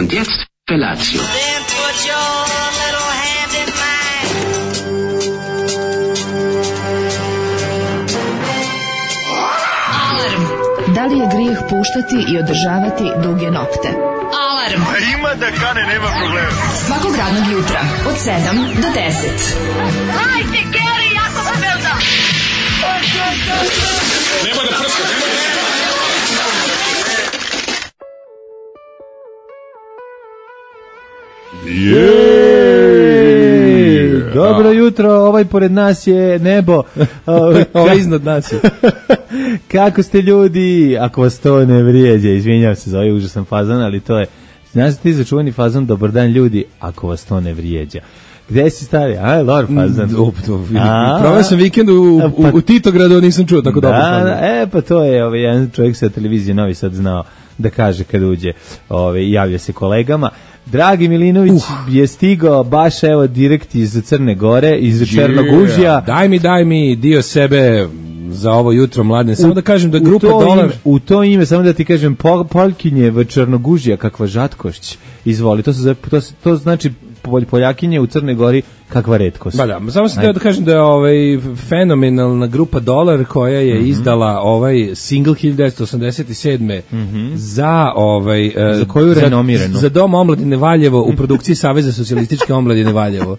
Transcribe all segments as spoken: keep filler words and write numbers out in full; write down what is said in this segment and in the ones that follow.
Und jetzt Felatio. Then put your little hand in mine. Alarm. Da li je grijeh puštati i održavati duge nokte? Alarm. A ima da kane, nema problema. Svakog radnog jutra od sedam do deset. Hajde, Geri, jako se velda. Nema da prska, nema da... Yeah. Dobro jutro, ovaj pored nas je nebo. Ovaj iznad nas je. Kako ste ljudi? Ako vas to ne vrijeđe, izvinjavam se za ovaj užasan fazan, ali to je, znaš ti za čuveni fazan, dobar dan ljudi, ako vas to ne vrijeđa. Gde si stari? A, lor fazan. Proveo sam vikend u, u, u Titogradu, nisam čuo tako dobro fazan. Da, e, pa to je ovaj, jedan čovjek sa televizije Novi Sad znao da kaže kad uđe, ovaj, javlja se kolegama. Dragi Milinović uh. je stigao baš evo direkt iz Crne Gore, iz yeah. Černogužja. Daj mi, daj mi dio sebe za ovo jutro, mladen. Samo u, da kažem da grupa Dolar... Ime, u to ime, samo da ti kažem, pol, Poljkinje v Černogužja, kakva žatkošć. Izvoli, to, su, to, to znači Poljakinje u Crnoj Gori, kakva retkost. Ba da, samo sam teo da kažem da je ovaj fenomenalna grupa Dolar koja je mm-hmm. izdala ovaj single hiljadu devetsto osamdeset sedme mm-hmm. za ovaj uh, za koju renomiranu? Za, za Dom omladine Valjevo u produkciji Saveza socijalističke omladine Valjevo.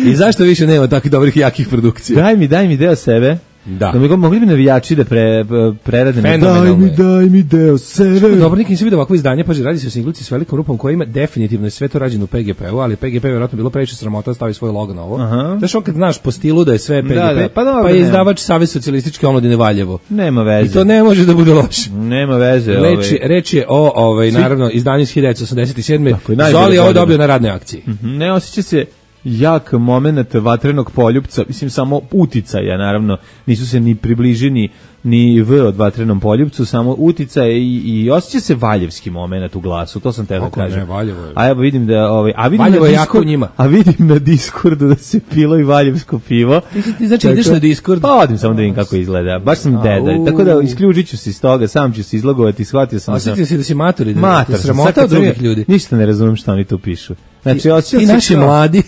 I zašto više nema takvih dobrih jakih produkcija? Daj mi, daj mi deo sebe. Da. Da mi go, mogli bi navijači da pre, prerade. Daj mi, daj mi deo sebe. Što dobro, nikad nisam vidio ovakvo izdanje, pa radi se o singlici s velikom rupom koja ima definitivno sve to rađeno u P G P-u, ali P G P je vjerojatno bilo previše sramota da stavi svoj logo na ovo. Znaš, on kad znaš po stilu da je sve P G P, da, da, pa, dobro, pa je izdavač Savez socijalističke omladine Valjevo. Nema veze. I to ne može da bude loše. Nema veze. Reč, ovaj. reč je o, ovaj, Svi... naravno, izdanju iz hiljadu devetsto osamdeset sedme. Zoli je ovo dobio na radnoj akciji. Mm-hmm. Ne osjeća se jak moment vatrenog poljupca, mislim samo uticaja, naravno, nisu se ni približeni ni V od vatrenom poljupcu, samo uticaje i, i osjeća se valjevski moment u glasu, to sam te da kažem. Ne, Valjevo je. A evo vidim da, ovaj, a vidim Valjevo na je jako u njima. A vidim na Discordu da se pilo i valjevsko pivo. Ti, ti znači ideš na Discord? Pa odim samo da vidim kako izgleda. Baš sam deda, tako da isključit ću se iz toga, sam ću se izlogovati, shvatio sam. Osjetio si da si mator i da mator, sramota od drugih ljudi. Ništa ne razumem šta oni tu pišu. Znači, osjećam ti se naši kao... mladi.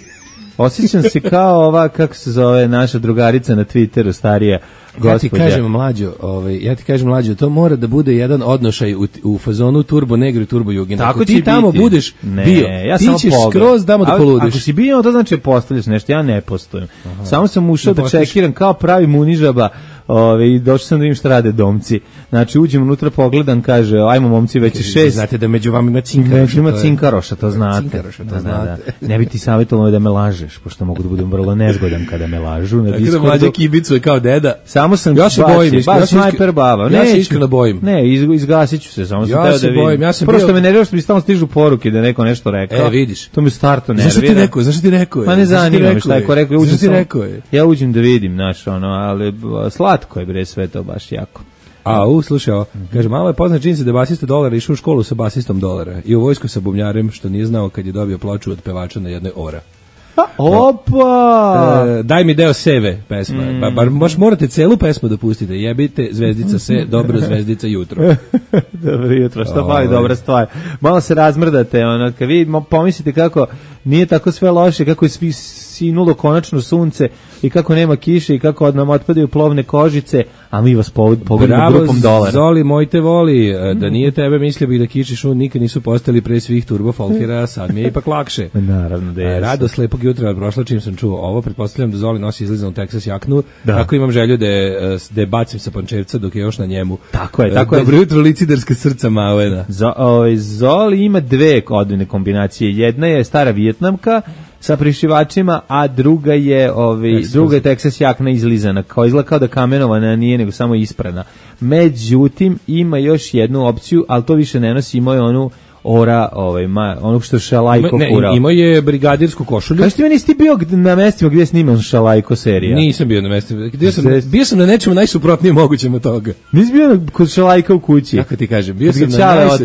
Osjećam se kao ova, kako se zove, naša drugarica na Twitteru, starija gospođa. Ja ti kažem, mlađo, ovaj, ja ti kažem, mlađo, to mora da bude jedan odnošaj u, u fazonu Turbo Negro i Turbo Jugend. Ako ti tamo biti. budeš ne, bio, ja ti ćeš skroz damo da poludiš. Ako si bio, to znači postavljaš nešto, ja ne postojem. Aha. Samo sam ušao da čekiram kao pravi munižaba. Ove, i došao sam da vidim šta rade domci. Znači, uđem unutra, pogledam, kaže, ajmo momci, već je šest. Znate da među vama ima cinkaroša. Među ima cinkaroša, to znate. Cinkaroša, to da, znate. Da, da. Ne bi ti savjetovalo da me lažeš, pošto mogu da budem vrlo nezgodan kada me lažu. Na Discordu. Da mlađe kibicu je kao deda. Samo sam ja se bojim, baš, baš snajper baba. Ja se iskreno bojim. Ne, iz, izgasit ću se, samo sam ja teo da vidim. Ja se Prvo što bio... me nervira što mi stalno stižu poruke da neko nešto rekao. E, vidiš. To me starto nervira. Zašto ti rekao? Zašto ti rekao? Pa ne zanima me šta je ko rekao. Ja uđem, ti rekao je? Ja uđem da vidim, znaš, ono, ali slatko je bre sve to baš jako. A, u, slušaj, o, kaže, malo je poznat činjenica da je basista Dolara išao u školu sa basistom Dolara i u vojsku sa bubnjarem, što nije znao kad je dobio ploču od pevača na jednoj ora. Opa! E, daj mi deo seve pesma. Mm. Ba, bar baš morate celu pesmu da pustite. Jebite, zvezdica se, dobro zvezdica jutro. Dobro jutro, što fali, dobra stvar. Malo se razmrdate, ono, kad vi pomislite kako nije tako sve loše, kako je svi sinulo konačno sunce i kako nema kiše i kako od nam otpadaju plovne kožice, a mi vas pogodimo grupom Dolara. Zoli, moj te voli, da nije tebe, mislio bih da kiši šun nikad nisu postali pre svih turbo folkera, sad mi je ipak lakše. Naravno da je. Rado slepog jutra prošla čim sam čuo ovo, pretpostavljam da Zoli nosi izlizanu Texas jaknu, da. Tako imam želju da je, da je bacim sa pančevca dok je još na njemu. Tako je, tako je. Dobro jutro, liciderska srca Malena. Zo, ovaj, Zoli ima dve odvojene kombinacije, jedna je stara vijetnamka sa prišivačima, a druga je ovaj druga je Texas jakna izlizana, kao izgleda kao da kamenovana nije, nego samo isprana. Međutim, ima još jednu opciju, ali to više ne nosi, ima je onu ora, ovaj, ma, onog što Šalajko furao. Ne, imao je brigadirsku košulju. Kaži ti meni, nisi bio na mestima gdje je sniman Šalajko serija? Nisam bio na mestima. Gdje sam, bio sam na nečemu najsuprotnije mogućem od toga. Nisi bio kod Šalajka u kući? Kako ti kažem, bio sam na najsu...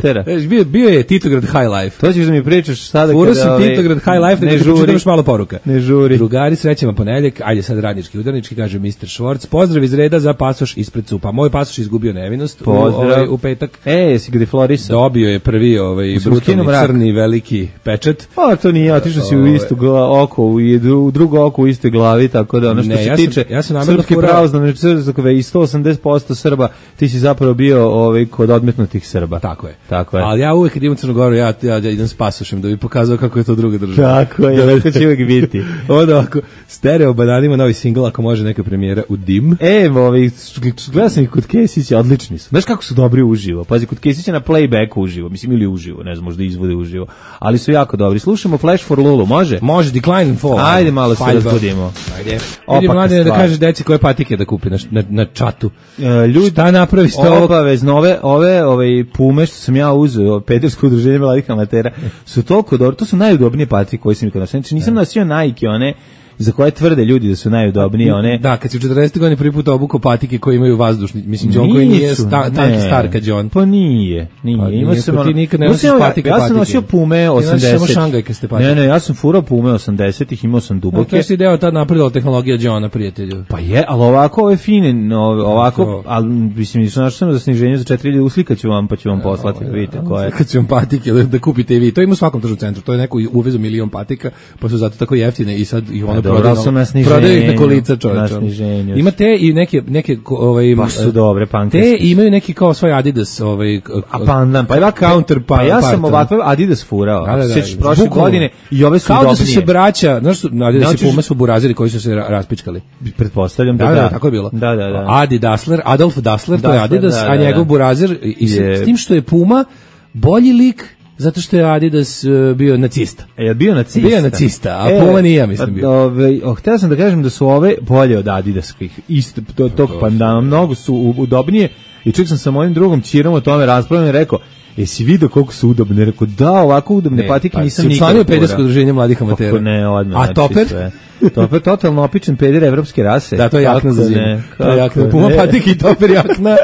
Bio, bio je Titograd High Life. To ćeš da mi pričaš sada Furo kada... Furo sam ovaj, Titograd High Life, ne žuri. Još malo poruka. Ne žuri. Drugari, srećan vam ponedeljak, ajde sad radnički udarnički, kaže mister Švorc. Pozdrav iz reda za pasoš ispred cupa. Moj pasoš izgubio nevinost u, ovaj, u petak. E, jesi ga deflorisao? Dobio je prvi ovaj ovaj brutalni crni veliki pečet. Pa to nije, otišao si u istu gla, oko, u, u drugo oko u istoj glavi, tako da ono što ne, se ja tiče sam, ja sam srpske pravoslavne crkve i sto osamdeset posto Srba, ti si zapravo bio ovaj, kod odmetnutih Srba. Tako je. Tako je. Ali ja uvek kad idem u Crnu Goru, ja, ja, ja idem s pasošem da bi pokazao kako je to druga država. Tako je, tako će uvek biti. Onda ovako, stereo bananima novi singl, ako može neka premijera u Dim. E, ovaj, gledao sam ih kod Kesića, odlični su. Znaš kako su dobri uživo? Pazi, kod Kesića na playbacku uživo, mislim ili uživo, ne znam, možda izvode uživo, ali su jako dobri. Slušamo Flash for Lulu, može? Može, Decline and Fall. Ajde malo se razbudimo. Ajde. Idi mladine da kažeš deci koje patike da kupi na, na, na čatu. E, ljudi, šta napravi s to? Obavezno, ove, ove, ove pume što sam ja uzeo, pedersko udruženje mladih amatera, su toliko dobro, to su najudobnije patike koje sam ikad nosio. Znači nisam nosio Nike, one za koje tvrde ljudi da su najudobnije, one. Da, kad si u četrdesetih godini prvi put obukao patike koje imaju vazdušni, mislim John koji nije sta, tanki star kad John. Pa nije, nije. Pa, Ima se ti nikad ne nosiš patike. Ja sam nosio Pume osamdeset. Ne, ne, ja sam furao Pume osamdesetih, imao sam duboke. To si deo tad napredila tehnologija Johna, prijatelju. Pa je, al ovako ove fine, ovako, al mislim što našao sam za sniženje za četiri hiljade, uslikaću vam pa ću vam poslati, vidite koje. Kad ću vam patike da kupite i vi. To ima u svakom tržnom centru. To je neko uvezo milion patika, pa su zato tako jeftine i sad ih ono prodaju ih na kolica, čovječe. Imate i neke neke ovaj baš su dobre pankerske. Te imaju neki kao svoj Adidas, ovaj a pandan, pa ima counter pa, pa ja sam ovakve Adidas furao. Da, da, da, Sećaš prošle godine i ove su kao udobnije. Da su se braća, znaš su Adidas i Puma su burazeri koji su se raspičkali. Pretpostavljam da da. Da, da, tako je bilo. Da, da, da. Adi Dassler, Adolf Dassler, to je Adidas, a njegov burazer i s tim što je Puma bolji lik zato što je Adidas uh, bio nacista. E, je bio nacista? Bio nacista, a e, Puma nije, ja mislim, bio. Ove, oh, htio sam da kažem da su ove bolje od Adidaskih, isto to, tog pandana, mnogo su udobnije i čak sam sa mojim drugom Čirom o tome raspravljeno i rekao, jesi vidio koliko su udobne? Rekao, da, ovako udobne ne, patike pa, nisam nikad. Si učlanio pedersko udruženje mladih amatera? Kako ne, odmah. A Toper? Sve. Toper totalno opičen peder evropske rase. Da, to je jakna za zimu. To je jakna. Puma patike i Toper jakna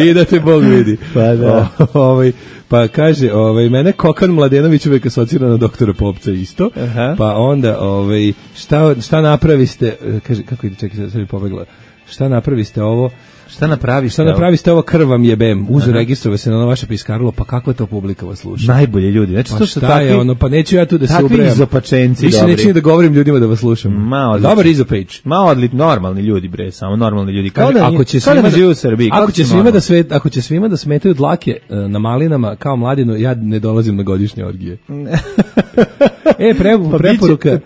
i da te Bog vidi. Pa da. O, ovaj, pa kaže, ovaj, mene Kokan Mladenović uvek asocira na doktora Popca isto. Aha. Pa onda, ovaj, šta, šta napraviste, kaže, kako ide, čekaj, sad mi pobegla, šta napraviste ovo, Šta napraviste? Šta napraviste ovo krv vam jebem? Uzu registrove se na ono vaše piskarilo, pa kakva to publika vas sluša? Najbolje ljudi. Znači pa to su takvi, je ono, pa neću ja tu da se ubrajam. Takvi izopačenci, više dobri. Više neću da govorim ljudima da vas slušam. Ma, dobar izopage. Ma, odlit, normalni ljudi, bre, samo normalni ljudi. Kao da, ako će svima da žive u Srbiji. Ako će svima da sve, ako će svima da smetaju dlake na malinama kao mladinu, ja ne dolazim na godišnje orgije. E, pre, pa preporuka.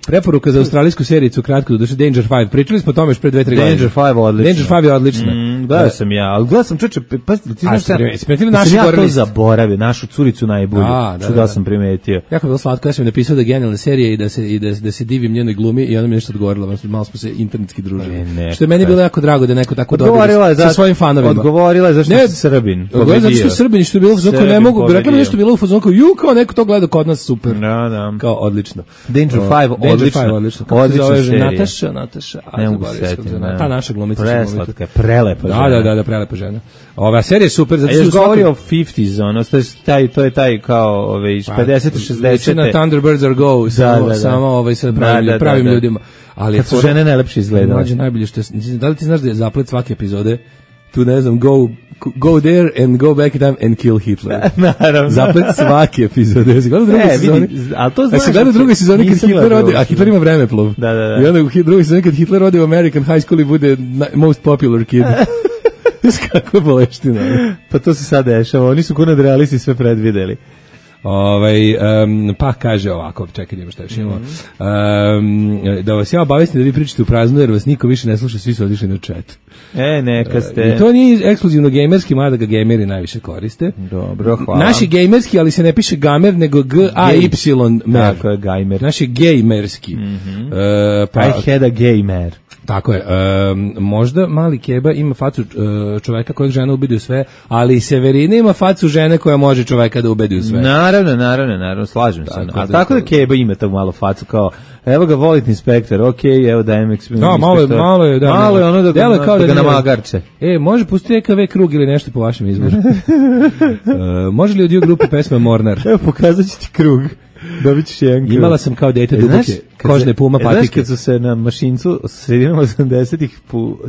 Preporuka za australijsku serijicu kratko do duše Danger five. Pričali smo o tome još pre dve tri godine. Danger five odlično. Danger five je odlična. Mm, gledao sam ja, ali gledao sam čoveče, pa ti znaš šta? Smetili naši ja to zaboravio, našu curicu najbolju. Što da sam primetio. Jako bilo slatko, ja sam napisao da je genijalna serija i da se i da, da se divim njenoj glumi i ona mi nešto odgovorila, malo smo se internetski družili. E, ne, što je meni bilo jako drago da je neko tako dobar sa svojim fanovima. Odgovorila je zašto je Srbin. Odgovorila zato što je Srbin, što je bilo zato ne mogu, rekla mi nešto bilo u fazonu, ju kao neko to gleda kod nas super. Da, da. Kao odlično. Danger five odlično. Odlična serija. Nataša, Nataša, ne mogu se setiti. Ta naša glumica. Preslatka, prelepa žena. Da, da, da, prelepa žena. Ova serija je super. Zato što govori o pedesetih, ono, taj, to je taj kao ove, iz pedeset šezdeset. Na Thunderbirds are go, samo ovaj, sa pravim ljudima. Kad su žene najlepše izgledale. Mlađe najbolje što je, da li ti znaš da je zaplet svake epizode tu ne znam, go go there and go back in time and kill Hitler. Naravno. Zaplet svake epizode. Jesi gledao drugu sezonu? A to znaš. Jesi gledao drugu sezonu kad Hitler ode, a Hitler ima vremeplov. Da, da, da. I onda u drugu sezonu kad Hitler ode u American High School i bude most popular kid. Kako boleština. Pa to se sad dešava. Oni su kod realisti sve predvideli. Ovaj um, pa kaže ovako, čekaj, ima šta još imamo. Um, da vas ja obavestim da vi pričate u prazno jer vas niko više ne sluša, svi su otišli na chat. E, neka ste. Uh, I to nije ekskluzivno gamerski, mada ga gameri najviše koriste. Dobro, hvala. Naši gamerski, ali se ne piše gamer, nego G A Y mer. Tako je, gamer. Naši gamerski. Mm-hmm. uh, pa, I had a gamer. Tako je. Um, možda mali Keba ima facu uh, čoveka kojeg žena ubedi u sve, ali Severina ima facu žene koja može čoveka da ubedi u sve. Naravno, naravno, naravno, slažem tako se. A da tako da Keba ima tako malo facu kao, evo ga volite inspektor, okej, okay, evo dajem inspektor. No, malo je, malo je, da. Malo je ono da ga, kao da, da ga namagarče. E, može pustiti E K V krug ili nešto po vašem izboru. uh, može li od dio grupe pesma Mornar? Evo, pokazat ću ti krug. Dobit ćeš jedan krug. Imala sam kao dete duboke kožne Puma patike. Znaš kad su se na mašincu sredinom osamdesetih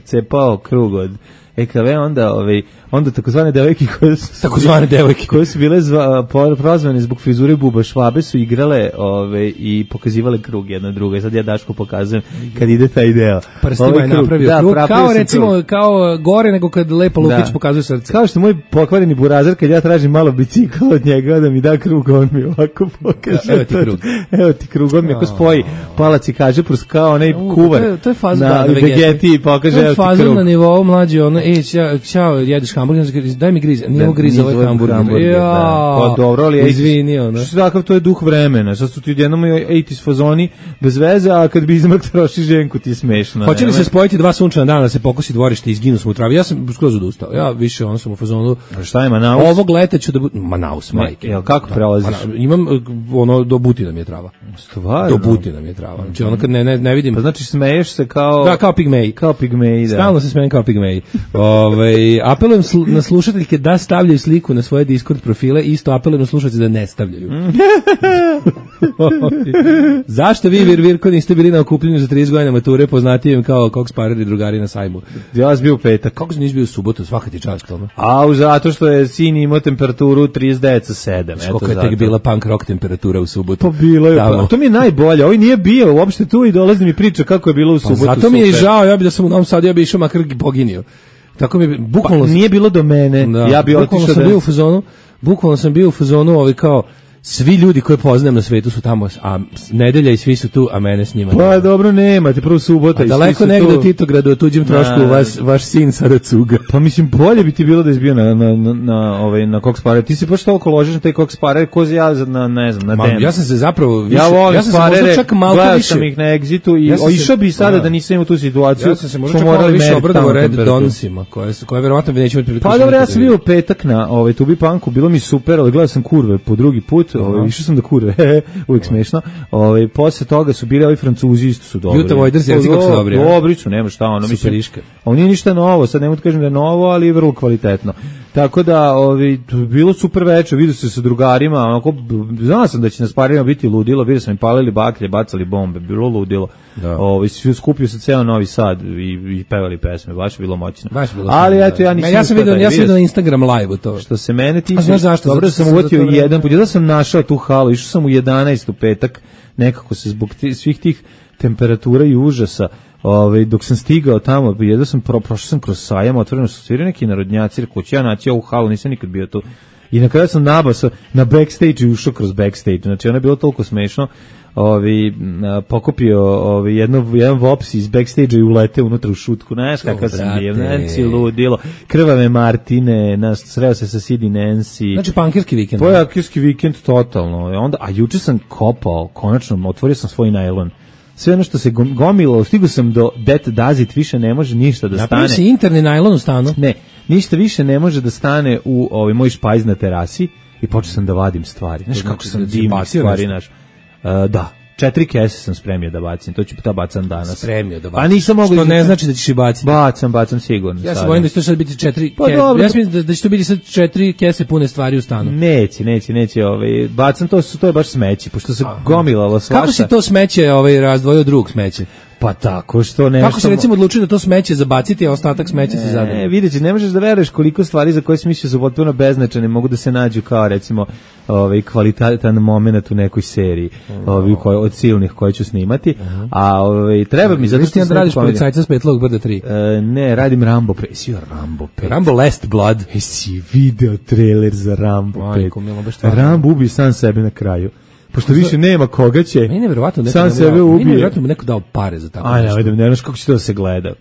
cepao krug od E K V, onda, ovaj, onda takozvane devojke koje su, takozvane devojke koje su bile zva, prozvane zbog frizure Buba Švabe su igrale ovaj, i pokazivale krug jedna druga. I sad ja Daško pokazujem kad ide taj deo. Prstima ovaj je napravio da, krug, kao recimo, krug. Kao gore nego kad Lepo Lukić da. pokazuje srce. Kao što moj pokvareni burazer, kad ja tražim malo bicikla od njega da mi da krug, on mi ovako pokaže. Da, evo ti krug. Evo ti krug, on mi ako spoji palac i kaže prus kao onaj kuvar to je, to je fazon, na da, Vegeti i pokaže evo ti krug. To je fazon na nivou mlađi, ono, ej, ćao, jedeš hamburger, daj mi griz, nije ovo griz, ovo je hamburger. hamburger ja, da. Pa dobro, ali izvini, ono. Što takav, to je duh vremena, sad su ti jednom ejtis fazoni bez veze, a kad bi izmrk troši ženku ti je smešno. Hoće li se spojiti dva sunčana dana da se pokosi dvorište i izginu smo u travi? Ja sam skroz odustao, ja više ono sam u fazonu. A šta je Manaus? Ovog leta ću da budem, Manaus, majke. Jel, kako prelaziš? Da, imam, ono, do Butina mi je trava. Stvarno? Do Butina mi je trava. Znači, ono kad ne, ne, ne vidim. Pa znači smeješ se kao... Da, kao pigmeji. Kao pigmeji, da. Stalno se smejem kao pigmeji. Ove, apelujem sl na slušateljke da stavljaju sliku na svoje Discord profile, isto apelujem na slušateljke da ne stavljaju. Zašto vi, Vir Virko, niste bili na okupljenju za trideset godina mature, poznatijim kao Cox Parer i drugari na sajmu? Ja sam bio u petak. Kako si nisi bio u subotu, svaka ti čast, ono? A, zato što je sin imao temperaturu trideset devet sa sedam. Koliko je tek bila punk rock temperatura u subotu? Pa bilo je, pa, to mi je najbolje, ovaj nije bio uopšte tu i dolazi mi priča kako je bilo u subotu. Pa zato mi je žao, ja bi da sam u Novom Sadu, ja bi išao makar poginio. Tako mi bukvalno pa, nije bilo do mene. Da, ja bi otišao sam da... bio u fazonu, bukvalno sam bio u fazonu, ovaj kao svi ljudi koje poznajem na svetu su tamo, a nedelja i svi su tu, a mene s njima. Pa nema. Dobro, nemate, prvo subota a i daleko svi su negde tu. U Titogradu, o tuđem trošku, na, vaš, vaš sin sada cuga. Pa mislim, bolje bi ti bilo da izbio na, na, na, na, ovaj, na Cox Parer. Ti se baš toliko ložiš na taj Cox Parer, ko ja na, ne znam, na Den. Ja sam se zapravo... Više, ja volim ja sam Parere, se čak malo gledao više. sam ih na Exitu i ja išao bi sada da nisam imao tu situaciju. Ja sam se možda čak malo više obradovao Red Donsima, koje, koje verovatno bi nećemo otprilike... Pa dobro, ja sam bio u petak na ovaj, Tubi Punku, bilo mi super, ali gledao sam kurve po drugi put, ovaj, išao sam da kurve, uvijek smešno. Ovaj posle toga su bili ovi Francuzi, isto su dobri. Juta Vojders, ja kako su dobri. Dobri su, nema šta, ono mislim. On nije ništa novo, sad ne mogu da kažem da je novo, ali je vrlo kvalitetno. Tako da, ovi bilo super večer, vidio se sa drugarima, onako znao sam da će na sparijama biti ludilo, vidio sam im palili baklje, bacali bombe, bilo ludilo. Da. Ovi svi skupio se ceo Novi Sad i, i pevali pesme, baš bilo moćno. Baš bilo. Ali eto ja nisam. Ja sam vidio, ja sam vidio na Instagram live to. Što se mene tiče, znaš zašto? Dobro sam uvatio jedan put, ja sam našao tu halu, išao sam u jedanaest u petak, nekako se zbog tih, svih tih temperatura i užasa, ovaj dok sam stigao tamo, jedao sam pro, prošao sam kroz sajam, otvoreno su svirali neki narodnjaci, rekao ću ja naći ovu halu, nisam nikad bio tu. I na kraju sam nabasao na backstage i ušao kroz backstage. Znači ono je bilo toliko smešno. Ovi pokupio ovi jedno jedan vops iz backstage-a i ulete unutra u šutku. Znaš kakav sam bio, Nancy ludilo. Krvave Martine, nas sreo se sa Sidi Nancy. Znači pankirski vikend. Pankirski vikend totalno. Onda a juče sam kopao, konačno otvorio sam svoj najlon. Sve ono što se gomilo, stigao sam do That Does It, više ne može ništa da stane. Napravio si interni najlon u stanu? Ne, ništa više ne može da stane u ovaj moj špajz na terasi i počeo sam da vadim stvari. Znaš kako znači, sam divnih stvari, naš. Uh, da, četiri kese sam spremio da bacim, to ću ta bacam danas. Spremio da bacim. A nisam mogu. Što ne znači da ćeš i baciti. Bacam, bacam sigurno. Ja se bojim da će to sad biti četiri pa kese. Ja mislim da, da će to biti sad četiri kese pune stvari u stanu. Neće, neće, neće, ovaj bacam to, to je baš smeće, pošto se Aha. gomilalo svašta. Kako si to smeće ovaj razdvojio od drugog smeće? Pa tako što nešto. Kako se recimo odlučio da to smeće zabaciti, a ostatak smeće se zadrži? Ne, vidite, ne možeš da veruješ koliko stvari za koje si mislio su potpuno beznačajne mogu da se nađu kao recimo ovaj kvalitetan momenat u nekoj seriji, ovaj koji od silnih koje ću snimati. Uh-huh. A ovaj treba mi zato što ti radiš policajca s Petlog brda tri. E, ne, radim Rambo pet. Si Rambo pet. Rambo Last Blood. E, si video trailer za Rambo pet. Rambo ubi sam sebe na kraju. Pošto više nema koga će. Meni je verovatno neko sam sebe ubije. Meni je verovatno neko dao pare za tako. Aj, ja vidim, ne znaš kako će to da se gleda.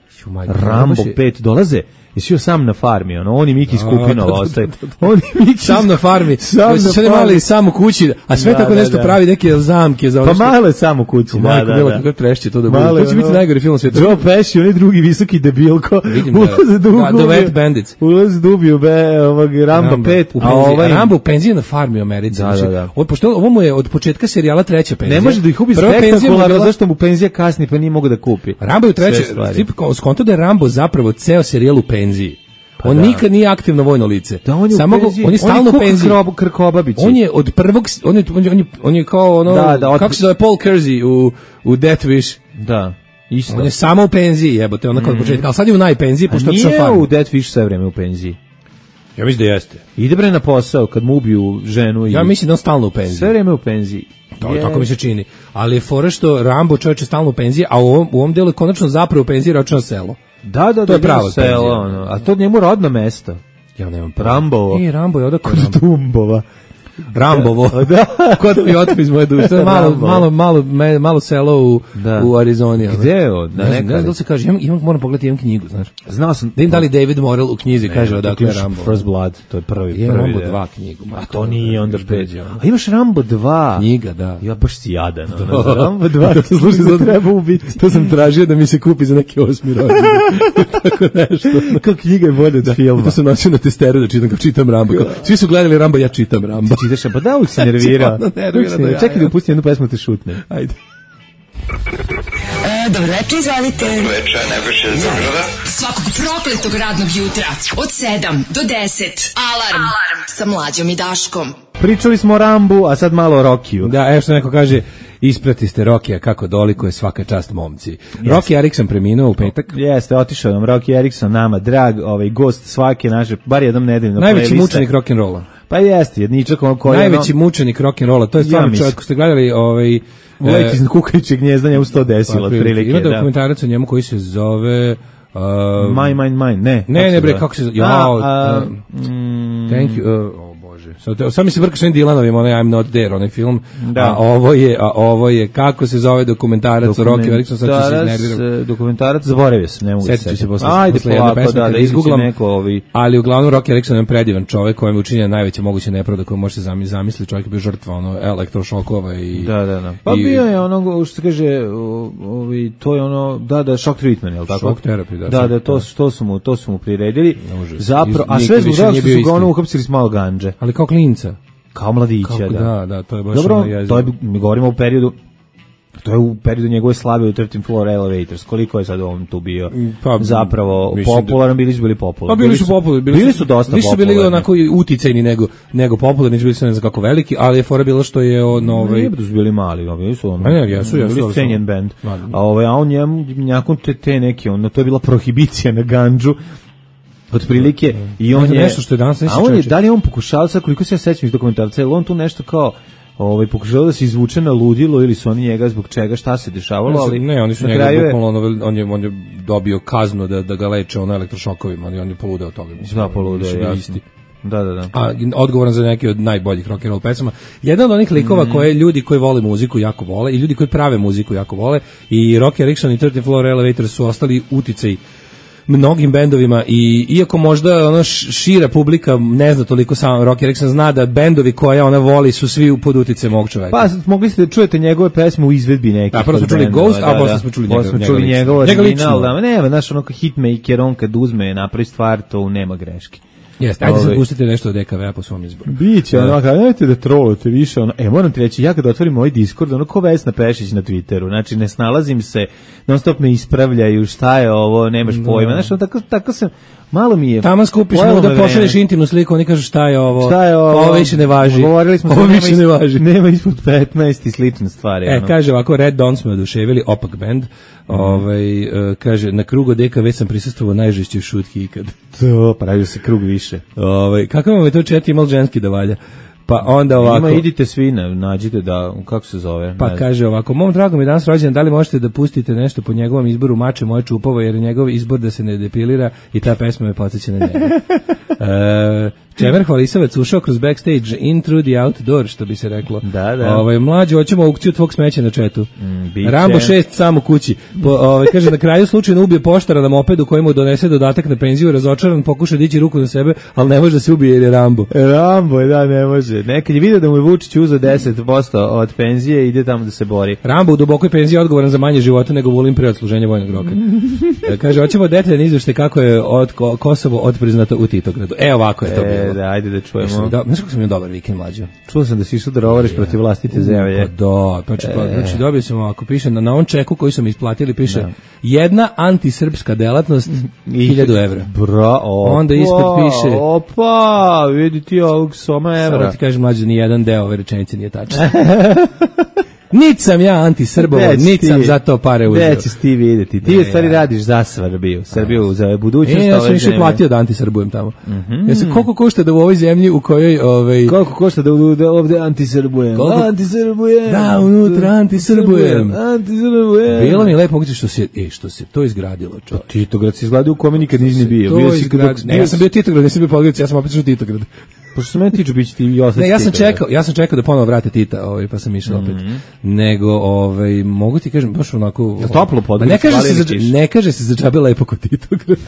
Rambo pet dolaze. Jesi sam na farmi, ono, oni Miki skupinova ostaju. Oni Miki sam na farmi. Sam se sve mali samo kući, a sve da, tako nešto da, da. pravi neke zamke za ono. Pa male samo kući, da, da, da. Bilo kako trešće to da bude. To će biti najgori film sveta. Joe Pesci, onaj drugi visoki debilko. Ulaze da ubiju. The Wet Bandits. Ulaze da ubiju be ovog Rambo pet, a ovaj Rambo penzija na farmi u Americi. Ovo pošto ovo mu je od početka serijala treća penzija. Ne može da ih ubi spektakularno, zašto mu penzija kasni pa nije mogu da kupi. Rambo je treća, tip skonto da je Rambo zapravo ceo serijal u penziji. Pa on da. nikad nije aktivno vojno lice. Da, on je samo go, on je stalno u penziji. Krkobabić. On je od prvog on je on je, on je kao ono da, da, od... kako se zove Paul Kersey u u Death Wish. Da. Isto. On je samo u penziji, jebote, onako od početka, ali sad je u najpenziji, pošto je nije u Dead Fish sve vreme u penziji. Ja mislim da jeste. Ide bre na posao kad mu ubiju ženu i... Ja mislim da on stalno u penziji. Sve vreme u penziji. To, yes. Tako mi se čini. Ali je fora što Rambo čovjek je stalno u penziji, a u ovom, u ovom delu je konačno zapravo u penziji ročno selo. Da, da, to je da, pravo selo, ono. A to njemu rodno mesto. Ja nemam Rambovo. E, Rambo je odakle kod Dumbova. Rambovo. Da. Kod mi otme iz moje duše. Malo, malo, malo, me, malo selo u, u Arizoni. Gde je on? Ne znam, ne znam da se kaže. Imam, imam, moram pogledati, imam knjigu, znaš. Znao sam. Da im da li David Morrell u knjizi ne, kaže odakle je Rambo. First Blood, to je prvi. Je prvi, Rambo dva knjigu. A to nije onda pet. A imaš Rambo dva. Knjiga, da. Ja baš si jadan. Rambo dva, to služi za treba ubiti. To sam tražio da mi se kupi za neki osmi rođendan. Tako nešto. Kao knjiga je bolje od filma. To sam nosio na testeru da čitam, kao čitam Rambo. Svi su gledali Rambo, ja čitam Rambo. Ti čitaš, pa da uvijek se nervira. nervira čekaj da upustim jednu pesmu te šutne. Ajde. E, dobro večer, izvalite. Dobro večer, Nebojša iz Beograda. Svakog prokletog radnog jutra od sedam do deset. Alarm, Alarm. Sa Mlađom i Daškom. Pričali smo o Rambu, a sad malo o Rokiju. Da, evo što neko kaže, isprati ste Rokija kako doliko je svaka čast momci. Yes. Rocky Erikson preminuo u petak. Jeste, otišao nam Rocky Erikson, nama drag, ovaj gost svake naše, bar jednom nedeljno. Najveći mučenik rock'n'rolla. Pa jeste, jedničak on koji najveći ono... mučenik rock'n'rolla, to je stvarno ja čovjek, ko ste gledali ovaj Lek iz kukajućeg gnjezdanja u sto desilo otprilike. Ima dokumentarac o njemu koji se zove uh, Mine, mine, mine, ne. Ne, ne bre, kako se zove? Jao, uh, mm, thank you. Uh, Sad so, mi se vrka s ovim Dylanovim, onaj I'm Not There, onaj film, da. a ovo je, a ovo je, kako se zove dokumentarac o Rocky Erikson, sad ću se iznerviram. Dokumentarac, zaboravio sam, ne mogu se setiti. Posle, Ajde, posle jedne pesme, da, da izgooglam, neko ovi... ali uglavnom Rocky Erikson je predivan čovjek kojem je učinjena najveća moguća nepravda koju može se zamisliti, čovjek je bio žrtva ono, elektrošokova i... Da, da, da. Pa i, bio je ono, što se kaže, ovi, to je ono, da, da, shock treatment, je li tako? Shock therapy, da. Da, da, to, to, su mu, to su mu priredili. Zapro, a sve zbog toga što su ga ono uhapsili s malo ganđe. Ali kao klinca. Kao mladića, Kako, da. Da, da, to je baš dobro, ono jezivo. To je, mi govorimo u periodu, to je u periodu njegove slave u thirteenth Floor Elevators. Koliko je sad on tu bio pa, zapravo popularan, bili su bili popularni. Pa bili su popularni. Bili, bili su dosta popularni. Bili su bili onako uticajni nego, nego popularni, bili su ne znam kako veliki, ali je fora bilo što je on... Ovaj... Ne, su bili mali, bili su ono... A ne, jesu, jesu. Bili cenjen band. A, ovaj, a on njemu, njakon te, te neke, ono, to je bila prohibicija na ganđu, otprilike i on je nešto što je danas a on je da li on pokušao sad koliko se ja sećam iz dokumentarca je on tu nešto kao ovaj pokušao da se izvuče na ludilo ili su oni njega zbog čega šta se dešavalo ali ne oni su njega bukvalno on je on je dobio kaznu da da ga leče on elektrošokovima on je poludeo od toga mislim da poludeo je isti da da da a odgovoran za neke od najboljih rock and roll pesama jedan od onih likova mm. koje ljudi koji vole muziku jako vole i ljudi koji prave muziku jako vole i Rocky Erikson i thirteenth Floor Elevators su ostali uticaji mnogim bendovima i iako možda ona šira publika ne zna toliko sam Rocky Erikson zna da bendovi koje ona voli su svi pod uticajem ovog čoveka. Pa mogli ste da čujete njegove pesme u izvedbi nekih. Da, prvo smo čuli Ghost, a posle smo čuli njegov, smo čuli njegov original, da, nema, znaš, ono hitmaker, on kad uzme napravi stvar, to nema greške. Jeste, ajde se pustite nešto od D K V-a po svom izboru. Biće, ono, kada nemojte da trolujete više, ono, e, moram ti reći, ja kada otvorim moj Discord, ono, ko Vesna Pešić na Twitteru, znači, ne snalazim se, non stop me ispravljaju, šta je ovo, nemaš pojma, znači, ono, tako, tako sam, malo mi je... Tamo skupiš mu da pošalješ intimnu sliku, oni kažu šta je ovo, šta je ovo, ovo više ne važi, govorili smo ovo više ne važi. Nema ispod petnaest i slične stvari. E, ono. kaže ovako, Red Dawn smo oduševili, opak band, mm. ovaj, uh, kaže, na krugu D K V sam prisustvovao najžešćoj šutki ikad. To, pravio se krug više. Ovaj, kako vam je to čet imao ženski da valja? Pa onda ovako... Ima, idite svi, nađite da, kako se zove? Pa kaže ovako, mom dragom je danas rođendan, da li možete da pustite nešto po njegovom izboru Mače moje čupovo, jer je njegov izbor da se ne depilira i ta pesma me podsjeća na njega. e, Čemer Hvalisavac ušao kroz backstage in through the outdoor, što bi se reklo. Da, da. Ovaj, mlađe, hoćemo aukciju tvog smeća na četu. Mm, Rambo šest sam u kući. Po, ovaj, kaže, na kraju slučajno ubije poštara na mopedu koji mu donese dodatak na penziju, razočaran, pokuša dići ruku na sebe, ali ne može da se ubije jer je Rambo. Rambo je, da, ne može. Nekad je vidio da mu je Vučić uzeo deset posto od penzije i ide tamo da se bori. Rambo u dubokoj penziji odgovoran za manje života nego Vulin pre odsluženja vojnog roka. Kaže, hoćemo detaljan izveštaj kako je od Kosovo odpriznato u Titogradu. E, ovako je to bilo. E, da, ajde da čujemo. Da, znaš kako sam imao dobar vikend, mlađo? Čuo sam da si išao da rovariš ja. protiv vlastite zemlje. Pa da, znači, pa, znači dobio sam ovako, piše, na, na on čeku koji sam isplatili, piše da. jedna antisrpska delatnost, hiljadu evra. Bra, opa, onda ispod piše... Opa, vidi ti ovog soma evra. Samo ti kažem, mlađo, ni jedan deo ove rečenice nije tačan. Nit sam ja anti-Srbovo, nit sam za to pare uzeo. Gde ćeš ti vidjeti? Ti u stvari radiš za Srbiju, Srbiju, za budućnost ove zemlje. E, ja sam više platio da anti-Srbujem tamo. Mm-hmm. Ja sam, koliko košta da u ovoj zemlji u kojoj... Ovaj, koliko košta da, da ovde anti-Srbujem? Koliko... Anti-Srbujem. Da, unutra anti-Srbujem. Anti-Srbujem. Bilo mi je lepo moguće što se, e, što se to izgradilo. Čo? Titograd se izgradio u kome nikad nisi bio. To bio izgrad... Ne, ja sam bio Titograd, nisam bio Podgorica, ja sam opet što Titograd. Pošto se mene tiče, bit će ti i ostati. Ne, ja sam čekao, ja sam čekao da ponovo vrate Tita, ovaj, pa sam išao opet. Mm-hmm. Nego, ovaj, mogu ti kažem, baš onako... Da toplo Podgorica, ne kaže se, za, ne kaže se za džabe lepo kod Titograd.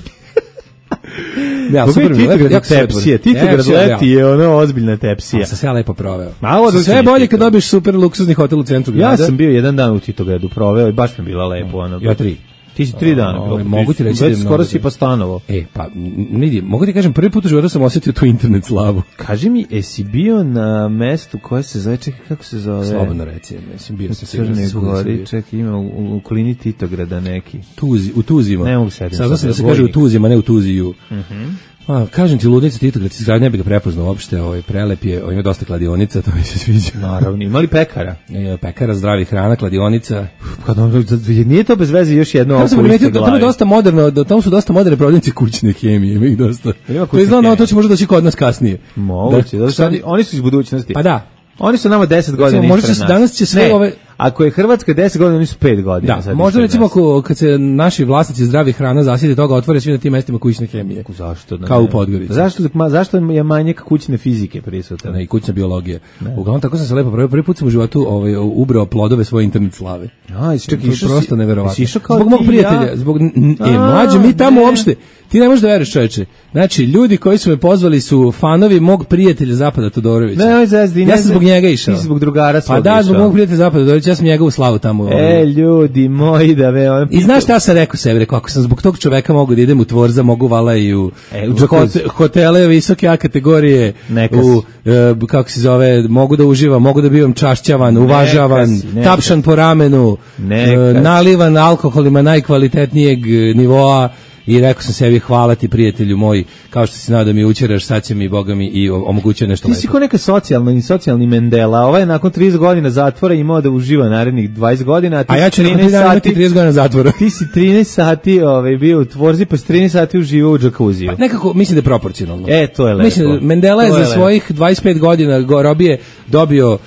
Ja, super, Titograd je tepsija, Titograd leti je ono ozbiljna tepsija. A sam se ja lepo proveo. Malo sve je bolje kad dobiješ super luksuzni hotel u centru grada. Ja sam bio jedan dan u Titogradu proveo i baš mi je bila lepo. Ono, ja tri. Ti si tri dana. O, mogu ti reći da je skoro si pa stanovo. E, pa, vidi, mogu ti kažem, prvi put u životu sam osjetio tu internet slavu. Kaži mi, jesi bio na mestu koje se zove, čekaj, kako se zove? Slobodno reci, mislim, bio sam Crne Gori, čekaj, ima u, u okolini Titograda neki. Tuzi, u Tuzima. Ne mogu sedim. Sada sam da se kaže u Tuzima, ne u Tuziju. Mhm. A, kažem ti, ludnica Titograd, izgrad ne bi ga prepoznao uopšte, ovaj, prelep je, ovaj, ima dosta kladionica, to mi se sviđa. Naravno, ima li pekara? E, pekara, zdravi hrana, kladionica. Kad on, nije to bez veze još jedno oko liste glavi. Tamo je dosta moderno, tamo su dosta moderne prodavnice kućne hemije, ima ih dosta. To je znao, to će možda doći kod nas kasnije. Moguće, da, da, oni su iz budućnosti. Pa da. Oni su nama deset godina ispred nas. Možda danas će sve ne, ove... Ako je Hrvatska deset godina, oni su pet godina. Da, možda recimo ako, kad se naši vlasnici zdravi hrana zasjeti toga, otvore svi na tim mestima kućne hemije. Zašto? Da kao u Podgorici. Zašto, ma, zašto je manjak kućne fizike prisutan? Ne, i kućna biologija. Uglavnom, tako sam se lepo prvi, prvi put sam u životu ovaj, ubrao plodove svoje internet slave. A, čekaj, išao prosto si, neverovatno. Zbog mog prijatelja. Ja? Zbog, e, mlađe, mi tamo ne. uopšte, ti ne možeš da veriš, čoveče. Znači, ljudi koji su me pozvali su fanovi mog prijatelja Zapada Todorovića. Ne, ne, zazdi, ja sam zbog njega išao. Ti si zbog drugara svog Pa da, zbog mog prijatelja Zapada Todorovića, ja sam njega u slavu tamo. E, ljudi moji, da ve... On I znaš šta ja sam rekao sebi? Rekao, ako sam zbog tog čoveka mogu da idem u Tvorza, mogu vala i u, e, u hot, hotele visoke A kategorije, Nekas. u, uh, kako se zove, mogu da uživam, mogu da bivam čašćavan, uvažavan, nekas, nekas. tapšan po ramenu, uh, nalivan alkoholima najkvalitetnijeg nivoa. I rekao sam sebi, hvala ti prijatelju moj, kao što si znao da mi učeraš, sad će mi Boga mi i omogućio nešto lepo. Ti si ko neka socijalna, socijalni Mendela, ovaj je nakon trideset godina zatvora imao da uživa narednih dvadeset godina, a, ti a ja ću trinaest sati trideset godina zatvora. Ti si trinaest sati ovaj, bio u Tvorzi, pa si trinaest sati uživao u džakuziju. Pa nekako, mislim da je proporcionalno. E, to je lepo. Mislim, Mendela je za lepo. svojih dvadeset pet godina go, robije dobio...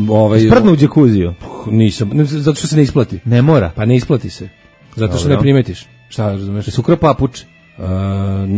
Ovaj, Sprdnu u džakuziju? Nisam, zato što se ne isplati. Ne mora? Pa ne isplati se, zato što Dobro. ne primetiš. Šta razumeš? Se ukrao papuč. Uh,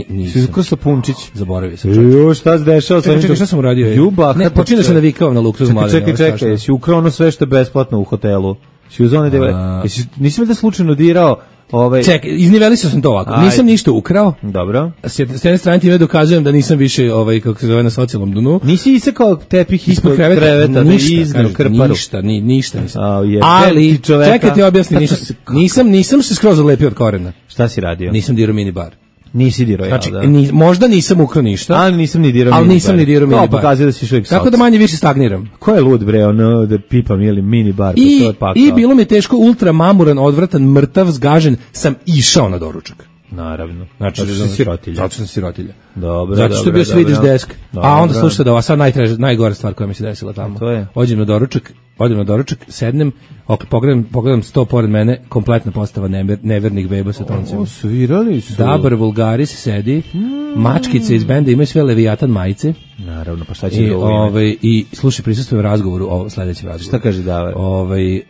nisam. Se ukrao Sapunčić. Zaboravio sam. Jo, šta se dešava sa njim? Šta sam uradio? Ljubav. Ne, počinio sam navikao na luksuz mladen. Čekaj, čekaj, čekaj, si ukrao ono sve što je besplatno u hotelu. Si uzeo one devete. Jesi nisam da slučajno dirao ovaj. Čekaj, iznivelisao sam to ovako. Aj. Nisam ništa ukrao. Dobro. S jedne strane time dokazujem da nisam više ovaj kako se zove na socijalnom dnu. Nisi isekao tepih ispod kreveta, kreveta ništa, da izneo krparu. Ništa, ni ništa nisam. A, je, ali čekaj ti objasnim, nisam, nisam nisam se skroz odlepio od korena. Šta si radio? Nisam dirao mini bar. Nisi dirao, znači, ja, da. Ni, možda nisam ukrao ništa. Ali nisam ni dirao ali nisam ni dirao mini bar. Pokazuje da si šuvijek Tako da manje više stagniram. Ko je lud bre, ono da pipam ili mini bar, I, to je pakao. I bilo mi je teško, ultra mamuran, odvratan, mrtav, zgažen, sam išao na doručak. Naravno. Znači, zato što si sirotilja. Zato što sam sirotilja. Dobro, zato što je bio Swedish desk. Dobro, a onda slušajte da ova sad najtraž, najgora stvar koja mi se desila tamo. To je. Ođem na doručak, odem na doručak, sednem, ok, pogledam, pogledam sto pored mene, kompletna postava never, nevernih beba sa toncima. O, svirali su. Dabar Vulgaris sedi, hmm. mačkice iz benda imaju sve Leviatan majice. Naravno, pa šta će I, ovaj, i slušaj, prisustvujem razgovoru o sledećem razgovoru. Šta kaže Davar? Ovaj,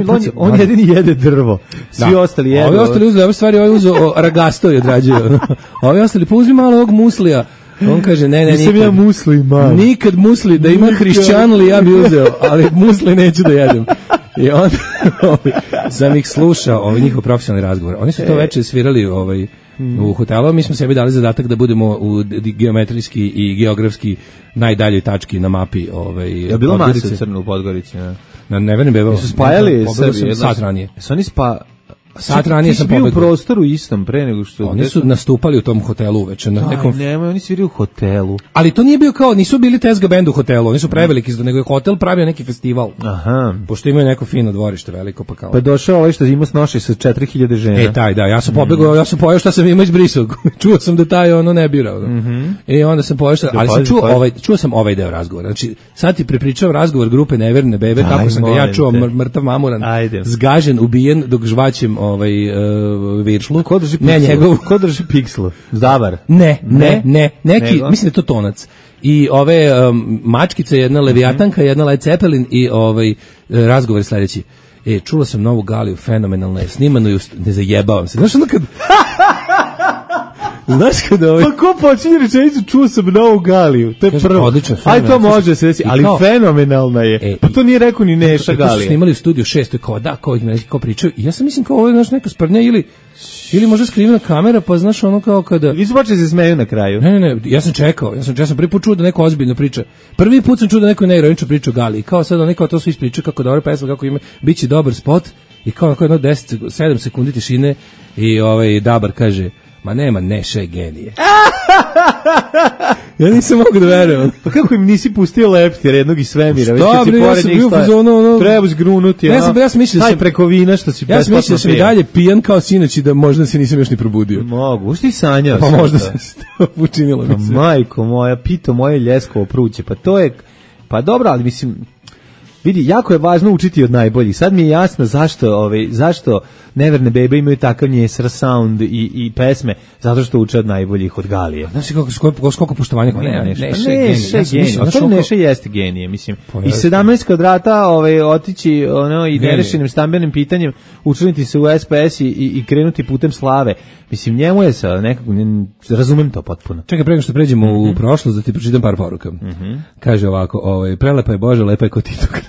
on, on jedini jede drvo, svi da. ostali jedu. Ovi ostali uzeli, ove stvari, ovaj uzeo ragasto i odrađuju. Ovi ostali, pa uzmi malo ovog muslija. On kaže, ne, ne, nisam nikad. ja musli, man. Nikad musli, da ima hrišćanli, ja bi uzeo, ali musli neću da jedem. I onda sam ih slušao, ovaj njihov profesionalni razgovor. Oni su to veče svirali ovaj, u hotelu, mi smo sebi dali zadatak da budemo u geometrijski i geografski najdaljoj tački na mapi. Ovaj, je bilo masa u Crnu u Podgorici, ne? Na Nevernim bebama. Su spajali Srbije sat ranije. Su oni spa... Sat ranije sam pobegao. Ti si bio u prostoru istom pre nego što... Oni su nastupali u tom hotelu uveče. Na nekom... Aj, nemoj, oni sviraju u hotelu. Ali to nije bio kao, nisu bili Tezga band u hotelu, oni su preveliki, nego je hotel pravio neki festival. Aha. Pošto imaju neko fino dvorište veliko, pa kao... Pa došao ovaj što ima snoši sa četiri hiljade žena. E, taj, da, ja sam pobegao, mm. ja sam pojao šta sam imao izbrisao. Čuo sam da taj ono ne birao. Mm -hmm. I onda sam pojao šta, ali sam čuo ovaj, čuo sam ovaj deo razgovora. Znači, sad ti prepričao razgovor grupe Neverne bebe, Aj, kako sam ga ja čuo, mr, mrtav mamuran, Ajde. zgažen, ubijen, dok žvaćem ovaj, uh, viršlu. Ko drži pikslu? Ne, njegov... Ko drži pikslu? Zavar? Ne, ne, ne, neki, Nego? mislim da je to tonac. I ove um, mačkice, jedna Leviatanka, mm -hmm. jedna Led Zeppelin i ovaj, razgovor sledeći. E, čula sam novu Galiju, fenomenalna je, snimano i ne zajebavam se. Znaš ono kad... Znaš kada ovaj... Pa ko počinje rečenicu, čuo sam novu Galiju, to je Kaže, prvo. Odlično, aj to može se reći, ali kao, fenomenalna je. E, pa to nije rekao ni Neša Galija. To su snimali u studiju šest, to je kao da, kao ih neki kao pričaju. I ja sam mislim kao ovo je znaš neka sprnja ili ili možda skrivena kamera, pa znaš ono kao kada... Vi su počeli se smeju na kraju. Ne, ne, ne, ja sam čekao, ja sam, ja sam prvi put čuo da neko ozbiljno priča. Prvi put sam čuo da neko neironično priča o Galiji. Kao sad neko to sve ispriča kako dobra pesma, kako ima, biće dobar spot i kao ako jedno deset, sedam sekundi tišine i ovaj Dabar kaže ma nema Neše genije. Ja nisam mogu da verujem. Pa kako im nisi pustio leptir jednog iz svemira? Već kad si pored ja njih stoje, ono, ono, treba zgrunuti. Ja sam, ja sam mislio da sam preko vina što si ja sam mislio da sam i dalje pijan kao sinoć i da možda se nisam još ni probudio. Mogu, ušti sanjao pa možda se to učinilo. Pa majko moja, pito moje ljeskovo pruće. Pa to je, pa dobro, ali mislim... Vidi, jako je važno učiti od najboljih. Sad mi je jasno zašto, ovaj, zašto Neverne bebe imaju takav njesar sound i, i pesme, zato što uče od najboljih, od Galije. Znaš kako, koliko, koliko poštovanja kako nema Neša. Neša je genije. Neša, Neša jeste genije, mislim. I sedamnaest kvadrata ovaj, otići ono, i nerešenim stambenim pitanjem, učiniti se u S P S i, i krenuti putem slave. Mislim, njemu je sa nekako, razumem to potpuno. Čekaj, prego što pređemo mm -hmm. u prošlost, da ti pročitam par poruka. Mm -hmm. Kaže ovako, ovaj, prelepa je Bože, lepa je ko Titokrat.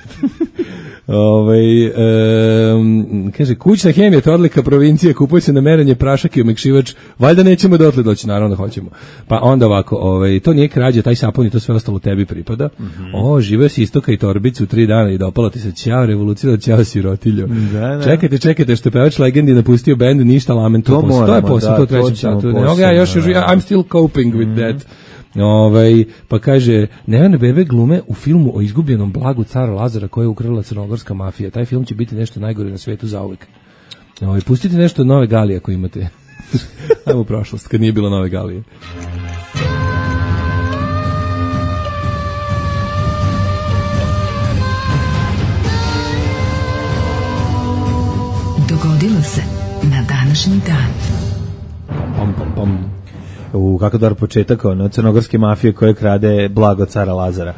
Ovaj um, kaže kućna hemija to odlika provincije, kupuje se na merenje prašak i omekšivač, valjda nećemo dotle doći, naravno da hoćemo. Pa onda ovako, ovaj to nije krađa, taj sapun i to sve ostalo tebi pripada. Mm -hmm. O, živeo si istoka i torbicu tri dana i dopalo ti se, ćao revolucija, ćao sirotiljo. Da, da. Čekajte, čekajte, što pevač legendi napustio bend, ništa lament, to, to, to je posle, da, to trećem satu. Ne, ja još, još I'm still coping with mm -hmm. that. Ovaj, pa kaže, Neverne bebe glume u filmu o izgubljenom blagu cara Lazara koje je ukrala crnogorska mafija. Taj film će biti nešto najgore na svetu zauvek. Ovaj, pustite nešto od Nove Galije ako imate. Ajmo u prošlost, kad nije bilo Nove Galije. Dogodilo se na današnji dan. Pom, pom, pom. U kako dobar početak ono, crnogorske mafije koje krade blago cara Lazara.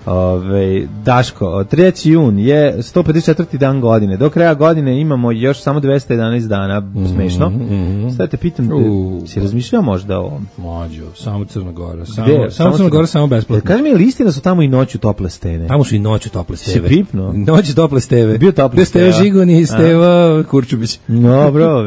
Ove, Daško, treći jun je sto pedeset četvrti dan godine. Do kraja godine imamo još samo dvesta jedanaest dana, smešno. Mm -hmm. Sada te pitam, uh, si razmišljao možda o ovom? Mlađo, samo Crna Gora. Samo, samo, samo Crna Gora, samo besplatno. Kaži mi, ili istina su tamo i noću tople stene? Tamo su i noću tople steve. Si pipno? Noću tople steve. Bio tople steve. Steve Žigoni i Steva Kurčubić. No, bro,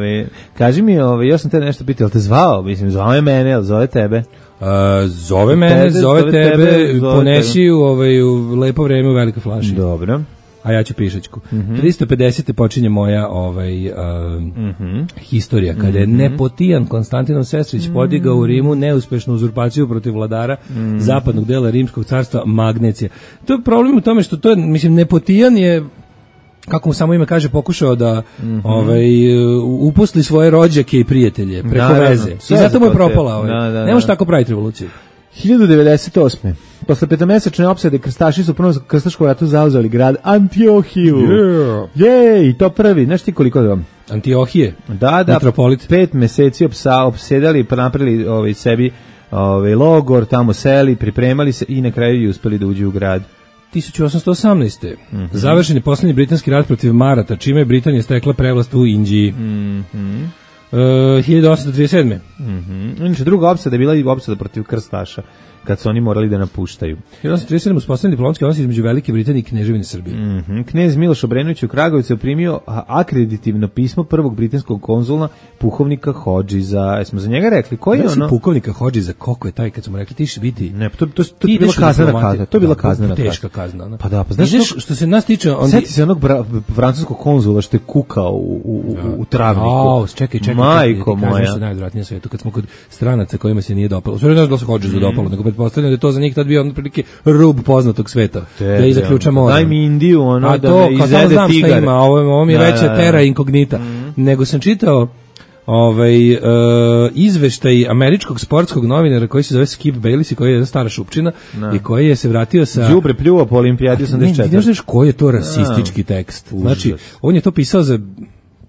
kaži mi, ove, još sam te nešto pitao, ali te zvao? Mislim, zvao je mene, ali zove tebe? Uh, zove mene, tebe, zove, zove tebe, tebe zove ponesi tebe. U, ovaj, u lepo vreme u velike flaši. Dobro. A ja ću pišačku. Mm -hmm. tristo pedeset počinje moja ovaj, uh, mm -hmm. historija, kada je mm -hmm. nepotijan Konstantinov Sestrić mm -hmm. podigao u Rimu neuspešnu uzurpaciju protiv vladara mm -hmm. zapadnog dela Rimskog carstva Magnecija. To je problem u tome što to je, mislim, nepotijan je, kako mu samo ime kaže, pokušao da mm -hmm. ovaj, uposli svoje rođake i prijatelje preko da, veze. I zato mu je propala. Ovaj. Da, da, ne može tako praviti revoluciju. hiljadu devedeset osme Posle petomesečne opsade krstaši su u prvom krstaškom ratu zauzeli grad Antiohiju. Yeah. Jej, to prvi. Znaš ti koliko da vam? Antiohije? Da, da. Metropolit. Pet meseci opsa, opsedali, napravili ovaj, sebi ovaj, logor, tamo seli, pripremali se i na kraju i uspeli da uđu u grad. hiljadu osamsto osamnaeste Mm -hmm. Završen je poslednji britanski rat protiv Marata, čime je Britanija stekla prevlast u Indiji. Mm -hmm. uh, hiljadu osamsto trideset sedme Mm -hmm. Inače, druga opsada je bila i opsada protiv krstaša. kad su oni morali da napuštaju. hiljadu osamsto trideset sedam uspostavljen diplomatski odnos između Velike Britanije i Kneževine Srbije. Mm-hmm. Knez Miloš Obrenović u Kragujevcu je primio akreditivno pismo prvog britanskog konzula pukovnika Hodžiza. Jesmo za njega rekli koji je ono? Pukovnika Hodžiza, koliko je taj kad smo rekli ti će biti? Ne, to to to je bila kaznena kazna. To je bila kaznena kazna. Teška kazna, ona. Pa da, pa znaš što, što se nas tiče, on sjeti se onog francuskog konzula što je kukao u u u, u travniku. Au, čekaj, čekaj. Majko moja. moja. Što je najodvratnije na svetu kad smo kod stranaca kojima se nije dopalo. Sve ne znam da se Hodžizu mm. dopalo, nego pretpostavljam da je to za njih tad bio otprilike rub poznatog sveta. Te, da i zaključamo. Daj mi Indiju, ono a da to, me izede tigar. Ima, ovo, ovo mi je da, veća da, da. terra incognita. Mm. Nego sam čitao ovaj uh, izveštaj američkog sportskog novinara koji se zove Skip Bayless i koji je jedna stara šupčina no. i koji je se vratio sa đubre pljuo po olimpijadi osamdeset četvrte. Ne znaš koji je to rasistički tekst. Užas. Znači, on je to pisao za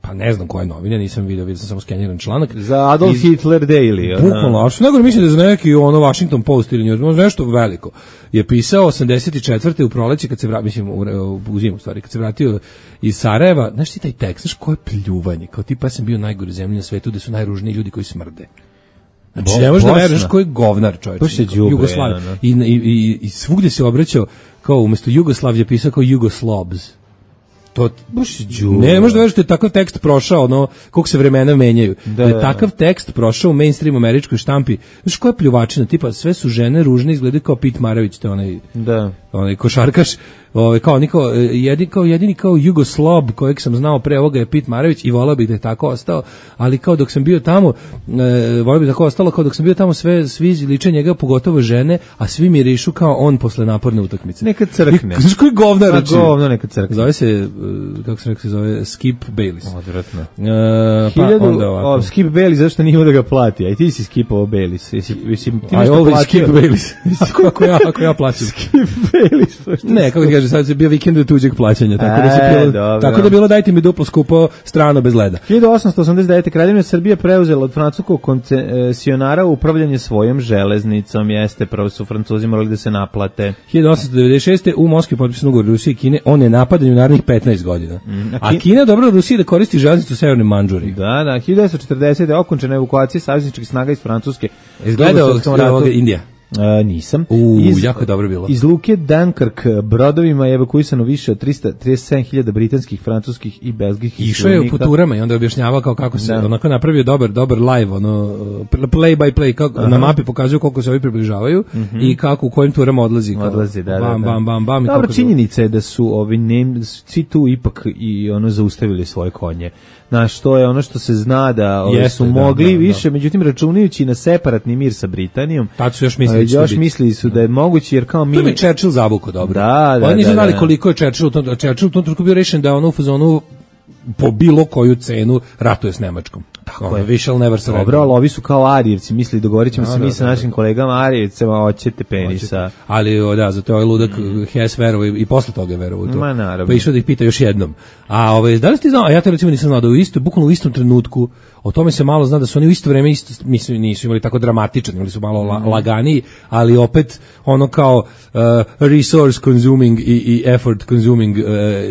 pa ne znam koje novine, nisam video, vidio sam samo skeniran članak. Za Adolf iz, Hitler Daily. Bukvalno, a što nego mislim da je za neki ono Washington Post ili New York, nešto veliko. Je pisao osamdeset četvrte u proleće kad se vratio, mislim u, u zimu stvari, kad se vratio iz Sarajeva, znaš ti taj tekst, znaš koje pljuvanje, kao tipa ja sam bio najgore zemlje na svetu, gde su najružniji ljudi koji smrde. Znači, Bo, ne možeš da veruješ koji govnar čovječ. Jugoslav. I, i, i, I svugde se obraćao, kao umjesto Jugoslav je pisao kao Jugoslobs. To baš ne možeš da veruješ da je takav tekst prošao, ono koliko se vremena menjaju. Da, da je takav tekst prošao u mainstream američkoj štampi. Znaš koja pljuvačina, tipa sve su žene ružne, izgledaju kao Pete Maravić, to onaj da. onaj košarkaš. Ovaj kao niko jedini kao jedini kao Jugoslob kojeg sam znao pre ovoga je Pete Maravić i voleo bih da je tako ostao, ali kao dok sam bio tamo e, voleo bih da tako ostalo, kao dok sam bio tamo sve svi liče njega, pogotovo žene, a svi mirišu kao on posle naporne utakmice. Neka crkne. Znaš koji govnar reči? Govno neka crkne. Zove se kako se rekao se zove Skip Bayless. Odvratno. E, pa Hiljadu, onda ovako. O, Skip Bayless zašto nije da ga plati? Aj ti si skipovao Bayless. Jesi mislim ti nešto platio? Skip Bayless. Kako ja ako ja plaćam. Skip Bayless. Ne, kako kaže sad se bio vikend tuđeg plaćanja, tako da se bilo, dobro. tako da bilo dajte mi duplo skupo strano bez leda. hiljadu osamsto osamdeset devete. Kraljevina Srbije preuzela od francuskog koncesionara upravljanje svojom železnicom. Jeste, prvo su Francuzi morali da se naplate. hiljadu osamsto devedeset šeste. u Moskvi potpisan ugovor Rusije i Kine o nenapadanju narednih petnaest godina. Mm, a, a Kina dobro Rusiji da koristi železnicu u Severnoj Mandžuriji. Da, da, hiljadu devetsto četrdesete. okončana evakuacija savezničkih snaga iz Francuske. Izgledao ovoga Indija. Uh, nisam. U, iz, jako je dobro bilo. Iz luke Dunkirk brodovima je evakuisano više od trista trideset sedam hiljada britanskih, francuskih i belgijskih. Išao je u turama i onda je objašnjavao kao kako se, da. onako napravio dobar, dobar live, ono, play by play, kako, na mapi pokazuju koliko se ovi približavaju mm-hmm. i kako u kojim turama odlazi. Kao, odlazi, da, bam, da, da. bam, bam, bam. Dobro, činjenica je da su ovi nem, svi tu ipak i ono zaustavili svoje konje. Znaš, to je ono što se zna da ove, Jeste, su da, mogli da, da, više, međutim računajući na separatni mir sa Britanijom. Tad su još mislili, još mislili su da je moguće jer kao mi to je Churchill zavuko dobro. Da, da, Oni nisu da, znali da. koliko je Churchill, to Churchill u tom trenutku bio rešen da ono u fazonu po bilo koju cenu ratuje s Nemačkom. Tako je, we shall never surrender. Dobro, ali ovi su kao Arijevci, misli dogovorit ćemo no, se mi da, sa našim da, kolegama Arijevcima, hoćete penisa. Hoćete. Ali, da, zato ovaj ludak mm. Hess verovo i posle toga je verovo to. Ma, naravno. Pa išao da ih pita još jednom. A ovaj, da li ste znao, a ja te recimo nisam znao da u isto, bukvalno u istom trenutku, o tome se malo zna da su oni u isto vreme isto, mislim, nisu imali tako dramatičan, imali su malo la, laganiji, ali opet ono kao uh, resource consuming i, i effort consuming uh,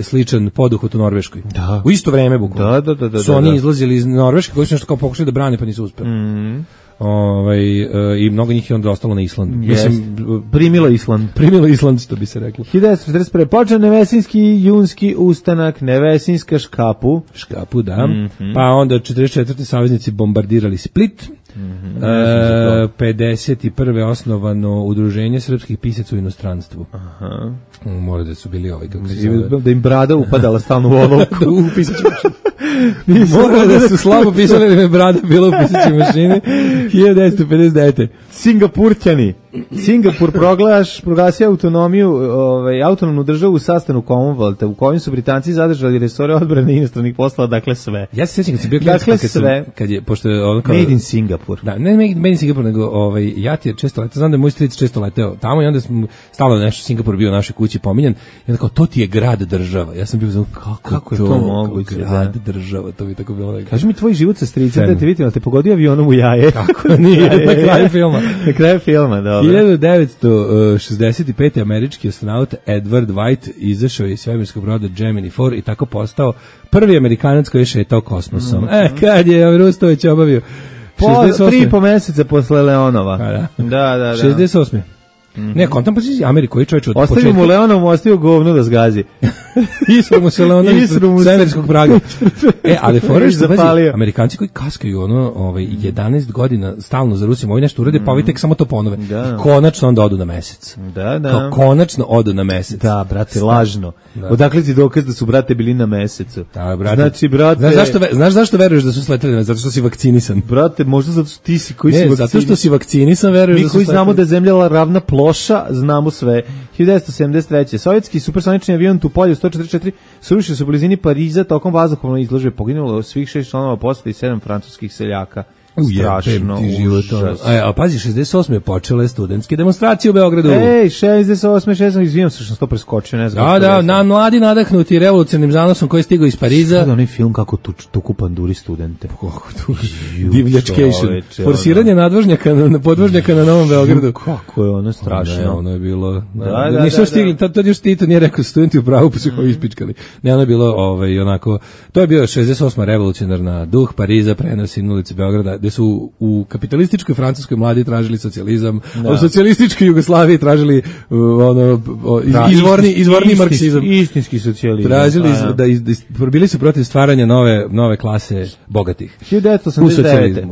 sličan poduhvat u Norveškoj. Da. U isto vreme bukvalno. Da, da, da, da, su oni izlazili iz Norveške koji su nešto kao pokušali da brane pa nisu uspeli. Mm. Ovaj uh, i mnogo njih je onda ostalo na Islandu. Yes. Mislim primilo Island, primilo Island što bi se reklo. hiljadu devetsto četrdeset prve. počeo Nevesinski junski ustanak, Nevesinska škapu, škapu da. Mm-hmm. Pa onda četrdeset četvrte saveznici bombardirali Split. Mm-hmm. E, pedeset prve osnovano udruženje srpskih pisaca u inostranstvu. Aha. Mora da su bili ovaj kako se zove. Da im brada upadala stalno u olovku. U pisaću mašinu. Mora da su slabo pisali ili me brada bila u pisaćoj mašini. hiljadu devetsto pedeset devete. Singapurćani. Singapur proglaš, proglasio autonomiju, ovaj, autonomnu državu u sastanu Commonwealtha, u kojem su Britanci zadržali resore odbrane i inostranih poslova, dakle sve. Ja se sjećam kad se bio dakle kad sve. Sam, kad je, pošto je ono kao... Made in Singapur. Da, ne Made in Singapur, nego ovaj, ja ti je često letao, znam da je moj stric često leteo tamo i onda smo stalo nešto Singapur bio u našoj kući pominjan i onda kao, to ti je grad država. Ja sam bio znam, kako, kako je to, to moguće, grad da. država, to bi tako bilo. Nekako. Kaži mi tvoj život sa stricem, da te vidim, ali te pogodio avionom u jaje. Kako nije, na kraju filma. Na kraju filma, dobro. hiljadu devetsto šezdeset pete. američki astronaut Edward White izašao iz svemirskog broda Gemini četiri i tako postao prvi Amerikanac koji je šetao kosmosom. Mm-hmm. E, kad je Rustović obavio Po, tri i po meseca posle Leonova. Pa da. Da, da, da. šezdeset osme Mm-hmm. Ne, kontam pa si Ameriku, koji čovječ od početka. Ostavio mu Leonom, ostavio govno da zgazi. Isro mu se Leonom iz severskog Praga. E, ali fora što pazi, Amerikanci koji kaskaju ono, ovaj, jedanaest godina stalno za Rusijom, ovi nešto urede, pa ovi tek samo to ponove. Da. Konačno onda odu na mesec. Da, da. Kao konačno odu na mesec. Da, brate, lažno. Da. Odakle ti dokaz da su, brate, bili na mesecu? Da, brate. Znači, brate... Znaš zašto, znaš zašto veruješ da su sleteli na mesec? Zato što si vakcinisan. Brate, možda zato što ti si koji ne, si vakcinisan. Zato što si vakcinisan, veruješ mi da su koji znamo da je zemlja ravna ploša, znamo sve. hiljadu devetsto sedamdeset treće Sovjetski supersonični avion Tupolev sto četrdeset četiri srušio se u blizini Pariza tokom vazduhoplovne izložbe. Poginulo svih šest članova posade i sedam francuskih seljaka. Strašno, užas. A, a pazi, šezdeset osme je počele studentske demonstracije u Beogradu. Ej, šezdeset osme šezdeset izvijem se što sam to preskočio, ne znam. Da, da, na mladi nadahnuti revolucionarnim zanosom koji je stigao iz Pariza. Sada onaj film kako tu, tuku panduri studente. Kako tu, divljačcation. Forsiranje nadvožnjaka na podvožnjaka na Novom Beogradu. Kako je ono strašno. Da, ono je bilo, da, da, da, nisu stigli, tad to još Tito nije rekao studenti u pravu, pa su kao ispičkali. Ne, ono je bilo, ovaj, onako, to je bio šezdeset osma revolucionarna duh Pariza, prenosi na ulici Beograda, gde su u kapitalističkoj Francuskoj mladi tražili socijalizam, a u socijalističkoj Jugoslaviji tražili uh, ono iz, da, izvorni istinski, izvorni marksizam, istinski socijalizam. Tražili a, da iz, da bili su protiv stvaranja nove nove klase bogatih. hiljadu devetsto osamdeset devete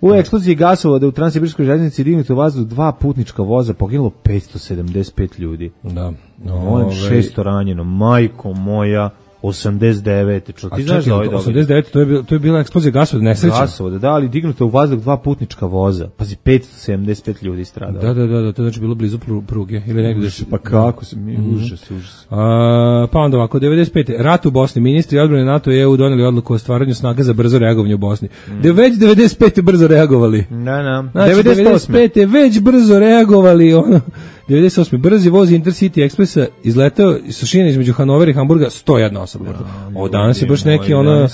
U eksploziji gasovoda u Transsibirskoj željeznici dignuto u vazduh dva putnička voza, poginulo petsto sedamdeset pet ljudi. Da. No, šesto ranjeno, majko moja. osamdeset devete Čo, ti znaš da ovaj događaj? osamdeset devete to je bila, to je bila eksplozija gasovoda, nesreća. Gasovoda, da, ali dignuto u vazduh dva putnička voza. Pazi, petsto sedamdeset pet ljudi stradalo. Da, da, da, da, to znači bilo blizu pruge ili negdje. Pa kako se mi, mm-hmm. užas, užas. A, pa onda ovako, devedeset pete rat u Bosni, ministri odbrane NATO i E U doneli odluku o stvaranju snaga za brzo reagovanje u Bosni. Mm. De već devedeset pete brzo reagovali. Da, da. Znači, devedeset pete već brzo reagovali, ono. devedeset osme brzi voz Intercity Expressa izletao sa šine između Hanovera i Hamburga sto jedna osoba. Ovo danas je baš neki ono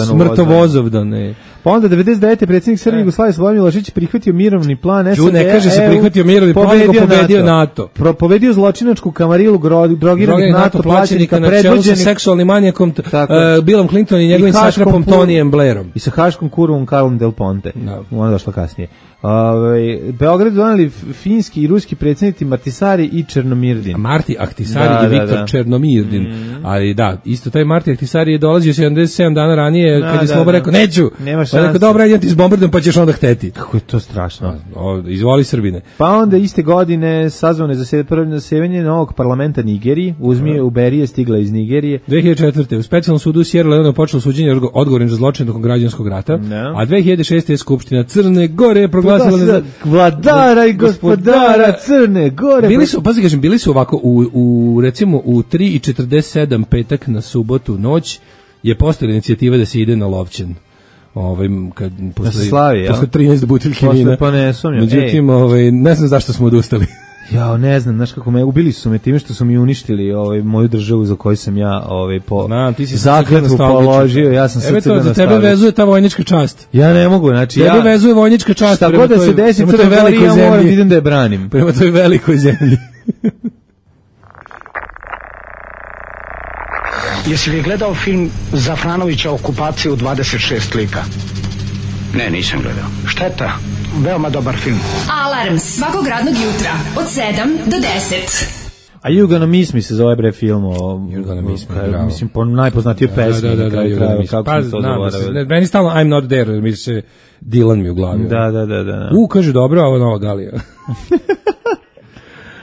smrtovozovdan. Ne. Pa onda devedeset devete predsjednik Srbije Jugoslavije Slobodan Milošević prihvatio mirovni plan S A D. Ne kaže se prihvatio mirovni plan, nego pobedio NATO. Pro, pobedio zločinačku kamarilu drogiranih NATO plaćenika na čelu sa seksualnim manijakom uh, Billom Clinton i njegovim satrapom Tonijem Blairom. I sa haškom kurvom Karlom Del Ponte. No. Ona došla kasnije. Ove, Beograd doneli finski i ruski predsjednici Martisari i Černomirdin. Marti Ahtisari da, i Viktor da, da. Černomirdin. Mm. Ali da, isto taj Marti Ahtisari je dolazio sedamdeset sedam dana ranije da, kad je da, Slobo rekao, neću. Nema šanse. Pa rekao, dobro, idem ti s bombardom pa ćeš onda hteti. Kako je to strašno. O, izvoli Srbine. Pa onda iste godine sazvano je zasedanje novog parlamenta Nigeriji. Uzmi Uberije stigla iz Nigerije. dve hiljade četvrte u specijalnom sudu Sierra Leone počelo suđenje odgovornim za zločin tokom građanskog rata. No. A dve hiljade šeste je Skupština Crne Gore proglasila vladara i gospodara Crne Gore. Bili su, pazi kažem, bili su ovako u, u recimo u tri i četrdeset sedam petak na subotu noć je postojala inicijativa da se ide na Lovćen. Ovaj kad posle slavi, posle trinaest buteljki vina. Pa ne sumnjam. Međutim, ovaj ne znam zašto smo odustali. Ja ne znam, znaš kako me ubili su me time što su mi uništili ovaj moju državu za koju sam ja ovaj po znam, ti si zakletvu položio, ja sam srce da za tebe vezuje ta vojnička čast. Ja ne mogu, znači tebe ja tebe vezuje vojnička čast. Šta god da se desi, Crna Gora, ja moram da idem da je branim. Prema toj velikoj zemlji. Jesi li gledao film Zafranovića Okupacija u dvadeset šest lika? Ne, nisam gledao. Šteta, veoma dobar film. Alarm svakog radnog jutra od sedam do deset. A You Gonna Miss Me se zove bre film o... You Gonna Miss Me, bravo. Mislim, po najpoznatijoj pesmi. Da, da, da, da, kraju, da kako pa, sam to zaboravio. Meni stalno I'm Not There, mi se Dylan mi u glavi. Da, da, da, da. U, kaže, dobro, ovo nova Galija.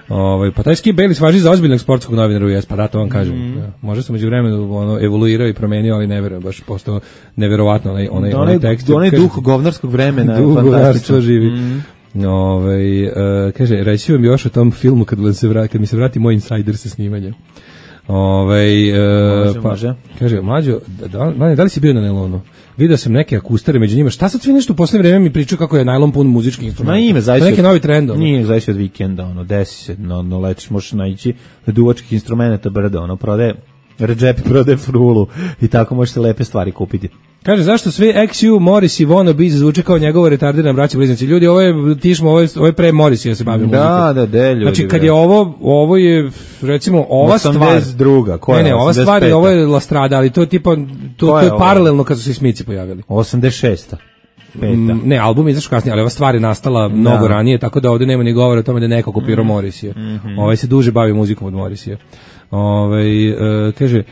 Ovaj pa taj Skip Bayless važi za ozbiljnog sportskog novinara u U S, pa da to vam kažem. Mm. Ja, može se međuvremenu ono evoluirao i promenio, ali ne verujem, baš postao neverovatno onaj onaj da, onaj tekst. Onaj duh govnarskog vremena, duh fantastično živi. Mm. Ovaj uh, kaže reći vam još o tom filmu kad se vrati, kad mi se vrati moj insider sa snimanja. Ovaj uh, može, pa može. Kaže mlađo, da, da, da li si bio na Nelonu? Video sam neke akustare među njima. Šta sad svi nešto u poslednje vreme mi pričaju kako je najlon pun muzičkih instrumenta? Ma ime, zaista. Neki novi trend. Ono. Nije, zaista od vikenda, ono, desi se, no, no lečiš, možeš naići na duvačkih instrumenta brdo, ono, prode, Redžepi prode frulu i tako možete lepe stvari kupiti. Kaže, zašto sve X U, Morris i Wannabe zvuče kao njegovo retardirana braća bliznici? Ljudi, ovo je tišmo, ovo je, ovo je pre Morris ja se bavim muzikom. Da, da, de, ljudi. Znači, kad je ovo, ovo je, recimo, ova stvar... osamdeset druga, koja je? Ne, ne, ova stvar je, ovo je La Strada, ali to je tipa, to, to je, to je paralelno kad su se Smici pojavili. osamdeset šesta M, ne, album je izašao kasnije, ali ova stvar je nastala mnogo da. ranije, tako da ovde nema ni govora o tome da je neko kopirao mm. Morrissey. Mm-hmm. Ovaj se duže bavi muzikom od Morrissey. Ovaj uh, kaže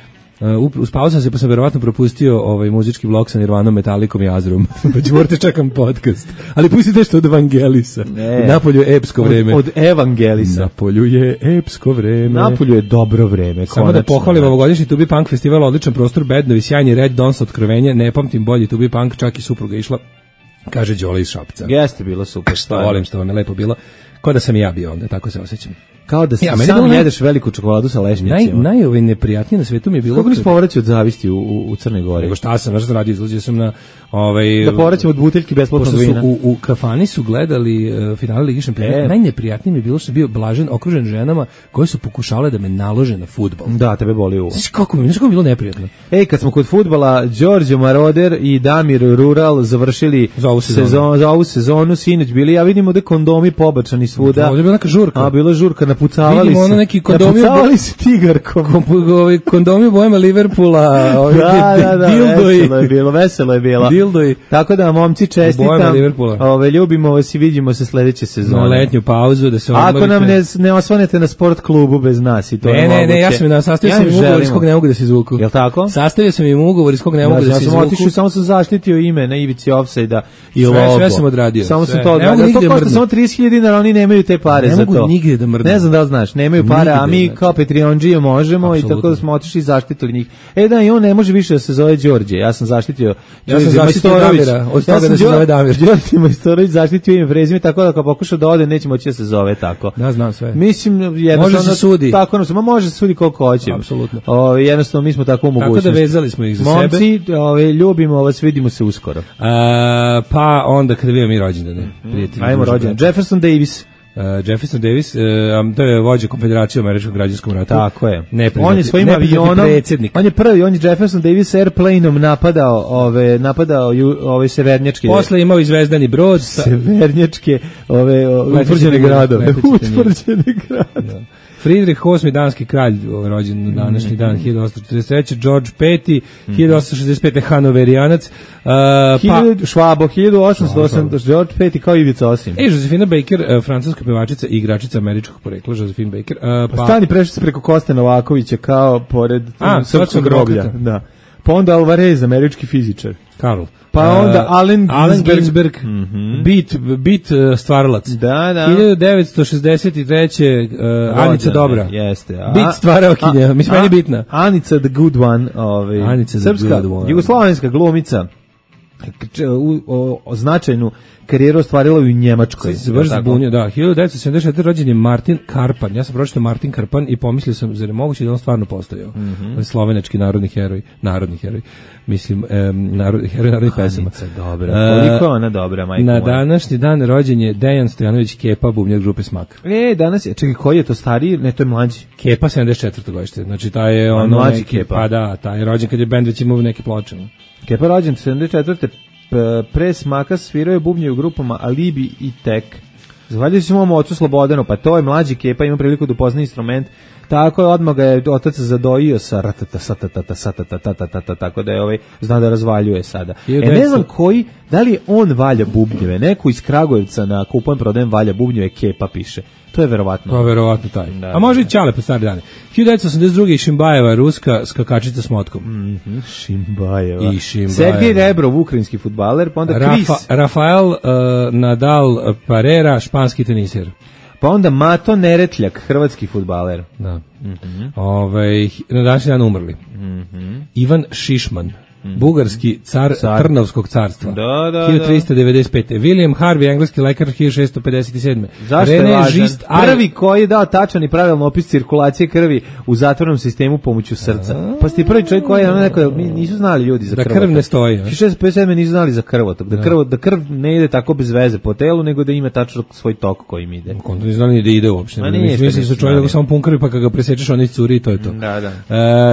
Uh, uspao sam se, pa sam verovatno propustio ovaj muzički blok sa Nirvanom, Metalikom i Azrom. Pa ću morate čekam podcast. Ali pustite nešto od Evangelisa. Ne. Napolju je epsko vreme. Od, od Evangelisa. Napolju je epsko vreme. Napolju je dobro vreme. Samo konačno, da pohvalim ovogodišnji Tubi Punk festival, odličan prostor, bednovi, sjajni Red Dons otkrovenje, ne pamtim bolji Tubi Punk, čak i supruga išla, kaže Đole iz Šapca. Jeste bilo super. Što volim, što vam je lepo bilo. Ko da sam i ja bio onda, tako se osjećam. Kao da ja, sam naj... jedeš veliku čokoladu sa lešnjacima. Naj, naj ovaj neprijatnije na svetu mi je bilo... Kako nisi povraćao od zavisti u, u, u Crnoj Gori? Nego šta sam, znaš sam radio, izlazio sam na... Ovaj, da povraćam od buteljki besplatnog vina. U, u kafani su gledali uh, finale Ligi šampiona. E. Najneprijatnije mi je bilo što sam bio blažen, okružen ženama koje su pokušale da me nalože na fudbal. Da, tebe boli uvo. Znaš kako mi, znaš kako mi bilo neprijatno? Ej, kad smo kod fudbala, Đorđe Maroder i Damir Rural završili za ovu sezonu, sezon, za ovu sezonu sinoć bili, ja vidimo da kondomi pobačani svuda. Ovdje je bila neka žurka. A, bila žurka, napucavali se. Neki kondomi napucavali se tigarkom. Ovi kondomi bojama Liverpoola. Ovi da, da, da, dildoji. Veselo je bilo, veselo je bilo. Dildoji. Tako da, momci, čestitam. Ove, ljubimo vas i vidimo se sledeće sezone. Na letnju pauzu da se odmorite. Ako nam ne, ne osvanete na sport klubu bez nas i to ne, je ne, ne, ja sam na sastavio sam im ugovor iz kog ne mogu da se izvuku. Jel tako? Sastavio sam im ugovor iz kog ne mogu da, da se izvuku. Ja sam otišao, samo sam zaštitio ime na ivici ofsajda i logo. Sve sam odradio. Samo sam to odradio. To košta samo trideset hiljada dinara, oni nemaju te pare za to. Ne mogu nigde da mrdnu. Ne znam da li znaš, nemaju pare, a mi kao Patreonđije možemo i tako da smo otišli i zaštitili njih. E da, i on ne može više da se zove Đorđe. Ja sam zaštitio Ja sam zaštitio Damira, od toga da se zove Damir. Đorđe Majstorović zaštitio ime prezime, tako da ako pokuša da ode, neće moći da se zove tako. Da, znam sve. Mislim, jednostavno... Može se sudi. Tako, no, može se sudi koliko hoće. Apsolutno. O, jednostavno, mi smo tako u mogućnosti. Tako da vezali smo ih za Momci, sebe. Momci, ljubimo vas, vidimo se uskoro. A, pa onda kada vidimo mi rođendane. Mm. Ajmo rođendan. Jefferson Davis. Uh, Jefferson Davis, uh, um, to je vođa Konfederacije u američkom građanskom ratu. Tako je. Nepriznati, on je svojim avionom, predsjednik. On je prvi, on je Jefferson Davis airplaneom napadao ove napadao ju, ove severnjačke. Posle imao i zvezdani brod, severnjačke, ove utvrđene gradove, utvrđene gradove. Friedrich osmi danski kralj, rođen na današnji dan, hiljadu osamsto četrdeset treće. George peti, hiljadu osamsto šezdeset pete. Hanoverijanac. Uh, pa, Švabo, hiljadu osamsto osamdeset. George peti kao Ivica Osim. E, Josefina Baker, uh, francuska pevačica i igračica američkog porekla, Josefina Baker. Uh, pa, Stani prešli se preko Koste Novakovića kao pored A, srpskog groblja. Da. Pa onda Alvarez, američki fizičar. Karl. Pa onda Allen Allen Ginsberg, mm-hmm. bit, bit uh, stvaralac. Da, da. hiljadu devetsto šezdeset treće. Uh, Anica Dobra. Jeste. A, bit stvaraokinja, mislim meni bitna. Anica the good one, ovaj, Anica srpska, the good one. Jugoslovenska glumica, u, o, o značajnu karijeru ostvarila u Njemačkoj. Se baš zbunio, da. hiljadu devetsto sedamdeset četvrte. rođen je Martin Karpan. Ja sam pročitao Martin Karpan i pomislio sam, zar je moguće da on stvarno postojao. Mm-hmm. Slovenački narodni heroj, narodni heroj. Mislim, um, narod, heroj narodnih pesama. Dobra. Koliko je ona dobra, majko Na današnji dan rođen je Dejan Stojanović Kepa, bubnjar grupe Smak. E, danas je, čekaj, koji je to stariji? Ne, to je mlađi. Kepa sedamdeset četvrte. godište. Znači, taj je ono mlađi neki, Kepa. Pa da, taj je rođen kad je bend već imao neke ploče. Kepa rođen sedamdeset četvrte. Pre Smaka svirao je bubnje u grupama Alibi i Tek. Zahvaljujući se mom ocu Slobodanu, pa to je mlađi Kepa, ima priliku da upozna instrument. Tako je, odmah ga je otac zadojio sa ratata, satata, satata, tatata, tako da je ovaj zna da razvaljuje sada. E, ne znam koji, da li on valja bubnjeve, neko iz Kragujevca na kupujem prodajem valja bubnjeve, Kepa piše. To je verovatno. To je verovatno taj. Da, a može i Ćale po stare dane. hiljadu devetsto osamdeset druge. Šimbajeva, ruska skakačica s motkom. Mm-hmm. Šimbajeva. I Šimbajeva. Sergej Rebrov, ukrajinski fudbaler, pa onda Rafa, Kris. Rafael uh, Nadal Parera, španski teniser. Pa onda Mato Neretljak, hrvatski fudbaler. Da. Mm-hmm. Ove, na današnji dan umrli. Mm-hmm. Ivan Šišman. Mm. Bugarski car, car Trnovskog carstva. Da, da, hiljadu trista devedeset pete. William Harvey, engleski lekar, hiljadu šessto pedeset sedme. Zašto René je važan? Žist, prvi koji je dao tačan i pravilno opis cirkulacije krvi u zatvornom sistemu pomoću srca. A, pa ste prvi čovjek koji je ono neko, nisu znali ljudi za da krvotok. Da krv ne stoji. hiljadu šessto pedeset sedme nisu znali za krvotok. Da, krv, da krv ne ide tako bez veze po telu, nego da ima tačno svoj tok kojim ide. Konto nisu znali da ide uopšte. Mislim da su čovjek samo pun krvi, pa kada ga presečeš on curi, to je to. Da, da.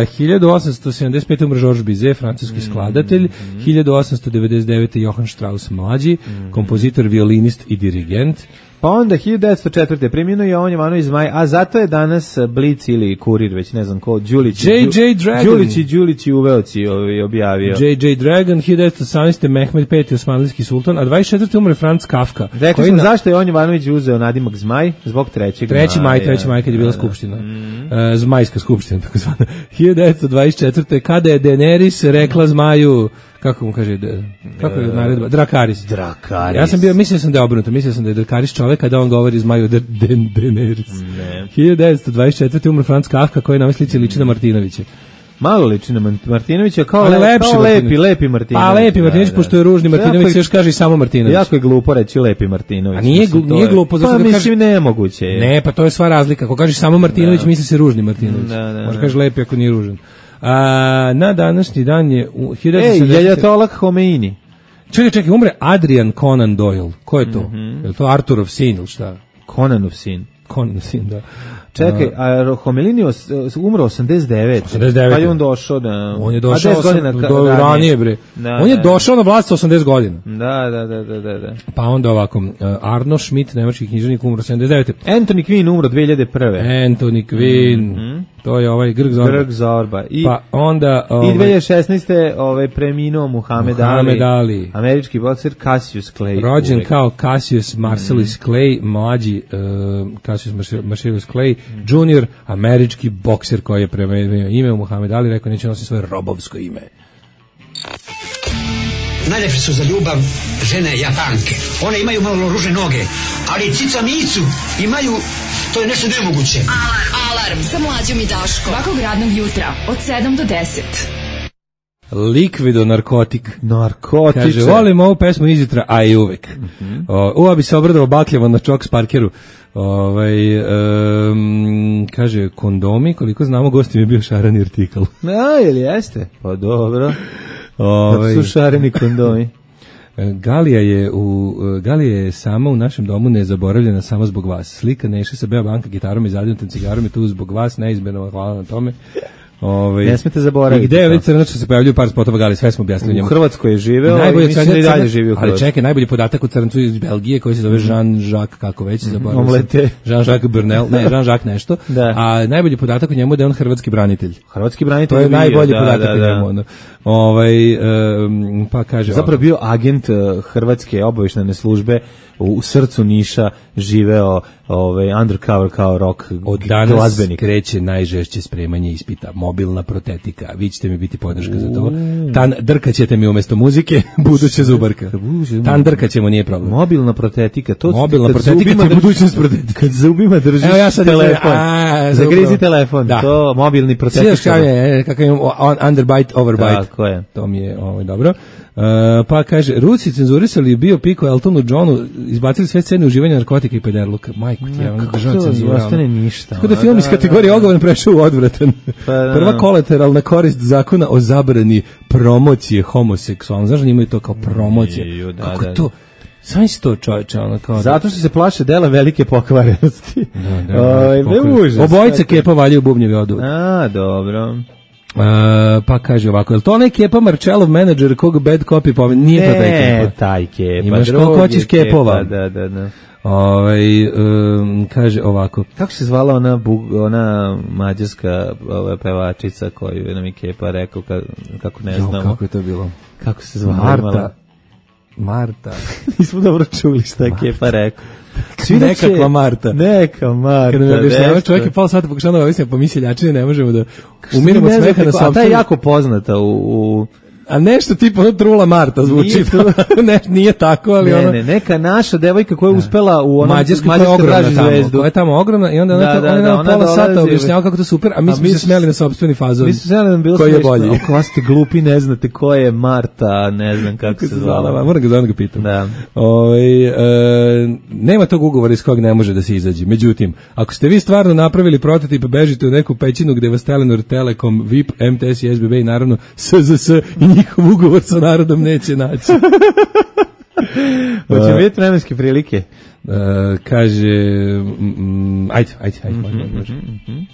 Uh, hiljadu osamsto sedamdeset pete. umre Georges Bizet, francuski mm, skladatelj. Mm. hiljadu osamsto devedeset devete. Johann Strauss mlađi, mm. kompozitor, violinist i dirigent. Pa onda hiljadu devetsto četvrte preminuo je Jovan Jovanović Zmaj, a zato je danas Blic ili Kurir, već ne znam ko, Đulić. J J Dragon. Đulić i Đulić i Uveoci objavio. J J Dragon, hiljadu devetsto osamnaeste. Mehmed peti. osmanlijski sultan, a dvadeset četvrte umre Franz Kafka. Rekli smo na... zašto je Jovan Jovanović uzeo nadimak Zmaj? Zbog trećeg maja. treći maj, treći maj kad je bila skupština. Mm. Uh, Zmajska skupština, tako zvana. hiljadu devetsto dvadeset četvrte. kada je Daenerys rekla Zmaju, kako mu kaže, kako je naredba? Drakaris. Drakaris. Ja sam bio, mislio sam da je obrnuto, mislio sam da je Drakaris čovek kada on govori Zmaju da Daenerys. Ne. hiljadu devetsto dvadeset četvrte. umro Franz Kafka, koji na ovoj slici liči na Martinovića. Malo liči na Martinovića, kao, le, lepši kao lepi, lepi Martinović. Pa lepi Martinović, da, pošto je ružni Martinović, se još kaže i samo Martinović. Jako je glupo reći lepi Martinović. A nije, glu, nije glupo. Pa mislim kaže, nemoguće je. Ne, pa to je sva razlika. Ako kažeš samo Martinović, da. misli se ružni Martinović. Da, da, možda kažeš lepi ako nije ružan. A, na današnji dan je... U Ej, Jajatollah Homeini. Čekaj, čekaj, umre Adrian Conan Doyle. Ko je to? Mm-hmm. Je li to Arturov sin ili šta? Conanov sin. Conanov sin, da. Čekaj, a Homelini umro osamdeset devete. osamdeset devete. Pa je on došao da... On je došao osam, godina, do ranije, bre. Da, on je da, došao na vlast sa osamdeset godina. Da, da, da, da, da. Pa onda ovako, Arno Schmidt, nemački književnik, umro sedamdeset devete. Anthony Quinn umro dve hiljade prve. Anthony Quinn, mm-hmm. to je ovaj Grg Zorba. Grg Zorba. I, pa onda... Ovaj, I dve hiljade šesnaeste. Ovaj, preminuo Muhammed, Muhammed Ali, Ali, američki bokser Cassius Clay. Rođen uvek. Kao Cassius Marcellus mm. Clay, mlađi uh, Cassius Marcellus Clay, mm. junior, američki bokser koji je premenio ime u Muhammed Ali, rekao neće nositi svoje robovsko ime. Najlepše su za ljubav žene Japanke. One imaju malo ružne noge, ali cica micu imaju, to je nešto nemoguće. Alarm, alarm sa Mlađom i Daškom. Svakog radnog jutra od sedam do deset. Likvido narkotik. Narkotiče. Kaže, volim ovu pesmu izjutra, a i uvek. Mm-hmm. O, ova bi se obradao bakljevo na Čoks Parkeru. Ovaj um, kaže kondomi, koliko znamo, gosti mi je bio šareni artikal. A, ili jeste? Pa dobro. Ovaj su šareni kondomi. Galija je u Galija je sama u našem domu nezaboravljena samo zbog vas. Slika Neše sa Beobanka gitarom i zadnjom cigarom je tu zbog vas, neizmjerno hvala na tome. Ove, ne smete zaboraviti. I gde je već crnača se pojavljuju par spotova Gali, sve smo objasnili njemu. U Hrvatskoj je živeo i mislim da i dalje živi u Hrvatskoj. Ali čekaj, najbolji podatak u crncu iz Belgije koji se zove Jean-Jacques, kako već se zaboravio. Omlete. Jean-Jacques Burnel, ne, Jean-Jacques nešto. Da. A najbolji podatak u njemu je da je on hrvatski branitelj. Hrvatski branitelj. To je najbolji da, podatak da, u da. njemu. Ono. Ovaj, um, pa kaže... Zapravo bio agent uh, Hrvatske obavještajne službe u, u srcu Niša, živeo ovaj, undercover kao rock od danas glazbenik. Kreće najžešće spremanje ispita, mobilna protetika, vi ćete mi biti podrška za to. Tan drkaćete mi umjesto muzike, buduća zubarka. Tan drkaćemo, nije problem. Mobilna protetika, to mobilna protetika je budućnost protetika. Kad zubima držiš evo ja sad telefon, a, zagrizi telefon, da. To mobilni protetika. Sviđaš kako je, kakav je underbite, overbite. Tako je. To mi je ovaj, dobro. Uh, pa kaže, Rusi cenzurisali bio Piko Eltonu Johnu, izbacili sve scene uživanja narkotika i pederluka. Majku ti, ja, država cenzura. Ne ostane ništa. Tako da film iz kategorije ogovan prešao u odvratan. Pa, prva kolateralna korist zakona o zabrani promocije homoseksualno. Znaš da imaju to kao promocija? Ju, da, kako da, to? Sam si to čovječe, ono kao... Zato što se plaše dela velike pokvarenosti. Da, da, Oj, ne obojica kepa valjaju bubnjevi odu. A, dobro. Uh, pa kaže ovako, je li to onaj Kepa Marčelov menadžer kog bad copy pomen? Nije ne, to taj Kepa. Ne, taj Kepa. Imaš koliko hoćeš Kepova. Da, da, da. Ovaj um, kaže ovako. Kako se zvala ona bug, ona mađarska ova pevačica koju nam je Kepa rekao ka, kako ne znamo. Jo, kako je to bilo? Kako se zvala? Marta. Marta. Nismo dobro čuli šta je Kepa rekao. Nekakva Marta. Neka Marta. Kada mi objašnjava čovjek je pol sata pokušao da objašnjava po miseljačine, ne možemo da umiramo smeha na sopstvenu. A ta je jako poznata u... u a nešto tipa ono Trula Marta zvuči. ne, nije tako, ali ne, ono... Ne, neka naša devojka koja je uspela u onom Mađarskoj koja je ogromna tamo, koja je tamo ogromna i onda ona, da, da, ona, da, ona pola sata objašnjava kako to super, a mi a smo mi se smeli na sopstveni fazon. Mi smo se smeli, bilo koji je bolji. Ako ste glupi, ne znate ko je Marta, ne znam kako se zvala. Moram ga da ga pitam. Da. Oj, e, nema tog ugovora iz kog ne može da se izađe. Međutim, ako ste vi stvarno napravili prototip, bežite u neku pećinu gde vas Telenor, Telekom, V I P, M T S i S B B i naravno S Z S i njihov ugovor sa narodom neće naći. Hoće vidjeti vremenske prilike. Uh, kaže, mm, ajde, ajde, ajde, mm-hmm, može, može. Mm-hmm.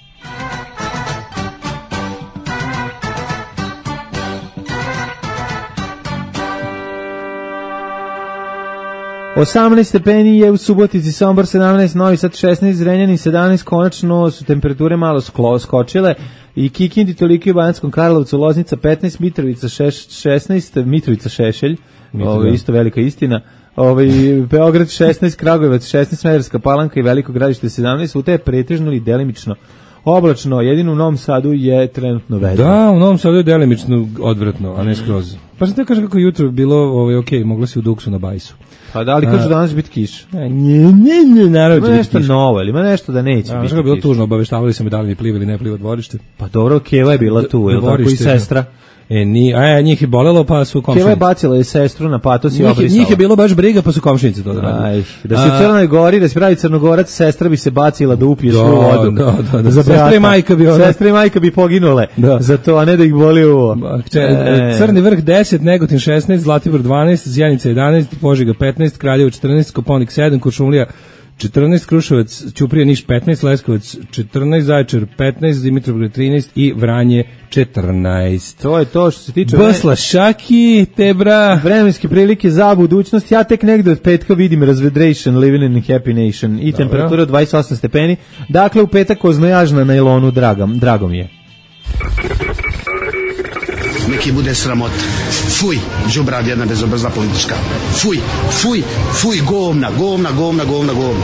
osamnaest stepeni je u Subotici, Sombor sedamnaest, Novi Sad šesnaest, Zrenjanin sedamnaest, konačno su temperature malo sklo, skočile i Kikindi toliko i Banjatskom Karlovcu, Loznica petnaest, Mitrovica šesnaest, Mitrovica Šešelj, ovo je isto velika istina, ovaj Beograd šesnaest, Kragujevac šesnaest, Smederevska Palanka i Veliko Gradište sedamnaest, u te je pretežno ili delimično oblačno, jedino u Novom Sadu je trenutno vedro. Da, u Novom Sadu je delimično odvratno, a ne skroz. Pa sam te kažem kako jutro bilo, ovaj, ok, moglo si u Duksu na bajsu. Pa da li kažu danas će biti kiš? Ne, ne, ne, naravno će biti nešto kiš. Novo, ili ima nešto da neće a, biti kiš. Bilo tužno, obaveštavali su me da li mi pliva ili ne pliva dvorište. Pa dobro, Keva je bila tu, je tako i sestra. E, ni, a njih je bolelo, pa su komšinice. Keva je bacila i sestru na patos i obrisala. Njih je bilo baš briga, pa su komšinice to odradili. Da se u Crnoj Gori, da se pravi Crnogorac, sestra bi se bacila da upije svu vodu. Da, da, da. Sestra i majka bi ona. Sestra i majka bi poginule da. Za to, a ne da ih boli uvo. E. Crni vrh deset, Negotin šesnaest, Zlatibor dvanaest, Zjenica jedanaest, Požega petnaest, Kraljevo četrnaest, Koponik sedam, Kuršumlija četrnaest, Kruševac, Ćuprija, Niš petnaest, Leskovac četrnaest, Zaječar petnaest, Dimitrovgrad trinaest i Vranje četrnaest. To je to što se tiče Basla Šaki, Tebra. Vremenske prilike za budućnost. Ja tek negde od petka vidim razvedration, living in a happy nation i temperatura od dvadeset osam stepeni. Dakle, u petak oznojaž na nailonu, dragom, dragom je. Neki bude sramot. Fuj, đubrad jedna bezobrazna politička. Fuj, fuj, fuj, govna, govna, govna, govna, govna.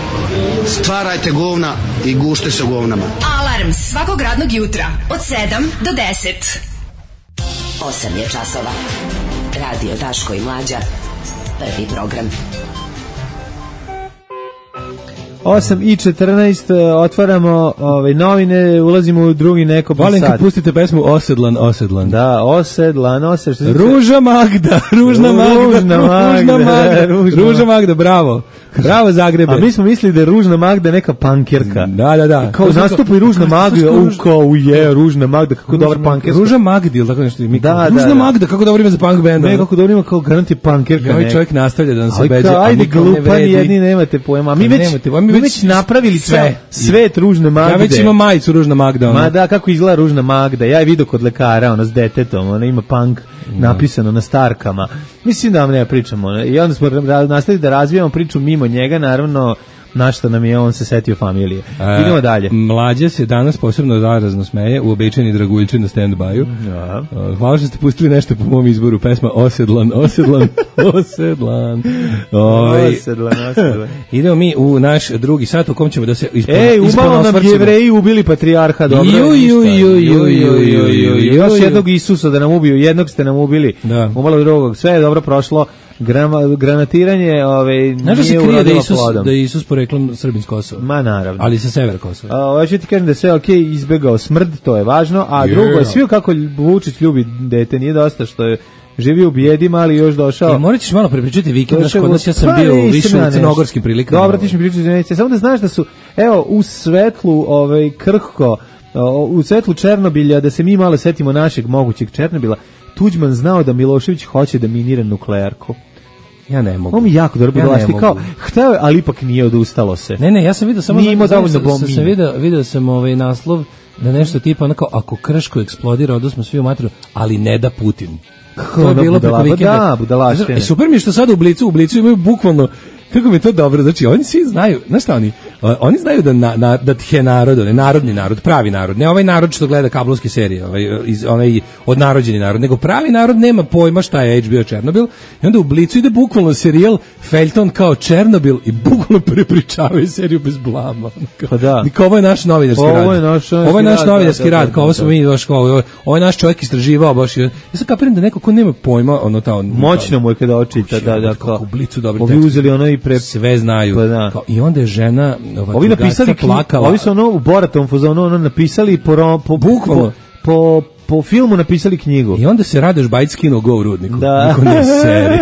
Stvarajte govna i gušte se govnama. Alarm svakog radnog jutra od sedam do deset. osam je časova. Radio Daško i Mlađa. Prvi program. osam i četrnaest, otvaramo ove novine, ulazimo u drugi neko Volim kad pustite pesmu Osedlan, Osedlan. Da, Osedlan, Osedlan. Ruža Magda, Ružna Magda, Ružna Magda, Magda, Ružna, Ruža Magda, bravo. Bravo Zagrebe. A mi smo mislili da je Ružna Magda neka pankerka. Da, da, da. Kao nastupa i Ružna Magda, u kao je Ružna Magda, kako dobar pankerka. Ruža Magda, ili tako nešto. Da, Ružna da, Magda, kako dobro ime za punk benda. Ne, kako dobro ime kao garanti pankerka. Ovaj čovjek nastavlja da nam se beđe. Ajde, glupani jedni, nemate pojma. A mi već, mi već napravili sve. Svet Ružne Magde. Ja već imam majicu Ružna Magda. Ona. Ma da, kako izgleda Ružna Magda. Ja je vidio kod lekara, ona s detetom, ona ima punk napisano na starkama. Mislim da vam ne pričamo. I onda smo nastavili da razvijamo priču mimo njega, naravno, na što nam je on se setio familije. E, Idemo dalje. Mlađa se danas posebno zarazno smeje, uobičajeni draguljiči na stand-baju. Ja. Hvala što ste pustili nešto po mom izboru, pesma Osedlan, Osedlan, Osedlan. Ove, osedlan, Osedlan. Idemo mi u naš drugi sat u kom ćemo da se ispon, Ej, umalo nam Jevreji ubili patrijarha, dobro. Ju, ju, ju, ju, ju, ju, ju, još jednog Isusa da nam ubiju, jednog ste nam ubili, da. Umalo drugog, sve je dobro prošlo. Grama, granatiranje, ovaj, znaš da se krije da Isus, da je Isus poreklom Srbin s Kosova? Ma naravno. Ali sa severa Kosova. A, ovaj ću ti kažem da je sve ok, izbegao smrd, to je važno, a yeah. drugo je svio kako Vučić ljubi dete, nije dosta što je živio u bijedima, ali još došao. E, morat ćeš malo prepričati vikend, znaš, kod nas ja sam bio u više u crnogorskim prilikama. Dobro, ti ćeš mi pričati, samo da znaš da su, evo, u svetlu, ovaj, krhko, u svetlu Černobilja, da se mi malo setimo našeg mogućeg Černobila, Tuđman znao da Milošević hoće da minira nuklearku. Ja ne mogu. On mi jako dobro ja budalašti, kao, hteo je, ali ipak nije, odustalo se. Ne, ne, ja sam vidio samo... Nije imao dovoljno bombi. Sam vidio, vidio sam ovaj naslov da nešto tipa, onako, ako Krško eksplodira, odnosno svi u matru, ali ne da Putin. To je bilo preko vikenda. Da, budalaštine. E, super mi je što sad u Blicu, u Blicu imaju bukvalno, kako mi je to dobro, znači oni svi znaju, znaš šta oni, oni znaju da, na, na, da tje narod, ne narodni narod, pravi narod, ne ovaj narod što gleda kablovske serije, ovaj, iz, onaj odnarođeni narod, nego pravi narod nema pojma šta je H B O Černobil i onda u Blicu ide bukvalno serijal Feljton kao Černobil i bukvalno prepričavaju seriju bez blama. Pa da. Kao ovo je naš novinarski ovo rad. Je naš, ovo je naš rad, novinarski da, da, rad, kao ovo smo mi, baš kao, ovo, ovo je naš čovjek istraživao baš. Ja sam kapiram da neko ko nema pojma, ono ta... Moćno mu je kada očita, da, da, kao... U Blicu dobri tekst. Ovi uzeli ono i pre... Sve znaju. Pa da. Kao, i onda je žena ova, ovi napisali plakala. Ovi su ono u Boratom fazonu ono napisali po po, po po po filmu napisali knjigu. I onda se Radoš Bajić skinuo go u Rudniku. Da. Niko ne seri.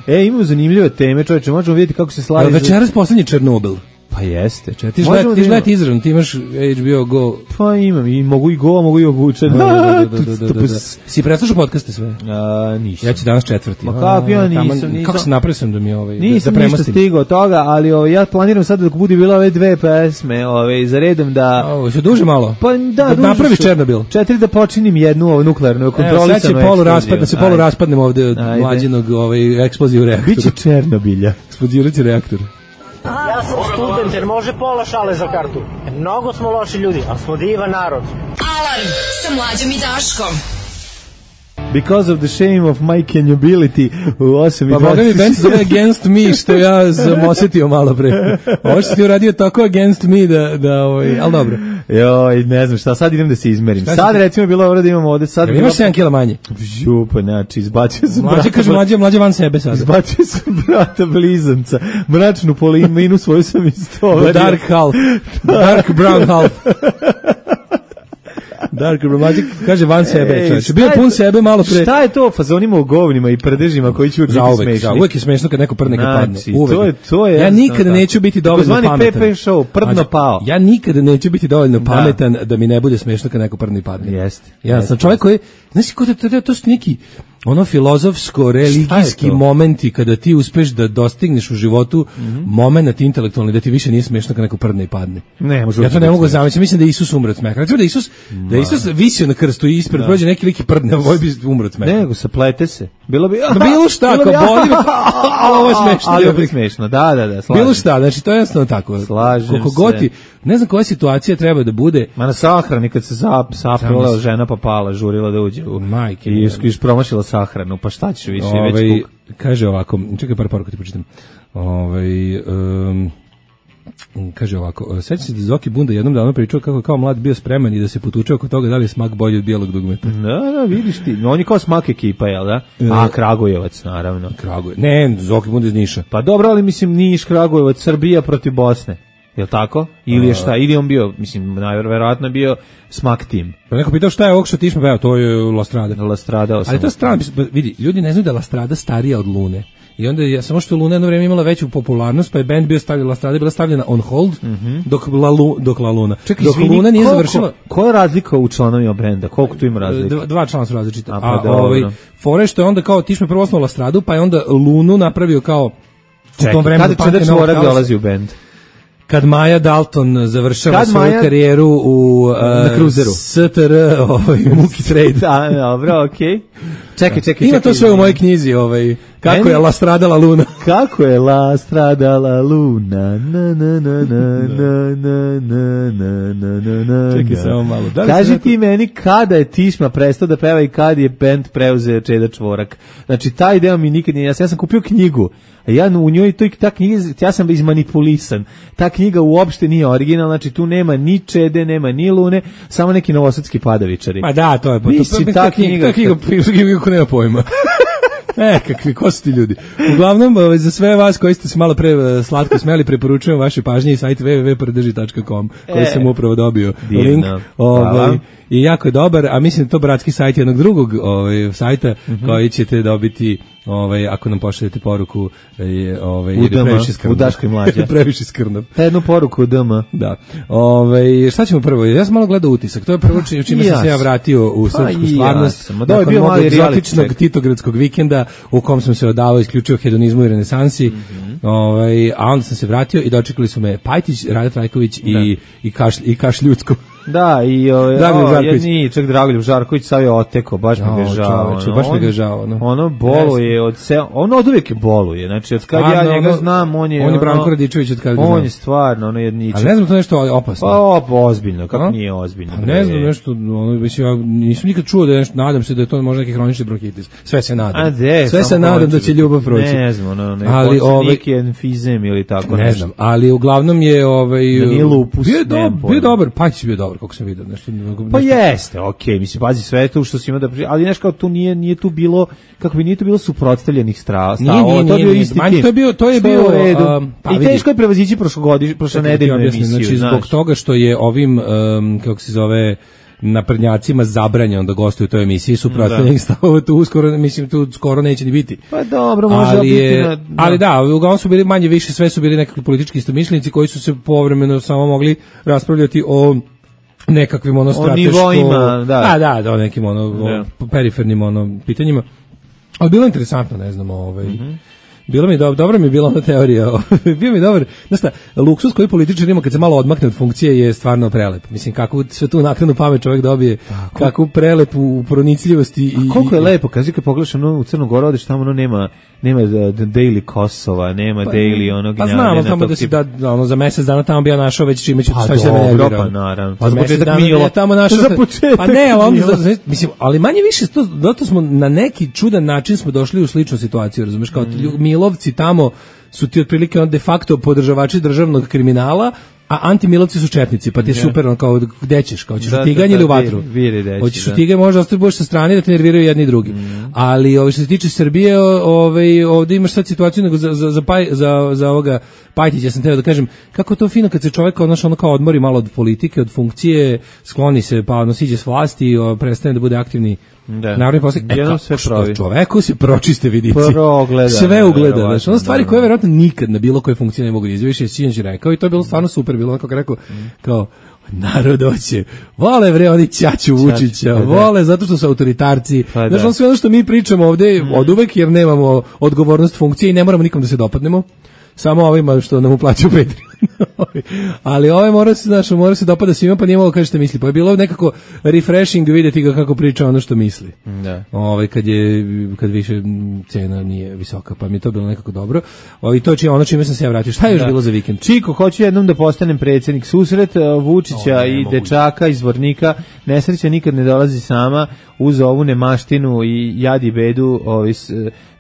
E, imamo zanimljive teme, čoveče, možemo vidjeti kako se slavi. Večeras poslednji Černobil. Pa jeste. Če, ti želeti izravno, ti imaš H B O Go. Pa imam, i mogu i Go, mogu i obučen. Da, da, da, da, da. Si preslušao podcaste sve? A, nisam. Ja ću danas četvrti. Ma kako ja nisam, nisam. Kako se napravio sam da mi ovaj, nisam da ništa stigao toga, ali ovaj, ja planiram sad dok bude bilo ove dve pesme ovaj, za redom da... Ovo, se duže malo? Pa da, da napraviš Černobil. Četiri da počinim jednu ovo, nuklearnu, kontrolisanu eksploziju. Sad će polu raspad, da se polu raspadnemo ovde od mlađenog ovaj, eksploziju reaktora. Biće Černobilja. Eksplozirati reaktor. Ja sam student, jer može pola šale za kartu. Mnogo smo loši ljudi, ali smo divan narod. Alarm sa Mlađom i Daškom. Because of the shame of my canability u osam i dvadeset. Pa boga mi band zove Against Me, što ja sam osjetio malo pre. Ovo što ti uradio tako Against Me da, da ovaj, ali dobro. Joj, ne znam šta, sad idem da se izmerim. Šta sad recimo bilo ovo da imamo ovde. Sad ja, imaš sedam kila manje. Župa, znači, izbacio sam mlađe, brata. Kaže mlađe, mlađe van sebe sad. Izbacio sam brata blizanca. Mračnu poliminu svoju sam istovario. Dark half. Dark brown half. Dark Romantic kaže van sebe, čovječe. Bio pun sebe malo pre. Šta je to fazonima u govnima i prdežima koji će biti smešni? Uvek je smešno kad neko prdne kad padne. Uvek. To je, to je ja nikada neću biti dovoljno pametan. Zvani P P show, prdno pao. Ja nikada neću biti dovoljno pametan da mi ne bude smešno kad neko prdne i padne. Jeste. Ja sam čovjek koji, znaš kako to, to su neki ono filozofsko-religijski momenti kada ti uspeš da dostigneš u životu mm-hmm. moment intelektualni da ti više nije smiješno kad neko prdne i padne. Ne, ja to ne mogu zamisliti. Mislim da je Isus umro od smeha. Recimo da Isus, da Isus visio na krstu i ispred prođe neki lik i prdne, ovaj bi umro od smeha. Ne, nego saplete se. Bilo bi... Bilo šta, kao boli me, ali ovo je smešno. Ali ovo je smešno, da, da, da, slažem. Bilo šta, znači to je jasno tako. Slažem Koliko se. goti, ne znam koja situacija treba da bude. Ma na sahrani kad se zap, saprala žena pa pala, žurila da uđe u majke. I iš promašila sahranu, pa šta ćeš više, Ove, već kuk. Kaže ovako, čekaj par poruka ti pročitam. Ovaj um, kaže ovako, sećam se da Zoki Bunda jednom davno pričao kako je kao mlad bio spreman i da se potučeo oko toga da li je Smak bolji od bijelog dugmeta. Da, da, vidiš ti. On je kao Smak ekipa, jel da? A, Kragujevac, naravno. Kragujevac. Ne, Zoki Bunda iz Niša. Pa dobro, ali mislim Niš, Kragujevac, Srbija protiv Bosne. Jel tako? Ili je šta? Ili on bio, mislim, najverovatno bio Smak tim. Pa neko pitao šta je ovog što ti smo peo, to je La Strada. La Strada. Ali to je strana, vidi, ljudi ne znaju da je La Strada starija od Lune. I onda je, samo što Luna jedno vreme imala veću popularnost, pa je band bio stavljena, La Strada je bila stavljena on hold, mm-hmm. dok, la, Lu, dok La Luna. Čekaj, dok izvini, Luna nije koliko, završila... Koja je razlika u članovima benda? Koliko tu ima razlika? Dva, dva člana su različita. A, pa A ovaj, fore što je onda kao, ti smo prvo osnovao La Stradu, pa je onda Lunu napravio kao... Čekaj, kada Čeda Čvorak dolazi u band? Kad Maja Dalton završava Kad svoju Maja... karijeru u uh, na kruzeru S T R ovaj Muki Trade. Da, dobro, okej. Okay. Čekaj, čekaj, ima čekaj. to sve u mojoj knjizi, ovaj kako Meni? je La Stradala Luna. Kako je La Stradala Luna. Na na na na na na na na na na. Čekaj samo malo. Da kaži ti meni kada je Tišma prestao da peva i kad je bend preuzeo Čeda Čvorak. Znači taj deo mi nikad nije jasno. Ja sam kupio knjigu. A ja u njoj to ta knjiga, ja sam izmanipulisan. Ta knjiga uopšte nije originalna, znači tu nema ni Čede, nema ni Lune, samo neki novosadski padavičari. Ma da, to je pa Mislim, to, ta knjiga, ta knjiga, knjiga ko nema pojma. E, kakvi, ko su ti ljudi? Uglavnom, za sve vas koji ste se malo pre slatko smeli, preporučujem vaše pažnje i sajt w w w tačka prdeži tačka com koji e, sam upravo dobio divno. Link. Ovaj, i jako je dobar, a mislim da to bratski sajt jednog drugog ovaj, sajta mm-hmm. koji ćete dobiti ovaj, ako nam pošaljete poruku ovaj, u D M, u Daškoj Mlađa. Previše skrnav. Jednu poruku u D M. Da. Ovaj, šta ćemo prvo? Ja sam malo gledao utisak. To je prvo čime čim sam se ja vratio u srpsku stvarnost. Da, je bio mali egzotičnog titogradskog vikenda u kom sam se odavao isključivo hedonizmu i renesansi. Mm-hmm. Ovaj, a onda sam se vratio i dočekali su me Pajtić, Rada Trajković i, i, kaš, i Kaš Ljudsko. Da, i o, o jedni, čak Dragoljub Žarković sav je oteko, baš mi ga žao. Čoveče, baš mi ga žao. No. Ono boluje, od se, ono od uvijek boluje, znači od kad ja njega ono, znam, on je... On je Branko Radičević od kad ga znam. On je stvarno, ono jedničak. Ali ne znam to nešto opasno. Pa op, ozbiljno, kako nije ozbiljno. Pa ne znam nešto, ono, mislim, ja nisam nikad čuo da je nešto, nadam se da je to možda neki hronični bronhitis. Sve se nadam. A de, sve se nadam da će ljubav proći. Ne znam, ono, ne, ali ovaj, neki enfizem ili tako ne nešto. znam, ali uglavnom je ovaj... Da nije lupus, bio, do, bio dobar, Pajtić bio dobar, kako sam vidio, nešto. Pa jeste, okej, okay, mislim, pazi sve to što si ima da pri... ali nešto kao tu nije, nije tu bilo, kako bi nije tu bilo suprotstavljenih strava, nije, nije, to je bio nije, isti tim. To je bio, to je bio, um, pa, i teško je prevazići prošlogodišnju, prošle nedeljnu emisiju, znači, zbog toga što je ovim, um, kako se zove, naprednjacima zabranjeno da gostuju u toj emisiji, suprotstavljeni stavova tu uskoro, mislim, tu skoro neće ni biti. Pa dobro, može ali biti. Je, na, da. Ali da, uglavnom su bili manje više, sve su bili nekakvi politički istomišljenici koji su se povremeno samo mogli raspravljati o nekakvim ono strateško... O nivoima, da. A, da, da, o nekim ono, da. O perifernim ono pitanjima. Ali bilo interesantno, ne znam, ovaj... Mm-hmm. Bilo mi dobro, dobro mi je bila ona teorija. Bio mi dobar. Znaš šta, luksus koji političar ima kad se malo odmakne od funkcije je stvarno prelep. Mislim, kako sve tu naknadnu pamet čovjek dobije, tako. Kako prelep u pronicljivosti. I, a koliko je lepo, kaži kad pogledaš ono u Crnu Goru, odeš tamo ono nema, nema daily Kosova, nema pa, daily onog pa znamo tamo da si da, da ono, za mjesec dana tamo bi ja našao već čime ću pa, šta se ne pa naravno. Pa za početak Milo. Tamo našao, za početak pa ne, ali, za, mislim, ali manje više, to, zato smo na neki čudan način smo došli u sličnu situaciju, razumeš, kao mm. Milovci tamo su ti otprilike on de facto podržavači državnog kriminala, a antimilovci su četnici, pa ti je super, on kao, gde ćeš, kao, ćeš da, u tiganj da, ili u vatru? Hoćeš u tiganj, možda ostaje boš sa strane da te nerviraju jedni i drugi. Mm. Ali ovo, što se tiče Srbije, ovaj, ovdje imaš sad situaciju, nego za, za, za, paj, za, za ovoga Pajtića sam teo da kažem, kako to fino kad se čovjek odnoš ono kao odmori malo od politike, od funkcije, skloni se, pa ono siđe s vlasti, o, prestane da bude aktivni da. Narodni poslanik. E, sve što čoveku se pročiste vidici. Progleda, sve ugleda. Znači, ono stvari koje verovatno nikad na bilo koje funkcije ne mogu da izviše, je sinoć rekao i to je bilo stvarno super, bilo kako rekao, kao narod hoće, vole vre oni ćaću Vučića, vole zato što su autoritarci. Pa znači, ono sve ono što mi pričamo ovde mm. od uvek, jer nemamo odgovornost funkcije i ne moramo nikom da se dopadnemo, samo ovima što nam uplaćuju Patreon. Ali ove mora se, znaš, mora se dopada svima, pa nije mogo kaže šta misli. Pa je bilo nekako refreshing vidjeti ga kako priča ono što misli. Da. Ove, kad je, kad više cena nije visoka, pa mi je to bilo nekako dobro. O, i to či, ono čime sam se ja vratio. Šta je još da. Bilo za vikend? Čiko, hoću jednom da postanem predsjednik. Susret Vučića o, i dečaka iz Vornika. Nesreća nikad ne dolazi sama uz ovu nemaštinu i jadi bedu ovi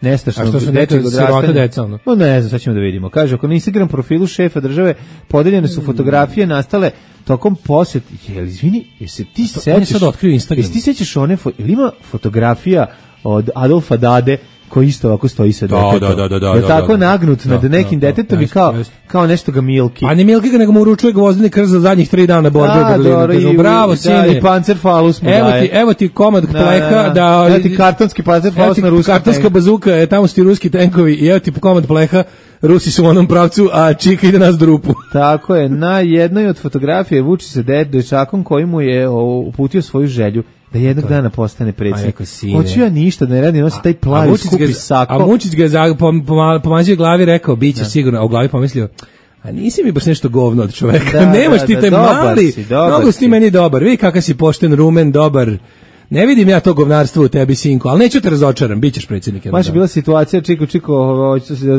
nestašnog dečeg odrastanja. No ne znam, sad ćemo da vidimo. Kaže, ako na Instagram profilu šefa države podeljene su fotografije nastale tokom posjet. Jel, izvini, jesi ti sećaš? Sad otkrio Instagram. Jesi ti sećaš one, fo, ili ima fotografija od Adolfa Dade koji isto ovako stoji sa detetom. Da, da, da, da, je tako nagnut nad nekim detetom i kao, kao nešto ga Milki. A ne Milki ga, nego mu uručuje gvozdeni krst za zadnjih tri dana borbe u Berlinu. Bravo, sine. Da, i pancerfalus mu evo daje. Ti, evo ti komad pleha. Da, da, da, evo ti kartonski pancerfalus na ruskom. Kartonska bazuka, je, tamo su ti ruski tenkovi i evo ti komad pleha. Rusi su u onom pravcu, a Čika ide nas drupu. Tako je, na jednoj od fotografije Vučić se dečakom koji mu je uputio svoju želju da jednog dana postane predsjednik. Hoću ja ništa da ne radim, nosi taj plavi skupi sako. A Vučić ga je pomazio glavi, rekao, bit će sigurno, a u glavi pomislio, a nisi mi baš nešto govno od čoveka, da, nemaš da, ti taj da, mali, mnogo si ti meni dobar, vidi kakav si pošten, rumen, dobar. Ne vidim ja to govnarstvo u tebi, sinko, ali neću te razočaram, bit ćeš predsjednik. Baš je bila situacija, Čiko, Čiko,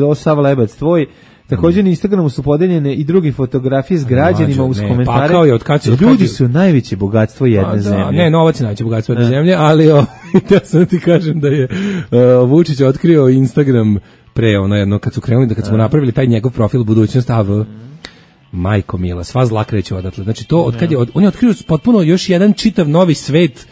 ovo Sava Lebac tvoj, također na Instagramu su podeljene i druge fotografije s građanima uz komentare. Pa je, od kad su, od ljudi su najveće bogatstvo jedne a, da, zemlje. Ne, novac je najveće bogatstvo jedne zemlje, ali o, ja sam ti kažem da je uh, Vučić otkrio Instagram pre ono jedno, kad su krenuli, da kad smo napravili taj njegov profil budućnost A V, majko mila, sva zla kreće odatle. Znači to, od kad je, od, on je otkrio potpuno još jedan čitav novi svet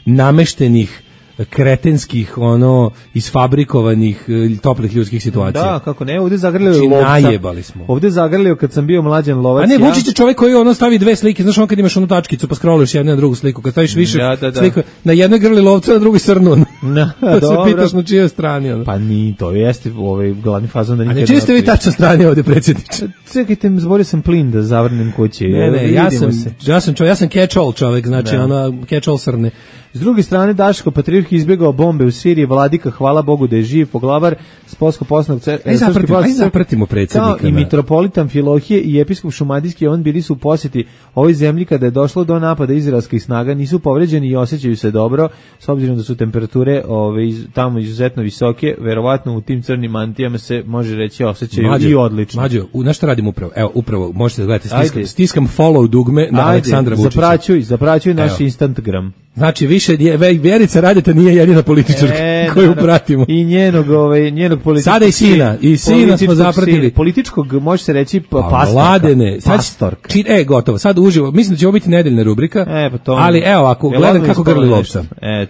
nameštenih kretenskih, ono, isfabrikovanih toplih ljudskih situacija. Da, kako ne, ovdje zagrlio znači, lovca. Najjebali smo. Ovdje zagrlio kad sam bio mlađan lovac. A ne, ja. Vučić je čovjek koji ono stavi dve slike, znaš on kad imaš onu tačkicu pa scrolluješ jednu na drugu sliku, kad staviš više ja, da, da. Sliku, na jednoj grli lovca, na drugoj srnu. No, pa se pitaš na čijoj strani. Ono. Pa ni, to jeste ovaj glavni fazon da nikad. A ne čiji ste vi tačno strani ovdje, predsjedniče? Čekajte, zborio sam plin da zavrnem kući. Ne, ne, ja sam, ja sam čovjek, ja sam catch-all čovjek, znači ona catch-all srne. S druge strane, Daško Patrijarh izbjegao bombe u Siriji, Vladika, hvala Bogu da je živ, poglavar Spolsko-posnog crkve. Aj zapratimo, aj zapratimo predsjednika. Kao i mitropolitan Amfilohije i episkop Šumadijski, on bili su u posjeti ovoj zemlji kada je došlo do napada izraelskih snaga, nisu povređeni i osjećaju se dobro, s obzirom da su temperature ove, iz, tamo izuzetno visoke, verovatno u tim crnim mantijama se može reći osjećaju Mađo, i odlično. Mađo, u, na što radimo upravo? Evo, upravo, možete da gledate, stiskam, stiskam follow dugme na Ajde, Aleksandra Vučića. Zapraćuj, zapraćuj naš Instagram. Znači, više Vjerica Radeta nije jedina političarka e, koju naravno. Pratimo. I njenog, ovaj, njenog političkog... Sada i sina. I sina smo zapratili. Političkog, može se reći, pa, pastorka. Mladene. Pastorka. Sad, e, gotovo. Sad uživo. Mislim da će ovo biti nedeljna rubrika. E, pa to... Ali evo, ako gledam kako grli lovca.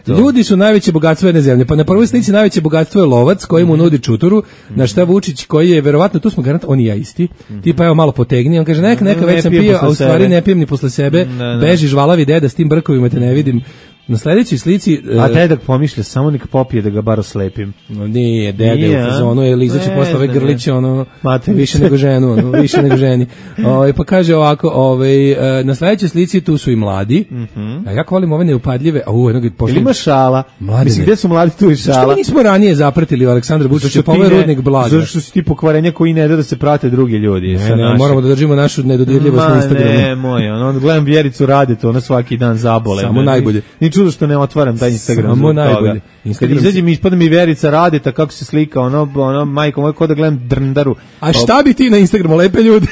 Ljudi su najveće bogatstvo jedne zemlje. Pa na prvoj slici najveće bogatstvo je lovac koji mu nudi čuturu, mm. na šta Vučić koji je, verovatno, tu smo garant, on i ja isti. Mm. Tipa, evo, malo potegni. On kaže, neka, neka, već sam pio, a u stvari ne pijem ni posle sebe. Mm, beži žvalavi deda, s tim brkovima te ne vidim. Na sledećoj slici... A dedak pomišlja, samo nek popije da ga bar oslepim. Nije, dede u fazonu, je lizaći posle ove grliće, ono, Mate, više nego ženu, ono, više nego ženi. O, pa kaže ovako, ovaj, na sledećoj slici tu su i mladi, mm -hmm. a jako volim ove neupadljive, a u jednog pošli... Ima šala, Mladine. Mislim, gde su mladi tu i šala? Što nismo ranije zapratili Aleksandra Vučića, pa ovaj rudnik blaga? Zato što su ti pokvarenja koji ne da da se prate drugi ljudi. Ne, ne, moramo da držimo našu nedodirljivost na Instagramu. Ne, moj, ono, gledam Vjericu Radeta, ona svaki dan zabole. Samo najbolje. Ni čudo što ne otvaram taj Instagram. Samo najbolje. Kad izađem ispada mi Vjerica Radeta kako se slika, ono, ono majko moj, ko da gledam drndaru. A šta bi ti na Instagramu, lepe ljudi?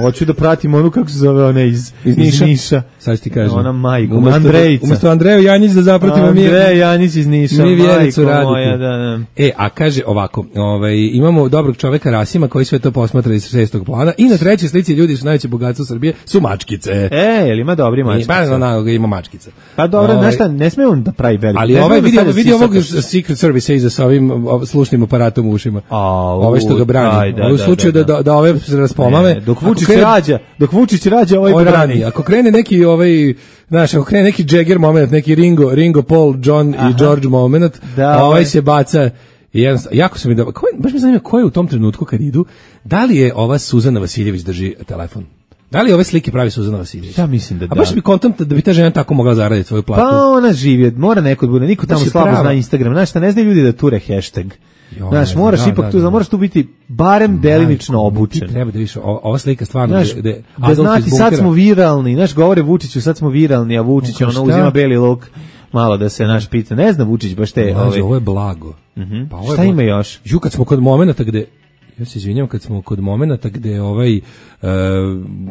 Hoću da pratim onu, kako se zove ona iz, iz, Niša. iz Niša. Sad ti kažem. Ona majko, umesto, Andrejica. Umesto Andreju Janjić da zapratimo mi. Andreja Janjić iz Niša, mi Vjericu majko moja, da, da. E, a kaže ovako, ovaj, imamo dobrog čoveka Rasima koji sve to posmatra iz šestog plana i na trećoj slici ljudi su najveće bogatstvo Srbije, su mačkice. E, jel ima dobri mačkice? Pa, na, ima mačkice. Pa dobro, ovaj, znaš šta, ne sme on da pravi veliko. Ali ovaj vidi, da vidi ovog Secret Service iza sa ovim slušnim aparatom u ušima. Ove što ga brani. Da, u slučaju da, da, da ove se raspomame. Dok Vučić rađa, dok Vučić rađa, ovaj brani. Ako krene neki ovaj, znaš, ako krene neki Jagger moment, neki Ringo, Ringo, Paul, John Aha. i George moment, da, ovaj se baca i jedan, jako se mi da, ko, baš me zanima ko je u tom trenutku kad idu, da li je ova Suzana Vasiljević drži telefon? Da li ove slike pravi Suzana Vasiljević? Ja mislim da da. A baš bi kontent da bi ta žena tako mogla zaraditi svoju platu. Pa ona živi, mora neko da bude, niko tamo slabo prava. Zna Instagram, znaš šta, ne znaju ljudi da ture hashtag. Jo, znaš, moraš da, ipak da, tu, da, moraš tu biti barem delimično obučen. Ti treba da vidiš, ova slika stvarno... Znaš, de, de da znati, sad smo viralni, znaš, govore Vučiću, sad smo viralni, a Vučić ono uzima beli luk, malo da se naš pita, ne zna Vučić baš te... No, ove... Ovo je blago. Uh -huh. Pa ovo šta je ima još? Ju, kad smo kod momenta gde... Ja se izvinjam, kad smo kod momenata gde ovaj, uh,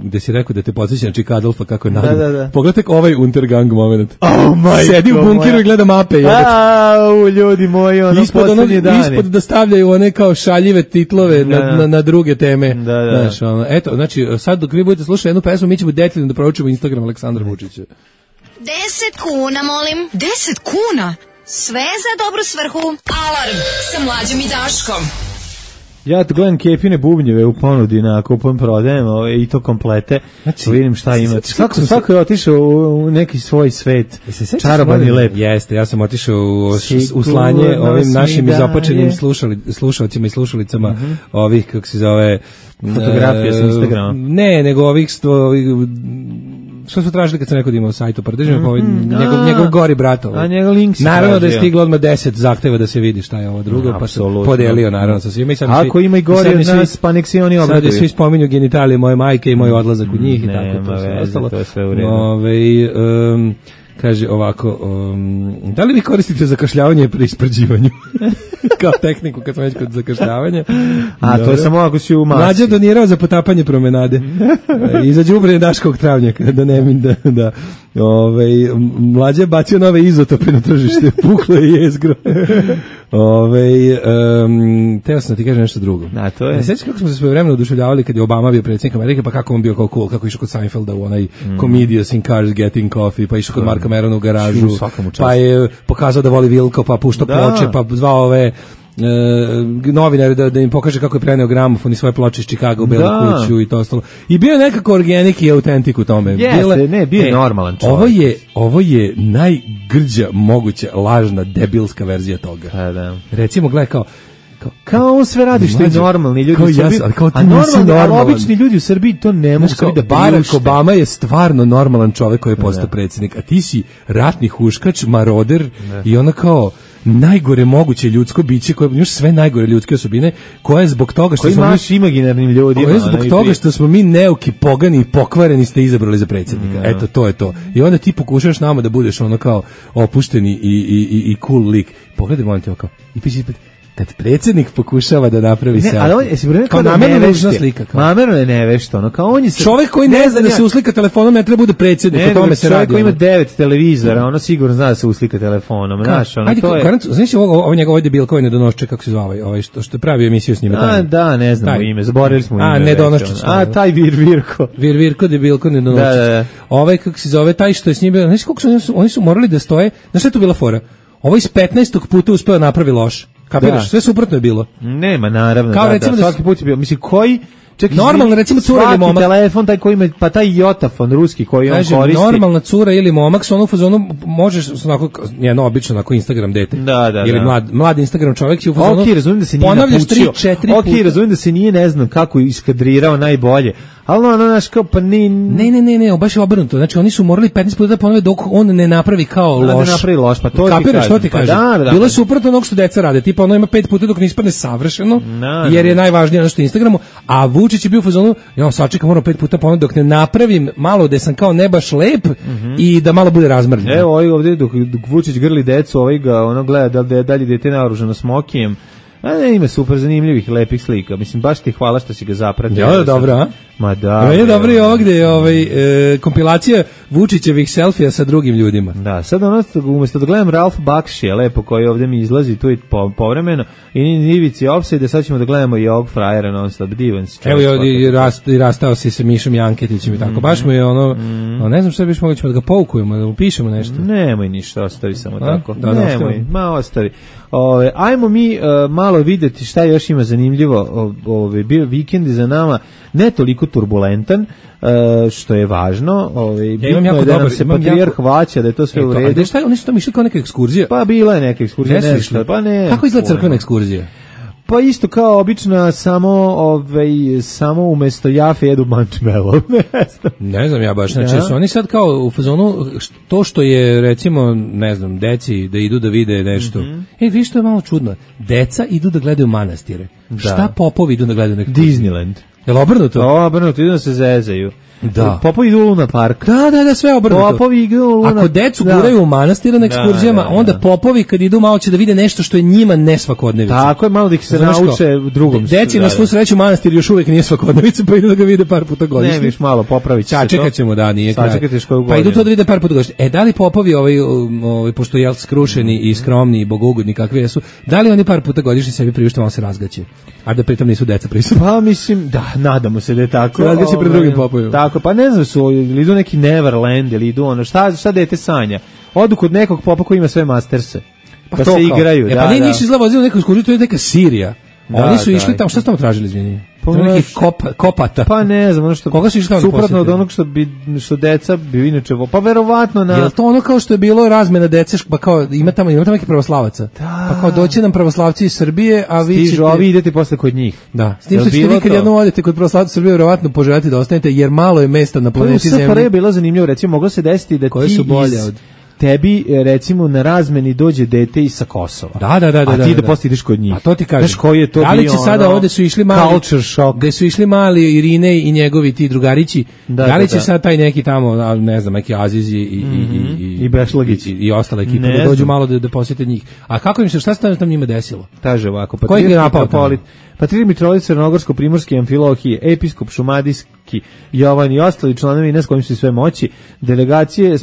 gde si rekao da te podsjeća na Čika Adolfa kako je nadam. Da, da, da. Pogledaj ovaj Untergang moment. Oh my Sedi u bunkiru moja. I gleda mape. Au, ljudi moji, ono ispod, ono, ispod da stavljaju one kao šaljive titlove da, na, na, na druge teme. Da, da. Znaš, ono, eto, znači, sad dok vi budete slušati jednu pesmu, mi ćemo detaljno da proučimo Instagram Aleksandra Vučića. Deset kuna, molim. Deset kuna? Sve za dobru svrhu. Alarm sa Mlađom i Daškom. Ja gledam Kepine bubnjeve u ponudi na kupon prodajem ove, i to komplete. Znači, vidim šta ima. Svako, svako je otišao u, u neki svoj svet. Čaroban i lep. Jeste, ja sam otišao u, u slanje ovim našim izopačenim slušali, slušalcima i slušalicama uh -huh. ovih, kako se zove... Fotografije uh, sa Instagrama. Ne, nego ovih sto... Ovih, što su tražili kad sam rekao da imao sajt, pa držim mm, ovaj, njegov, a, njegov gori brat. A njegov link naravno da je stiglo odmah deset zahteva da se vidi šta je ovo drugo, no, pa se podelio naravno sa svima. I sad ako svi, ima i gori od nas, pa nek se oni obraduju. Sad svi spominju genitalije moje majke i moj odlazak u njih i tako to sve ostalo. To je sve u redu. Ove, um, kaže ovako, um, da li vi koristite zakašljavanje pri isprđivanju? Kao tehniku kad smo već kod zakašljavanja. A dobro. To je samo ako si u masi. Mlađa donirao za potapanje promenade. I za đubre Daškog travnjaka, da ne min da... da Ove, Mlađa je bacio nove izotope na tržište, puklo je jezgro. Ove, um, teo sam da ti kažem nešto drugo. A to je. Ne sjećaš kako smo se svoje vremena oduševljavali kad je Obama bio predsjednik Amerike, pa kako on bio kao cool, kako išao kod Seinfelda u onaj mm. Comedians in Cars Getting Coffee, pa išao kod Marka Merona u garažu, pa je pokazao da voli Vilko, pa puštao ploče, pa zvao ove E, novinari da, da im pokaže kako je preneo gramofon i svoje ploče iz Čikaga u Belu da. kuću i to ostalo. I bio je nekako organik i autentik u tome. Jeste, Bile, ne, bio je e, normalan čovjek. Ovo je, ovo je najgrđa moguća lažna debilska verzija toga. A, da. Recimo, gledaj kao Kao, kao on sve radi što je normalni ljudi kao u Srbiji, ja, kao a normalni, ali obični ljudi u Srbiji to ne mogu da Barack Obama je stvarno normalan čovjek koji je postao predsjednik, a ti si ratni huškač, maroder ne. I ona kao najgore moguće ljudsko biće koje još sve najgore ljudske osobine koje je zbog toga što koji smo mi imaginarnim ljudima koje je zbog toga što smo mi neuki, pogani i pokvareni ste izabrali za predsjednika. Mm, eto to je to. I onda ti pokušaš nama da budeš ono kao opušteni i i i, i cool lik. Pogledaj molim te kao i piši kad predsjednik pokušava da napravi selfie. Ali on, jesi kao namerno ružna slika. Namerno je nevešta, ono, kao on je... Čovjek koji ne zna da se uslika telefonom ne treba bude predsjednik, ne, o tome se radi. Čovjek koji ima devet televizora, ono sigurno zna da se uslika telefonom, znaš, ono, ajde, to je... Garant, znaš ovo, ovo njegov debil koji ne donošče, kako se zvao, ovaj, što, što je pravio emisiju s njima. A, da, ne znamo ime, zaboravili smo ime. A, ne donoščić. A, taj Vir Virko. Vir Virko, debilko, ne donoščić. Da, da, da. Ovaj, kako se zove, taj što je s njim bio, znaš kako su, oni su, oni su morali da stoje, znaš šta je tu bila fora? Ovo iz petnaestog puta uspeo napravi loš. Kapiraš, sve suprotno je bilo. Nema, naravno, kao da, recimo da, svaki put je bio, mislim, koji... Čekaj, normalno, recimo, cura ili momak. Telefon, taj koji ima, pa taj Jotafon ruski koji on Kažem, koristi. Normalna cura ili momak, su ono u fazonu, možeš, onako, jedno obično, onako Instagram dete. Da, da, ili da. mlad, mlad Instagram čovjek će u fazonu, ok, razumijem da se nije ponavljaš tri, napučio. četiri ok, puta. razumijem da se nije, ne znam, kako iskadrirao najbolje. Ali ono, znaš, kao, pa ni... Ne, ne, ne, ne, baš je obrnuto. Znači, oni su morali petnaest puta da ponove dok on ne napravi kao da, loš. Da napravi loš, pa to kapiraš, ti što ti kažem. Pa da, da, bilo je pa... suprotno onog što deca rade. Tipa, ono ima pet puta dok ne ispadne savršeno, da, jer je da. najvažnije ono što je Instagramu, a Vučić je bio u fazonu, ja sačekam, moram pet puta ponove dok ne napravim malo da sam kao ne baš lep mm-hmm. i da malo bude razmrljen. Evo, ovaj ovdje, dok, dok Vučić grli decu, ovaj ga, ono gleda da li da je dete naoružano smokijem. A ne, ima super zanimljivih, lepih slika. Mislim, baš ti hvala što si ga zapratio. Ja, dobro, a? Ma da. No, je dobro i ovdje ovaj, e, kompilacija Vučićevih selfija sa drugim ljudima. Da, sad ono, umjesto da gledam Ralf Bakšija, lepo, koji ovdje mi izlazi tu i po, povremeno, i Ivici Offside, sad ćemo da gledamo i ovog frajera non stop, divan si. Evo i, i, rast, i rastao si sa Mišom Janketićem i tako. Mm-hmm. Baš mu je ono, mm-hmm. no, ne znam što biš mogli ćemo da ga poukujemo, da upišemo nešto. Nemoj ništa, ostavi samo a? tako. Da, Nemoj, da, ma ostavi. Ove, ajmo mi uh, malo videti šta još ima zanimljivo. Ove, bio vikend za nama ne toliko turbulentan, uh, što je važno. Ove, ja imam jako je da dobar, nam se patrijarh jako... vaća, da je to sve e, u redu. A šta, oni su tamo išli kao neka ekskurzija? Pa bila je neka ekskurzija. Ne nešto, pa ne. Kako izgleda crkvena ekskurzija? Pa isto kao obična, samo ovaj samo umesto jafe jedu marshmallow. ne znam. Ne znam ja baš, znači ja. Su oni sad kao u fazonu to što je recimo, ne znam, deci da idu da vide nešto. Mm-hmm. E, vi što je malo čudno. Deca idu da gledaju manastire. Da. Šta popovi idu da gledaju neki Disneyland. Jel obrnuto? O, obrnuto, idu da se zezaju. Da. Popovi idu u Luna Park. Da, da, da, sve obrnuto. Popovi idu u Luna Park. Ako decu da. Guraju u manastire na ekskurzijama, da, da, da. Onda popovi kad idu malo će da vide nešto što je njima ne svakodnevica. Tako je, malo da ih se znaš nauče ko? Drugom. Deci na svu sreću manastir još uvijek nije svakodnevica, pa idu da ga vide par puta godišnje. Ne, viš malo popravit će se to. Sačekat ćemo, da, nije kraj. Pa pa idu to da vide par puta godišnje. E, da li popovi, ovaj, ovaj, pošto je skrušeni i skromni i bogougodni kakvi jesu, da li oni par puta godišnje sebi priušte malo se razgaće? A da pritom nisu deca prisutna. Pa mislim, da, nadamo se da je tako. Razgaće pred drugim popovima. Tako, pa ne znam, su ili idu neki Neverland, ili idu ono, šta, šta dete sanja? Odu kod nekog popa koji ima sve masterse, pa, pa se igraju. E, da, pa ne, da. nisu izlavo neku ekskurziju, to je neka Sirija. Da, oni su da, išli tamo, šta su tamo tražili, izvini? Pa neki kop, kopata. Pa ne znam, ono što koga su išli tamo suprotno od onog što bi što deca bi inače, pa verovatno na. Jel to ono kao što je bilo razmena dece, pa kao ima tamo ima tamo neki pravoslavaca. Da. Pa kao doći nam pravoslavci iz Srbije, a vi ćete, a vi idete posle kod njih. Da. S tim što ćete vi kad jednom odete kod pravoslavaca Srbije, verovatno poželite da ostanete jer malo je mesta na planeti Zemlji. Pa je bilo zanimljivo, recimo moglo se desiti da koje ti su bolje iz... od tebi recimo na razmeni dođe dete iz sa Kosova. Da, da, da, a da, ti da, da, da posle ideš kod njih. A to ti kažeš. Znaš koji je to da li bio, će sada ono, ovde su išli mali culture shock. Gde su išli mali Irine i njegovi ti drugarići. Da, da li da, će da. sad taj neki tamo, ne znam, neki Azizi i mm-hmm. i i i Bešlagić i, i ostale ekipe da dođu malo da, da posjete njih. A kako im se šta se tam njima desilo? Kaže ovako, pa je napao Patrijarh Mitrovica Crnogorsko-Primorski Amfilohije, episkop Šumadijski Jovan i ostali članovi ne s kojim su sve moći, delegacije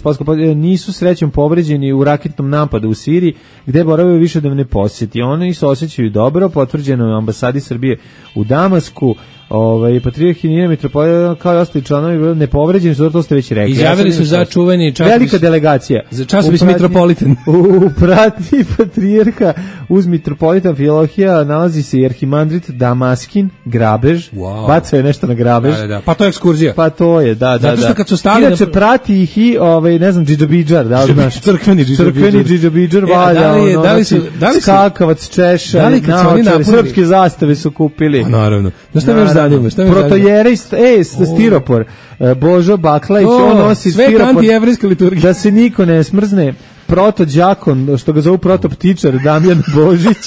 nisu srećom povređeni u raketnom napadu u Siriji, gde boravaju više da ne posjeti. Oni se osjećaju dobro, potvrđeno je u ambasadi Srbije u Damasku. Ovaj Patrijarh Nina Mitropolita kao i ostali članovi nepovređeni su, to ste već rekli. Izjavili ja su za čuveni časopis. Velika delegacija. Za časopis Mitropolitan. U pratnji patrijarha uz Mitropolitan Amfilohija nalazi se i arhimandrit Damaskin, grabež. Wow. Bacao je nešto na grabež. Da, da, da. Pa to je ekskurzija. Pa to je, da, da, da. Zato što kad su stali inače na... prati ih i ovaj ne znam Džidžabidžar, da li znaš? Crkveni Džidžabidžar. Crkveni Džidžabidžar valja. Da li je, da li su, da li su skakavac češa, da li kad su oni napunili srpske zastave su kupili. Pa naravno. Da šta me još zanima? Šta me Protojere, ej, stiropor. Božo Baklaić, on nosi stiropor. Sve antijevrijska liturgija. Da se niko ne smrzne. Proto đakon, što ga zovu proto ptičar, Damjan Božić.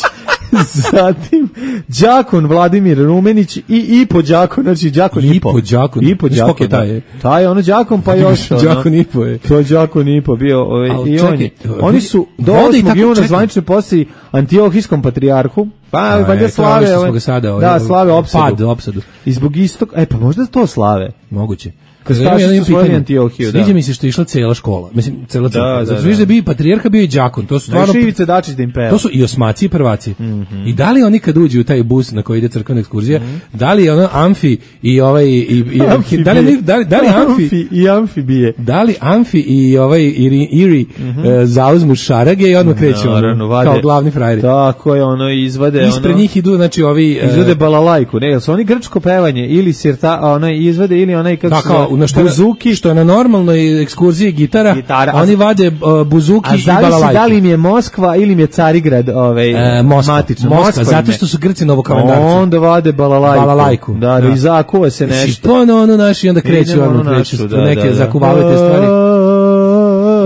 Zatim Đakon Vladimir Rumenić i i po Đakon, znači Đakon i po Đakon. I po Đakon. Taj, taj ono Đakon pa još ono. Đakon i po je. To Đakon i po bio ovaj i oni. Oni su do osmog juna zvanično posle Antiohijskom patrijarhu. Pa valjda slave ovaj. Da, slave opsadu. Pad opsadu. I zbog istog, e pa možda to slave. Moguće. Kad staši su svojili Antiohiju, da. Sviđa mi se što je išla cela škola. Mislim, cela crkva. Da, da, zato što da bi patrijarha bio i đakon. To su stvarno... Da, Ivica Dačić da im peva. To su i osmaci i prvaci. Mm -hmm. I da li oni kad uđu u taj bus na koji ide crkvena ekskurzija, mm -hmm. da li ono amfi i ovaj... I, i, da, li, da, li, da li amfi... amfi i amfibije. Da li amfi i ovaj iri, iri mm -hmm. uh, zauzmu šarage i odmah kreću no, ono, vade, kao glavni frajeri. Tako je, ono, izvade... Ispred ono, njih idu, znači, ovi... Uh, izvade balalajku. Ne, su oni grčko pevanje ili sirta, ono, izvade ili onaj... Da, kao, buzuki, što je na normalnoj ekskurziji gitara, gitara oni a, vade uh, buzuki i balalajku. A da li im je Moskva ili im je Carigrad ovaj, e, Moskva, matično? Moskva, Moskva zato što su Grci novokalendarci. Onda vade balalajku. balalajku. Da, da, i zakuva se nešto. To ono, ono naši, onda kreću, ono, ono kreću, našu, da, neke da, da. zakuvavaju te stvari.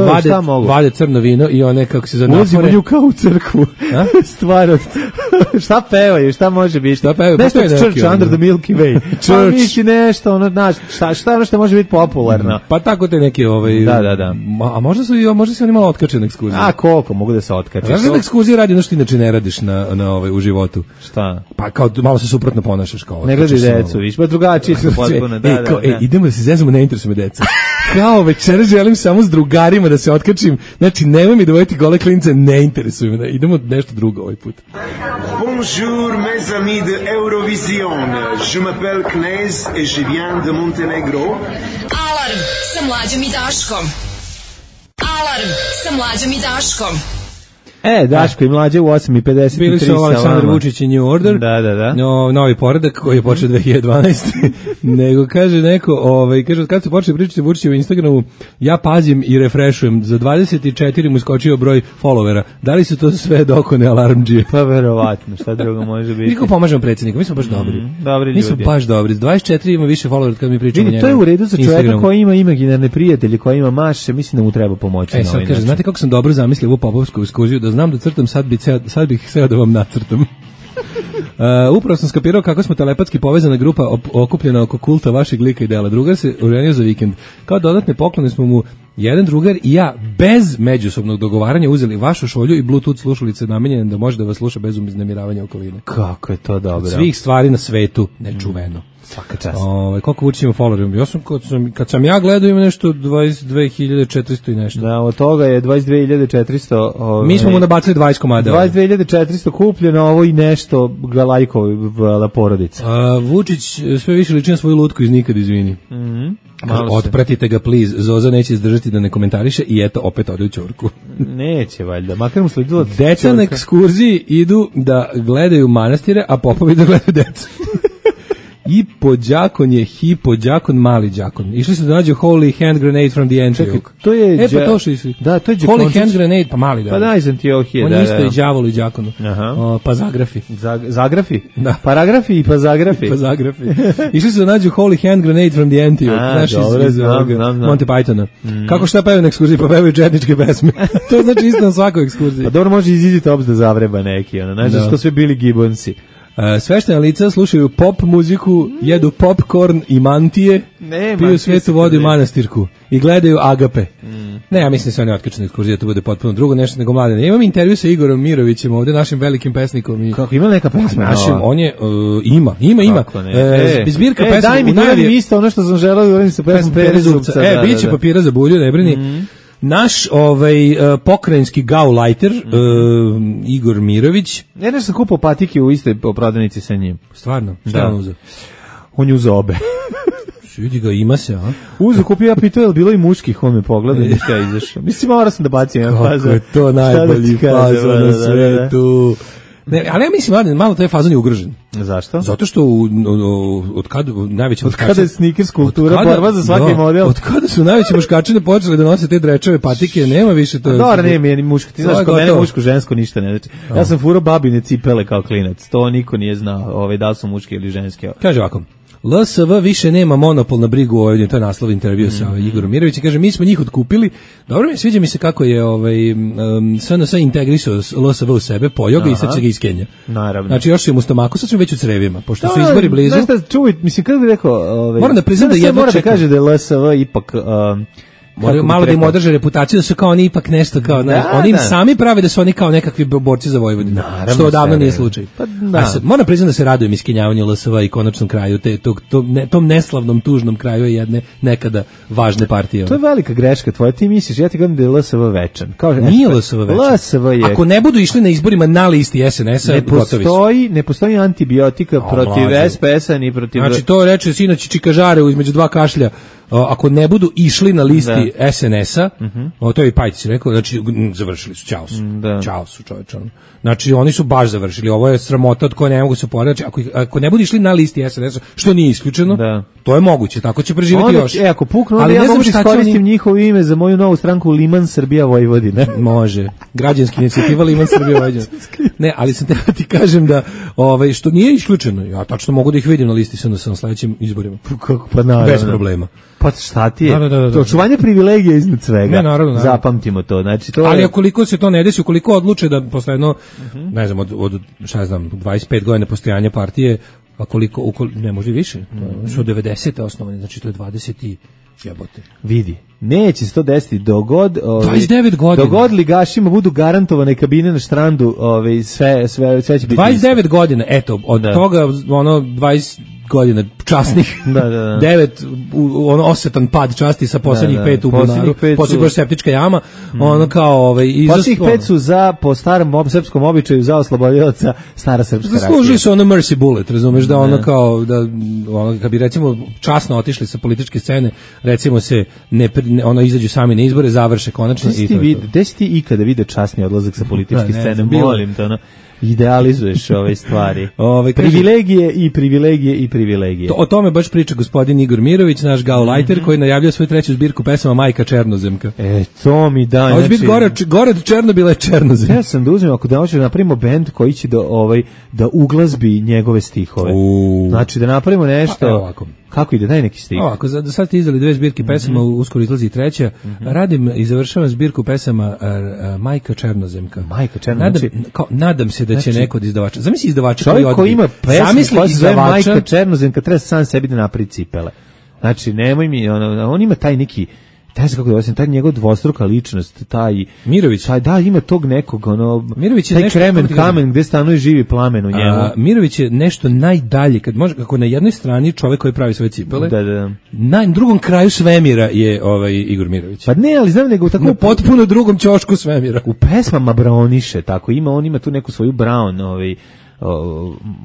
Vade, vade crno vino i one, kako se zove, ulazimo nju kao u crkvu. Stvarno. Šta pevaju, šta može biti? Šta pevaju? Nešto od Church Under the Milky Way. Pa misli nešto, ono, znaš, šta, šta ono što može biti popularno? Pa tako te neke, ovaj... Da, da, da. A možda su, možda se oni malo otkače na ekskurziju. A koliko, mogu da se otkače. Znaš da na ekskurziji radi ono što inače ne radiš na, na ovaj, u životu? Šta? Pa kao malo se suprotno ponašaš. Kao, ne gledaj decu, viš, pa drugačiji su potpuno. Da, e, kao, da, da. E, idemo da se zezamo, ne interesuje me deca. Kao večera želim samo s drugarima da se otkačim. Znači, nemoj mi dovojiti gole klince, ne interesuje me. Idemo nešto drugo ovaj put. Bonjour mes amis de Eurovision. Je m'appelle Knez et je viens de Montenegro. Alarm sa Mlađom i Daškom. Alarm sa Mlađom i Daškom. E, Daško i Mlađe u osam i pedeset tri. Bili su Aleksandar Vučić i New Order. Da, da, da. No, novi poredak koji je počeo dve hiljade dvanaeste. Nego kaže neko, ovaj, kaže, kad se počeli pričati Vučiću u Instagramu, ja pazim i refreshujem. Za dvadeset četiri mu iskočio broj followera. Da li su to sve dokone alarmdžije? Pa verovatno, šta drugo može biti. Niko pomažemo predsjedniku, mi smo baš dobri. Mm, dobri mi smo baš dobri. S dvadeset četiri ima više followera kad mi pričamo. Vidi, to je u redu za čovjeka koji ima imaginarne prijatelje, koji ima maše, mislim da mu treba pomoći. E, sad kaže, znate kako sam dobro zamislio ovu popovsku ekskurziju, da znam da crtam sad bi ceo, sad bih sve da vam nacrtam. Uh, upravo sam skapirao kako smo telepatski povezana grupa op, okupljena oko kulta vašeg lika i dela. Drugar se oženio za vikend. Kao dodatne poklone smo mu jedan drugar i ja bez međusobnog dogovaranja uzeli vašu šolju i Bluetooth slušalice namenjene da može da vas sluša bez uznemiravanja okoline. Kako je to dobro. Svih stvari na svetu nečuveno. Svaka čast. Ovaj koliko Vučić ima followera? Ja sam kad sam kad sam ja gledao ima nešto dvadeset dve hiljade četiristo i nešto. Da, od toga je dvadeset dve hiljade četiristo. Ovaj, mi smo mu nabacili dvadeset komada. dvadeset dve hiljade četiristo kupljeno, ovo i nešto ga lajkovala porodica. A Vučić sve više liči na svoju lutku iz Nikad izvini. Mhm. Otpratite ga, please. Zoza neće izdržati da ne komentariše i eto, opet ode u ćorku. Neće, valjda. Makar mu sledila deca na ekskurziji idu da gledaju manastire, a popovi da gledaju decu. I po đakon je hipo đakon, mali đakon. Išli su da nađu Holy Hand Grenade from the Antioch. To je e, pa to što išli. Da, to je Holy Hand Grenade, pa mali da. Pa da, iz Antiohije. On da, isto da. je đavolu i đakonu. Aha. O, pa zagrafi. Zag, zagrafi? Da. Paragrafi i pa zagrafi. pa zagrafi. Išli su da nađu Holy Hand Grenade from the Antioch. A, znaš, dobro, iz, znam, iz znam, znam. Monty Pythona. Mm. Kako šta pevaju na ekskurziji? Pa pevaju četničke pesme. To znači isto na svakoj ekskurziji. Pa dobro, može iz Tops da zavreba neki. Ono. Znaš da su to sve bili Gibbonsi. Uh, sveštena lica slušaju pop muziku, jedu popcorn i mantije, ne, piju svetu vodu i manastirku i gledaju Agape. Mm. Ne, ja mislim da se oni otkačeni ekskurzije, to bude potpuno drugo nešto nego mladene. Imam intervju sa Igorom Mirovićem, ovde našim velikim pesnikom. I kako, ima neka pesma? Našim, on je, uh, ima, ima, ima. E, e, zbirka e, pesma. Daj mi, daj mi isto ono što sam želeo da uradim sa pesmom Pere Zubca. E, da, bit će da, da. papira za bulju, ne brini. Mm. Naš ovaj uh, pokrajinski gaulajter mm. uh, Igor Mirović. Ja nešto sam kupao patike u istoj prodavnici sa njim. Stvarno? Šta on uzeo? On je uzeo obe. Vidi ga, ima se, a? Uzeo, kupio, ja pitao, je li bilo i muških, on me pogleda i šta je izašao. Mislim, morao sam da bacim jedan fazon. Kako je to najbolji fazon na svetu. Ne, ali ja mislim, mladen, malo taj fazon je ugrožen. Zašto? Zato što u, u, od kada najveći od kada je sneakers kultura, borba za svaki da, model. Od kada su najveći muškačine počeli da nose te drečeve patike, nema više to. Dobro, nema mi ni muško. Ti znaš, kod mene muško, žensko ništa ne znači. Ja sam furao babine cipele kao klinac. To niko nije znao, ovaj da su muški ili ženski. Kaže ovako. L S V više nema monopol na brigu o Vojvodini, to je naslov intervjua mm -hmm. sa ovaj, Igorom Mirovićem. Kaže, mi smo njih otkupili. Dobro mi sviđa mi se kako je ovaj, um, S N S integrisao L S V u sebe, pojao ga i sad će ga iz Kenije. Naravno. Znači, još je mu stomaku, sad smo već u crevima, pošto su izbori blizu. Znaš šta, čuj, mislim, kako bih rekao... Ovaj, moram da priznam da jedva mora da čekam. kaže da je L S V ipak... Um, Moraju malo da im održe reputaciju da su kao oni ipak nešto kao, da, oni im da. sami prave da su oni kao nekakvi borci za Vojvodinu, što odavno nije slučaj. Pa, da. A sad, moram priznati da se radujem iskenjavanju L S V i konačnom kraju, te, tog, tom, ne, tom neslavnom, tužnom kraju jedne nekada važne partije. To je velika greška tvoja, ti misliš, ja ti govorim da je L S V večan. Kao, nije L S V večan. L S V je... Ako ne budu išli na izborima na listi S N S-a, ne postoji, ne postoji antibiotika o, protiv mlađe. S P S-a ni protiv... Znači to reče sinoć Čikažare između dva kašlja. Ako ne budu išli na listi da. S N S-a, uh -huh. to je i Pajtić rekao, znači završili su, čao su, da. čao su čovječ. Znači oni su baš završili, ovo je sramota od koje ne mogu se poredati, ako, ako ne budu išli na listi S N S-a, što nije isključeno, da. to je moguće, tako će preživjeti onda, još. E, ako puknu, ali ja mogu da iskoristim oni... njihovo ime za moju novu stranku Liman Srbija Vojvodina. Može, građanski inicijativa Liman Srbija Vojvodina. Ne, ali sam te ti kažem da ovaj, što nije isključeno, ja tačno mogu da ih vidim na listi S N S-a na sledećim izborima. Kako, pa naravno. Bez problema. Pa šta ti je? Da, da, da, da. To očuvanje privilegija iznad svega. Ne, naravno, naravno. Zapamtimo to. Znači, to ali je... ukoliko se to ne desi, ukoliko odluče da posle jedno, uh -huh. ne znam, od, od šta znam, dvadeset pet godina postojanja partije, a koliko, ukoliko, ne može više, to je što devedesete osnovane, znači to je dvadeset i jebote. Vidi, neće se to desiti dogod ovaj, dvadeset devet godina. Dogod ligašima budu garantovane kabine na štrandu, ovaj, sve, sve, sve će biti dvadeset devet isto. Godina, eto, od da. toga ono dvadeset godina časnih, da, da, da. devet ono osetan pad časti sa poslednjih da, da. pet u bunaru, poslednjih septička jama, mm. ono kao ovaj izos... poslednjih pet su za po starom ob, srpskom običaju za oslobodioca stara srpska rakija. Zaslužili su ono mercy bullet, razumeš, da ono kao da ono kad bi recimo časno otišli sa političke scene, recimo se ne, ne ono izađu sami na izbore, završe konačno i to. Gde si ti ikada video časni odlazak sa političke da, scene? Molim te, ono idealizuješ ove stvari. Ove, privilegije i privilegije i privilegije. To, o tome baš priča gospodin Igor Mirović, naš gaulajter, mm -hmm. koji najavljuje svoju treću zbirku pesama Majka Černozemka. E, to mi da. Hoće biti gore, gore od Černobila je Černozem. Ja sam da uzmem, ako da hoće da napravimo bend koji će da, ovaj, da uglazbi njegove stihove. Uh. Znači da napravimo nešto... Pa, ovako. Kako ide, daj neki stih. Ovako, za, sad ste izdali dve zbirke pesama, mm -hmm. uskoro izlazi i treća. Mm -hmm. Radim i završavam zbirku pesama uh, uh, Majka Černozemka. Majka Černozemka. Nadam, kao, nadam se da će znači, neko od izdavača. Zamisli izdavača koji odbije. Čovjek koji ima pesmu koja se zove izdavača... Majka Černozemka, treba sam sebi da napravi cipele. Znači, nemoj mi, on, on ima taj neki... taj se kako da osim taj njegov dvostruka ličnost, taj Mirović, taj da ima tog nekog ono Mirović je taj nešto, kremen kamen gde stanuje živi plamen u njemu. A, Mirović je nešto najdalje kad može kako na jednoj strani čovjek koji pravi svoje cipele. Da, da. Na drugom kraju svemira je ovaj Igor Mirović. Pa ne, ali znam nego tako na potpuno drugom ćošku svemira. U pesmama Browniše, tako ima on ima tu neku svoju Brown, ovaj o,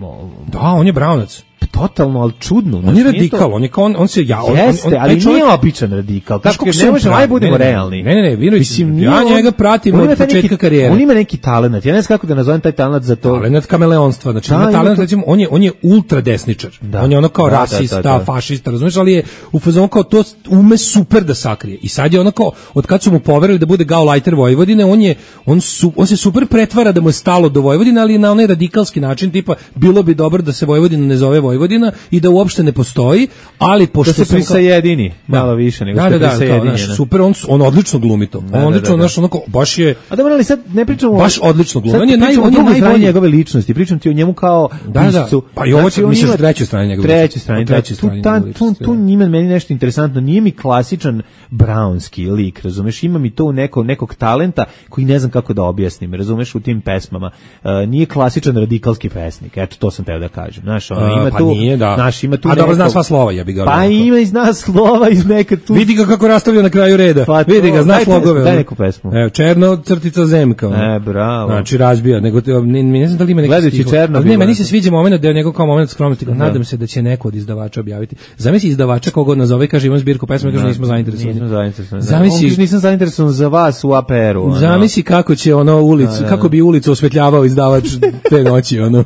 o, da, on je Brownac. Totalno, ali čudno. On je radikal, on je kao on, on se ja on, jeste, on, on, ali čovjek, nije običan radikal. Kako ne možemo, aj budemo ne, realni. Ne, ne, ne, Mirović, ja njega pratim od početka karijere. On ima neki talenat. Ja ne znam kako da nazovem taj talenat za to. Talenat kameleonstva, znači da, ima talenat, recimo, on je on je ultra desničar. Da. On je ono kao da, rasista, da, da, da. fašista, razumiješ, ali je u fazonu kao to ume super da sakrije. I sad je ono kao od kad su mu poverili da bude gaulajter Vojvodine, on je on su, on se super pretvara da mu je stalo do Vojvodine, ali na onaj radikalski način, tipa bilo bi dobro da se Vojvodina ne zove Vojvodina i da uopšte ne postoji, ali pošto da se prisajedini malo da. više nego da, što da, prisajedini. Da, da, super, on on odlično glumi to. Da, on odlično, da, da, naš onako baš je. A dobro, ali sad ne pričamo baš odlično glumi. On je naj on je najbolji njegove ličnosti. Pričam ti o njemu kao da, piscu. Da. Pa i ovo znači, misliš trećoj strani njegove. Trećoj strani, trećoj strani. Tu tu njima meni nešto interesantno. Nije mi klasičan brownski lik, razumeš? Ima mi to neko nekog talenta koji ne znam kako da objasnim, razumeš, u tim pesmama. Uh, nije klasičan radikalski pesnik. Eto, to sam teo da kažem. Znaš, on ima pa tu, nije, da. naš ima tu. A dobro zna sva slova, ja bih ga. Pa ima i zna slova iz neka tu. Vidi ga kako rastavlja na kraju reda. Pa vidi ga, zna slogove. Daj neku pesmu. Evo, Černo crtica zemka. E, bravo. Znači razbija, nego ne, ne znam da li ima neki stih. Černo. Ne, meni se sviđa momenat da je njegov kao momenat skromnosti. Da. Nadam se da će neko od izdavača objaviti. Zamisli izdavača koga nazove, kaže imam zbirku pesama, kaže nismo zainteresovani. Nismo zainteresovani. Zamisli, on nisam zainteresovan za vas u A P R-u. Zamisli kako će ono ulicu, da, da. kako bi ulicu osvetljavao izdavač te noći, ono.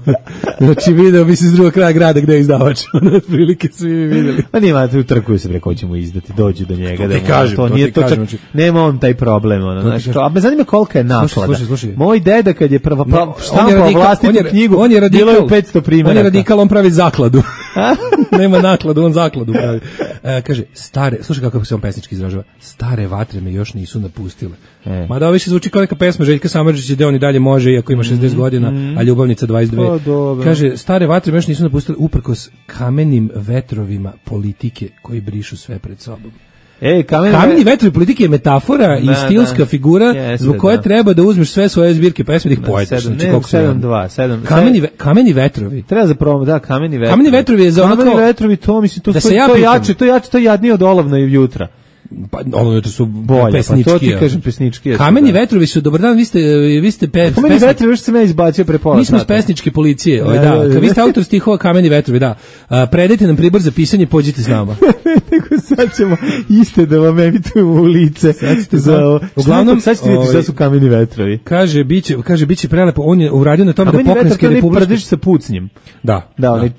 Znači video bi se s drugog kraja grada gde je izdavač. Otprilike svi videli. Pa nima tu trkuju se preko ćemo izdati, dođu do njega. To ti kažem, to nije to čak, nema on taj problem, ono, znaš. A me zanima kolika je naklada. Slušaj, slušaj. Moj deda kad je prvo štampao vlastitu knjigu, on je radikal, bilo je petsto primjeraka. On je radikal, on pravi zakladu. Nema nakladu, on zakladu pravi. E, kaže, stare, slušaj kako se on pesnički izražava, stare vatre me još nisu napustile. E. Mada ovo više zvuči kao neka pesma Željka Samardžića gde on i dalje može, iako ima šezdeset mm, godina, mm. a ljubavnica dvadeset dve. Pa, kaže, stare vatre me još nisu napustile uprkos kamenim vetrovima politike koji brišu sve pred sobom. Ej, kameni, kameni vetrovi politike je metafora da, i stilska da. figura Jeste, zbog koje da. treba da uzmeš sve svoje zbirke pesme da ih poetiš. Znači, ne, sedam dva, sedam Kameni, ve, kameni vetrovi. Treba za promo, da, kameni vetrovi. Kameni vetrovi je za ono kao... Kameni vetrovi, to mislim, to, da to, to, jače, to jače, to jadnije od olovna i jutra. Pa ono to su bolje, pesnički. Pa to ti kažem pesnički. Kameni da. vetrovi su dobar dan, vi ste vi ste pe, Kameni pesni... vetrovi još se me izbacio pre pola. Mi smo s pesničke policije, ovaj da. Kad vi ste autor stihova Kameni vetrovi, da. A, predajte nam pribor za pisanje, pođite s nama. Nego sad ćemo iste da vam emitujemo u lice. Za ovo. Uglavnom sad ćete vidjeti šta su Kameni vetrovi. Kaže biće, kaže biće prelepo. On je uradio na tome da pokrajinske republike prdiš sa pucnjem. Da. Da, onaj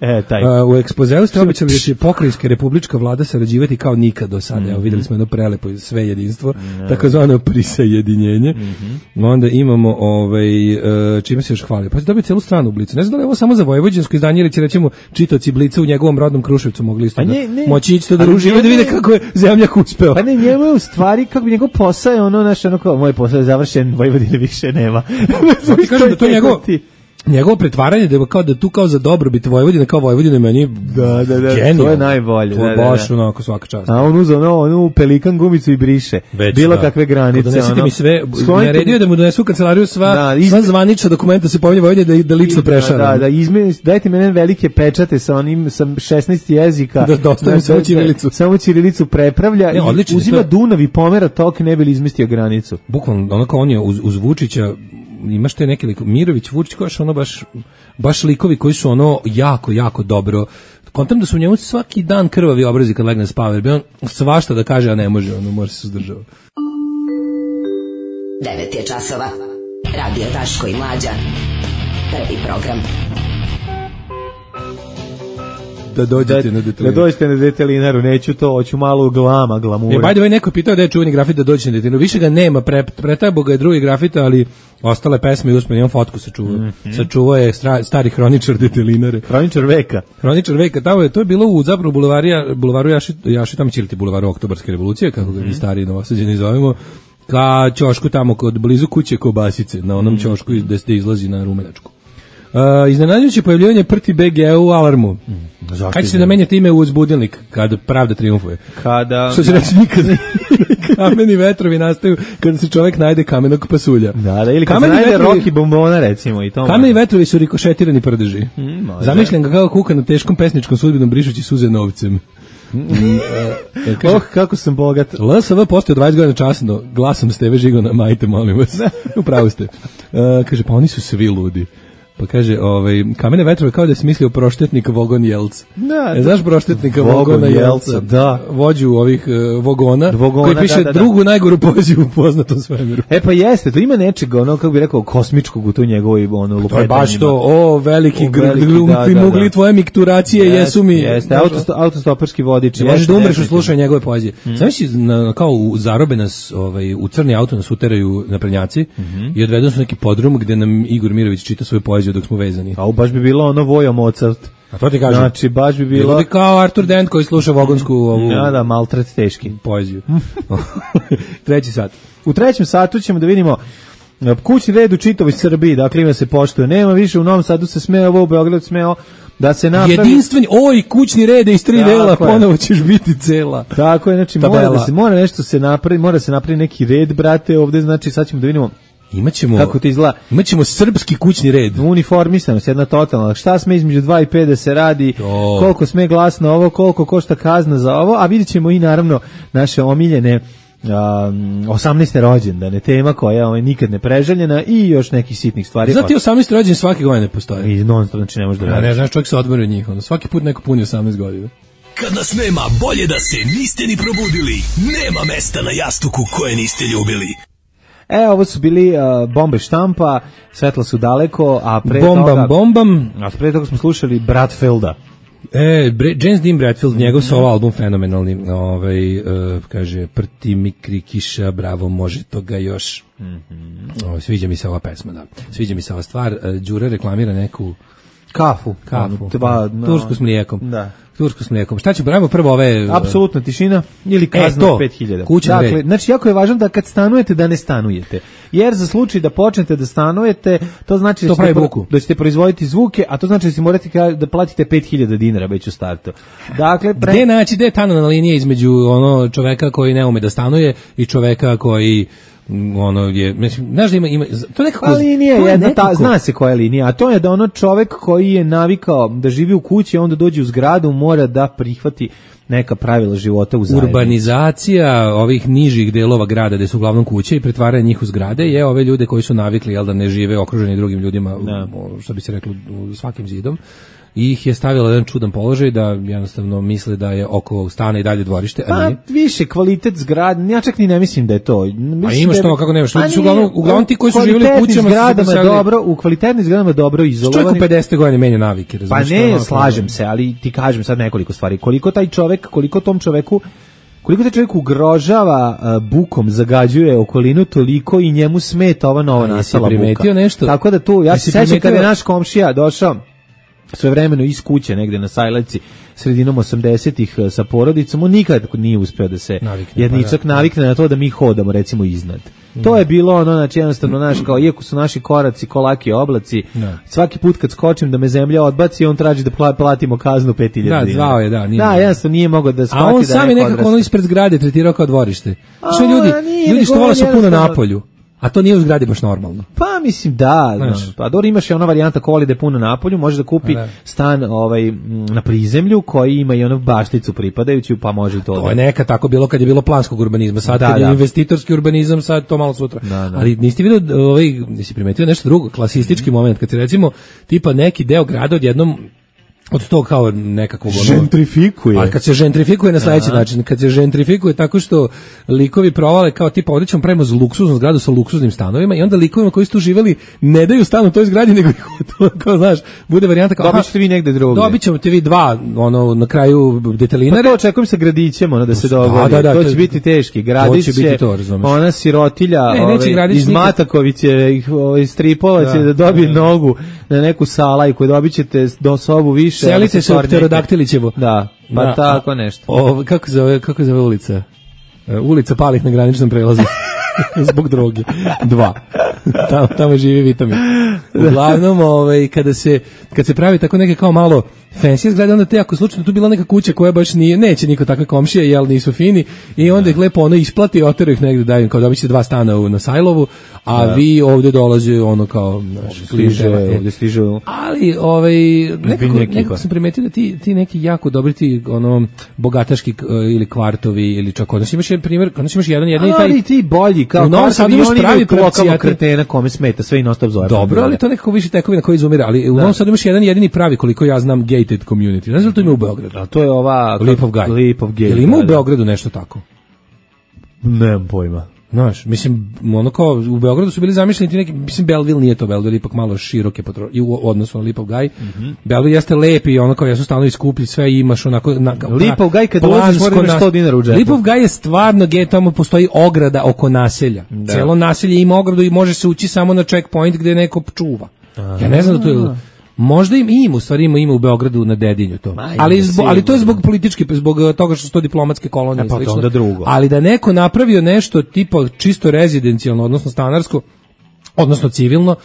E, taj. Uh, u ekspozeu ste obećali da će pokrajinska republička vlada sarađivati kao nikad do sada. Mm -hmm. Evo, videli smo jedno prelepo sve jedinstvo, mm, takozvano prisajedinjenje. Mm -hmm. Onda imamo, ovaj, uh, čime se još hvali. Pa se dobije celu stranu u Blicu. Ne znam da li je ovo samo za vojvođansko izdanje ili će recimo čitaoci Blica u njegovom rodnom Kruševcu mogli isto da moći ići to da ruži, da vide kako je zemljak uspeo. Pa ne, njemu je u stvari, kako bi njegov posao je ono, naš, ono kao, moj posao je završen, Vojvodine više nema. Ti kažem da to njegov... Njegovo pretvaranje da je kao da tu kao za dobrobit Vojvodine, kao Vojvodine meni da da da genijalno. To je najbolje. To je da, baš da, da. onako svaka čast. A on uzeo ono, onu pelikan gumicu i briše. Već, bilo da. kakve granice. Donesite ono, mi sve, naredio da mu donesu u kancelariju sva, da, izme... sva zvanična dokumenta se pominje Vojvodine da, da lično prešara. Da, da, izme, dajte mi velike pečate sa onim sa šesnaest jezika. Da dostavim samo ćirilicu. Samo ćirilicu prepravlja ne, i uzima to... Dunav i pomera tok ne bi li izmestio granicu. Bukvalno, onako on je uz, uz Vučića imaš te neki lik, Mirović, Vučić, koji ono baš, baš likovi koji su ono jako, jako dobro. Kontam da su u njemu svaki dan krvavi obrazi kad legne spava, jer bi on svašta da kaže, a ne može, ono može se suzdržava. devet je časova. Radio Daško i Mlađa. Prvi program. Da dođete da, na detelinaru. Da dođete na detelinaru, neću to, hoću malo glama, glamura. E, by the way, neko je pitao da je čuveni grafit da dođete na detelinaru. Više ga nema, pre, pretabo ga je drugi grafita, ali ostale pesme i uspomenu, imam fotku sačuvao. Mm -hmm. Sačuvao je stra, stari hroničar detelinare. Hroničar veka. Hroničar veka, tamo je, to je bilo u zapravo bulevarija, bulevaru Jaši, Jaši tamo će li ti bulevaru Oktobarske revolucije, kako ga mm -hmm. mi stari novosađeni zovemo, ka ćošku tamo kod blizu kuće Kobasice, na onom mm -hmm. ćošku gde se izlazi na Rumenačku. Uh, iznenađujuće pojavljivanje Prti B G u Alarmu. Mm, kad će se da menjate ime u uzbudilnik kad pravda triumfuje? Kada... Što će reći nikad. Kameni vetrovi nastaju kada se čovjek najde kamenog pasulja. Da, da, ili kad kameni se najde vetrovi, Rocky bombona, recimo. I to kameni vetrovi su rikošetirani prdeži. Mm, Zamišljam ga kao kuka na teškom pesničkom sudbinom brišući suze novcem. Mm, kaže, oh, kako sam bogat. L S V postao dvadeset godina časno, glasom Steve Žigona, majte, molim vas. Upravo ste. Uh, kaže, pa oni su svi ludi. Pa kaže, ovaj, kamene vetrove kao da je smislio proštetnik Vogon Jelc. Da, e, znaš proštetnika Vogona Jelca? Da. Vođu ovih uh, Vogona, Vogona, koji piše da, da, da. drugu najgoru poeziju u poznatom svemiru. E pa jeste, to ima nečega, ono, kako bi rekao, kosmičkog u tu njegovoj ono, lupetanjima. To je baš to, o, veliki primugli tvoje mikturacije jest, jesu mi... Jeste, autosto, autostoperski vodič. Možeš da umreš u slušanju njegove poezije. Mm. Sam misli, kao u zarobe nas, ovaj, u crni auto nas uteraju naprednjaci mm -hmm. i odvedu su neki podrum gde nam Igor Mirović čita svoju poeziju dok smo vezani. A baš bi bilo ono Vojo Mozart. A to ti kažem. Znači, baš bi bilo... Bilo bi kao Artur Dent koji sluša vogonsku ovu... Ja, da, maltret teški. Poeziju. Treći sat. U trećem satu ćemo da vidimo kućni red u čitavoj Srbiji, dakle ima se poštuje. Nema više, u Novom Sadu se smeo, ovo u Beogradu smeo da se napravi... Jedinstveni, oj, kućni red iz tri dela, ponovo ćeš biti cela. Tako je, znači mora, da se, mora nešto se napravi, mora se napravi neki red, brate, ovde, znači sad ćemo da vidimo Imaćemo, kako to izgleda? Imaćemo srpski kućni red. Uniformisanost, jedna totalna. Šta sme između dva i pet da se radi, to. Koliko sme glasno ovo, koliko košta kazna za ovo, a vidjet ćemo i naravno naše omiljene um, osamnaeste rođendane, tema koja je ovaj, nikad ne preželjena i još nekih sitnih stvari. Znate, osamnaesti rođendan svake godine postoje. I non stop, znači ne može da radiš. Ja, ne znaš, čovjek se odmori od njih. Ono, svaki put neko puni osamnaest godina. Kad nas nema, bolje da se niste ni probudili. Nema mesta na jastuku koje niste ljubili. E, ovo su bili uh, Bombe štampa, Svetla su daleko, a pre bombam, toga... bombam. A pre toga smo slušali Bradfielda. E, James Dean Bradfield, njegov solo album fenomenalni, ovaj, uh, kaže, prti mi krikiša, bravo, može toga još. Mm-hmm. O, sviđa mi se ova pesma, da. Sviđa mi se ova stvar. Uh, Đura reklamira neku kafu, kafu, dva, no, tursku s mlijekom. Da. Tursku s mlijekom. Šta ćemo, pravimo prvo ove... Apsolutna tišina ili kazna e, pet hiljada. Kućan dakle, red. znači, jako je važno da kad stanujete, da ne stanujete. Jer za slučaj da počnete da stanujete, to znači to da, ćete, pro, da ćete proizvoditi zvuke, a to znači da ćete morati da platite pet hiljada dinara već u startu. Dakle, pre... Gde naći, gde je tanovna linija između ono čoveka koji ne ume da stanuje i čoveka koji ono je, mislim, znaš da ima, ima to nekako... Pa linija je jedna, nekako... ta, zna se koja je linija, a to je da ono čovek koji je navikao da živi u kući, onda dođe u zgradu, mora da prihvati neka pravila života u zajednici. Urbanizacija ovih nižih delova grada gde su uglavnom kuće i pretvaranje njih u zgrade je ove ljude koji su navikli jel da ne žive okruženi drugim ljudima, da. Što bi se reklo, u svakim zidom. I ih je stavila jedan čudan položaj da jednostavno misle da je oko stana i dalje dvorište, a nije. Pa više kvalitet zgrade, ja čak ni ne mislim da je to. Mislim a imaš da to, kako nemaš, ljudi su uglavnom, uglavnom ti koji su živjeli u kućama zgradama je dobro, u kvalitetnim zgradama dobro izolovani. Čovjek u pedeset godina menja navike, razumiješ? Pa ne, slažem se, ali ti kažem sad nekoliko stvari. Koliko taj čovjek, koliko tom čoveku koliko taj čovjek ugrožava uh, bukom, zagađuje okolinu, toliko i njemu smeta ova nova nastala buka. Nešto? Tako da tu, ja se sećam kada je naš komšija došao svojevremeno iz kuće negde na Sajlevci sredinom osamdesetih sa porodicom, on nikad nije uspeo da se navikne, jednicak pa, navikne na to da mi hodamo recimo iznad. Mm. To je bilo ono, znači jednostavno naš, kao iako su naši koraci kolaki oblaci, da. Svaki put kad skočim da me zemlja odbaci, on traži da platimo kaznu pet hiljada. Da, zvao je, da. Nije da, jednostavno nije mogao da shvati da. A on sam je nekako ono ispred zgrade tretirao kao dvorište. Što ljudi, ljudi što vole su puno napolju. A to nije u zgradi baš normalno. Pa mislim da, znaš, pa dobro imaš i ona varijanta ko voli da je puno napolju, može da kupi da. Stan ovaj na prizemlju koji ima i onu bašticu pripadajuću, pa može i to. To da. je neka tako bilo kad je bilo planskog urbanizma, sad da, kad je da. investitorski urbanizam, sad to malo sutra. Da, da. Ali niste vidio, ovaj, nisi primetio nešto drugo, klasistički mm. moment, kad se recimo tipa neki deo grada odjednom od to kao nekakvog ono, žentrifikuje. A kad se žentrifikuje na sledeći Aha. način, kad se žentrifikuje tako što likovi provale kao tipa ovdje ćemo pravimo luksuznu zgradu sa luksuznim stanovima i onda likovima koji su tu živjeli ne daju stan u toj zgradi nego to, kao znaš, bude varijanta kao dobit ćete vi negde drugdje. Dobit ćemo te vi dva ono na kraju detelinare. Pa to očekujem sa gradićem ono da se dogodi. Da, da, to, to će biti teški. Gradić će biti to, razumeš. Ona sirotilja ne, ove, iz Matakoviće ih ovaj stripovac da, da dobije da, nogu na neku salajku, dobit ćete do sobu više. Selite se u Pterodaktilićevo. Da, pa da, tako nešto. O, kako zove, kako zove ulica? Uh, ulica Palih na graničnom prelazu. Zbog droge. Dva. Tamo, tamo živi vitamin. Uglavnom, ovaj, kada se, kad se pravi tako neke kao malo fancy zgrade, onda te ako slučajno tu bila neka kuća koja baš nije, neće niko takve komšije, jel nisu fini, i onda ih lepo ono isplati i oteraju ih negde, daju kao dobit će dva stana u, na Sajlovu, a da. Vi ovde dolaze ono kao naš, stiže, ovde stiže. Ali ovaj nekako, nekako sam primetio da ti, ti neki jako dobri ti ono bogataški ili kvartovi ili čak odnos imaš jedan primjer, odnos imaš jedan jedan i taj ti bolji kao kao sad imaš pravi lokalnog kretena kome smeta sve i non stop zove. Dobro, ali to nekako više tekovina koji izumira, ali u Novom Sadu imaš jedan jedini pravi koliko ja znam gated community. Ne znam da to ima u Beogradu. A to je ova Leap of Guy. Leap of Guy. Jel ima u Beogradu nešto tako? Nemam pojma. Znaš, mislim, ono kao, u Beogradu su bili zamišljeni ti neki, mislim, Belleville nije to, Belleville ipak malo široke potro, i u odnosu na Leap of Guy. Mm-hmm. Belleville jeste lepi i ono kao, jesu stanovi skuplji, sve imaš onako... Na, Leap of Guy, kad ulaziš, mora imaš sto dinara u džepu. Leap of Guy je stvarno gej, tamo postoji ograda oko naselja. Da. Celo naselje ima ogradu i može se ući samo na checkpoint gde neko čuva. Aha. Ja ne znam da to je... Možda im ima, u stvari ima, ima u Beogradu na Dedinju to. Ma, ali, zbog, ali to je zbog politički, zbog toga što su to diplomatske kolonije. E, pa to onda drugo. Ali da neko napravio nešto tipa čisto rezidencijalno, odnosno stanarsko, odnosno civilno,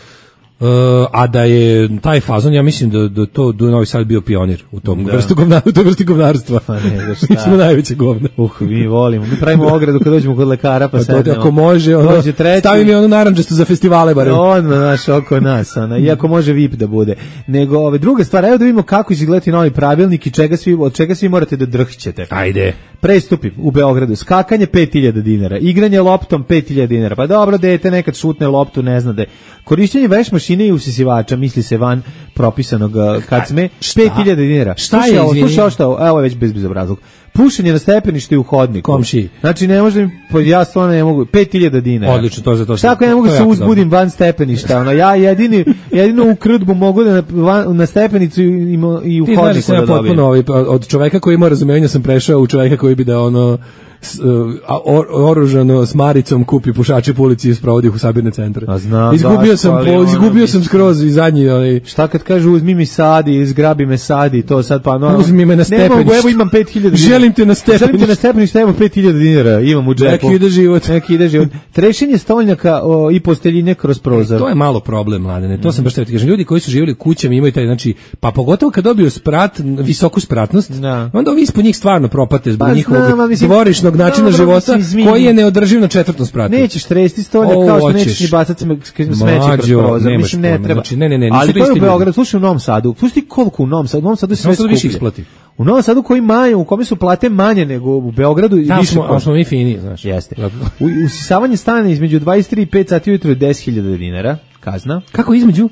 Uh, a da je taj fazon, ja mislim da, da to da Novi Sad bio pionir u tom da. vrstu govna, u toj vrsti govnarstva. Pa ne, da šta. Mi smo najveće govna. Uh, mi volimo. Mi pravimo ogradu kad dođemo kod lekara, pa, pa sednemo. Ako može, ono, stavi mi ono narandžasto za festivale barem. Ono, znaš, oko nas, ona, iako može V I P da bude. Nego, ove, druga stvar, evo da vidimo kako izgleda novi pravilnik i čega svi, od čega svi morate da drhćete. Ajde. Prestupi u Beogradu, skakanje pet hiljada dinara, igranje loptom pet hiljada dinara, pa dobro, dete nekad šutne loptu, ne zna da je. Korišćenje veš mašine i usisivača, misli se van propisanog kad sme, pet hiljada dinara. Šta slušaj je, ovo, slušaj ovo, šta, evo je već bez bezobrazlog. pušenje na stepeništu i u hodniku. Komšiji. Znači ne možem, ja stvarno ne mogu, pet hiljada dinara. Odlično, to za to. Šta ako ja ne mogu se uzbudim van stepeništa, ono, ja jedini, jedino u krdbu mogu da na, van, na stepenicu i, i u ti hodniku znaš, da dobijem. Potpuno, ovaj, od čoveka koji ima razumevanja sam prešao u čoveka koji bi da ono S, uh, or, oružano s maricom kupi pušače po ulici i sprovodi ih u sabirne centre. A znam, izgubio da, sam, po, ono, izgubio sam skroz i zadnji. Ali... Šta kad kažu uzmi mi sadi, izgrabi me sadi, to sad pa no. Uzmi me na stepenište. Ne mogu, evo imam pet hiljada dinara. Želim te na stepenište. Želim te na stepenište, evo pet hiljada dinara, imam u džepu. Neki ide život. Neki ide život. Trešenje stolnjaka o, i posteljine kroz prozor. E, to je malo problem, mladene. To mm. sam baš trebati kažem. Ljudi koji su živjeli kućama imaju taj, znači, pa pogotovo kad dobiju sprat, visoku spratnost, da. Onda ovi ispod njih stvarno propate zbog pa, njihovog dvorišnog načina života. Koji je neodrživ na četvrtom spratu. Nećeš tresti stolnjak kao što nećeš ni bacati smeće kroz prozor. Mislim, ne treba. Znači, ne, ne, ne, ali to je u Beogradu, slušaj u Novom Sadu. Pusti koliko u Novom Sadu. U Novom Sadu je sve skuplje. U Novom Sadu koji manje, u kome su plate manje nego u Beogradu. Tamo smo, ali smo mi fini, znaš. Jeste. Usisavanje stane između dvadeset tri i pet sati ujutro je deset hiljada dinara, kazna. Kako između?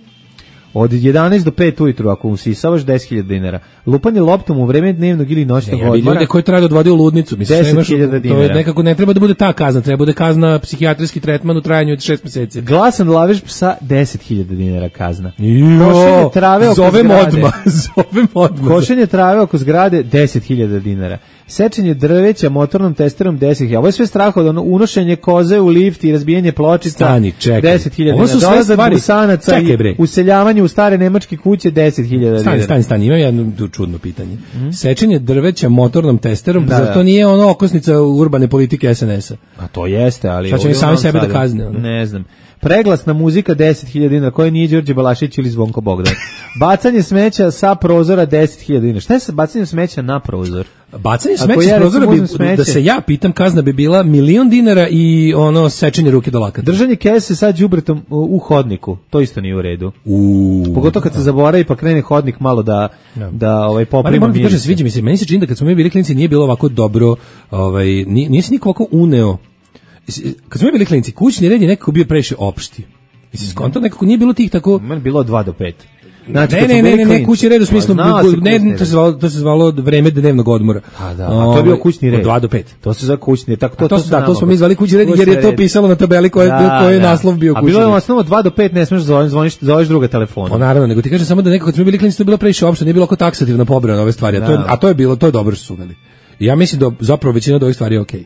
Od jedanaest do pet ujutru, ako usisavaš deset hiljada dinara. Lupanje loptom u vreme dnevnog ili noćnog odmora. Ja, ljude koji treba da odvode u ludnicu. deset hiljada dinara. To nekako ne treba da bude ta kazna, treba da bude kazna psihijatrijski tretman u trajanju od šest meseci. Glasan lavež psa, deset hiljada dinara kazna. Jo, košenje trave oko zovem zgrade. Odmah, zovem odmah. Košenje trave oko zgrade, deset hiljada dinara. Sečenje drveća motornom testerom deset hiljada. Ovo je sve strah od ono, unošenje koze u lift i razbijanje pločica. Stani, čekaj. deset hiljada dinara. Dolazak busanaca i useljavanje u stare nemačke kuće deset hiljada dinara. Stani, stani, stani, imam jedno čudno pitanje. Mm? Sečenje drveća motornom testerom, da, zar to nije ono okosnica urbane politike S N S-a? A to jeste, ali... Šta će mi sami sebe da kazne? Ono? Ne znam. Preglasna muzika deset hiljada dinara, koja nije Đorđe Balašić ili Zvonko Bogdan. Bacanje smeća sa prozora deset hiljada dinara. Šta je sa bacanjem smeća na prozor? Bacanje smeća sa prozora bi, da se ja pitam, kazna bi bila milion dinara i ono sečenje ruke do lakata. Držanje kese sa đubretom u hodniku, to isto nije u redu. U, Pogotovo kad se zaboravi pa krene hodnik malo da ja. da ovaj poprima miris. Kaže, sviđa mi se, meni se čini da kad smo mi bili klinci nije bilo ovako dobro, ovaj nije, nije se niko ovako uneo. Kad smo mi bili klinci, kućni red je nekako bio previše opšti. Mislim, skonto nekako nije bilo tih tako... Meni bilo dva do pet. Znači, ne, ne, ne, ne, ne, kućni red u smislu, ne, to se zvalo, to se zvalo vreme dnevnog odmora. A da, a to je bio kućni red. Od dva do pet. To se zove kućni red, tako to, to, to da, to smo mi zvali kućni red, jer je to pisalo na tabeli koje, da, koje je da. naslov bio kućni red. A bilo je osnovo dva do pet, ne smiješ zvoniš, zvoniš, zoveš druga telefona. Pa naravno, nego ti kažem samo da nekako kad smo bili klinci to je bilo previše opšte, nije bilo oko taksativno pobrano ove stvari, a to je, a to je bilo, to je dobro što su uveli. I ja mislim da zapravo većina od ovih stvari je okej.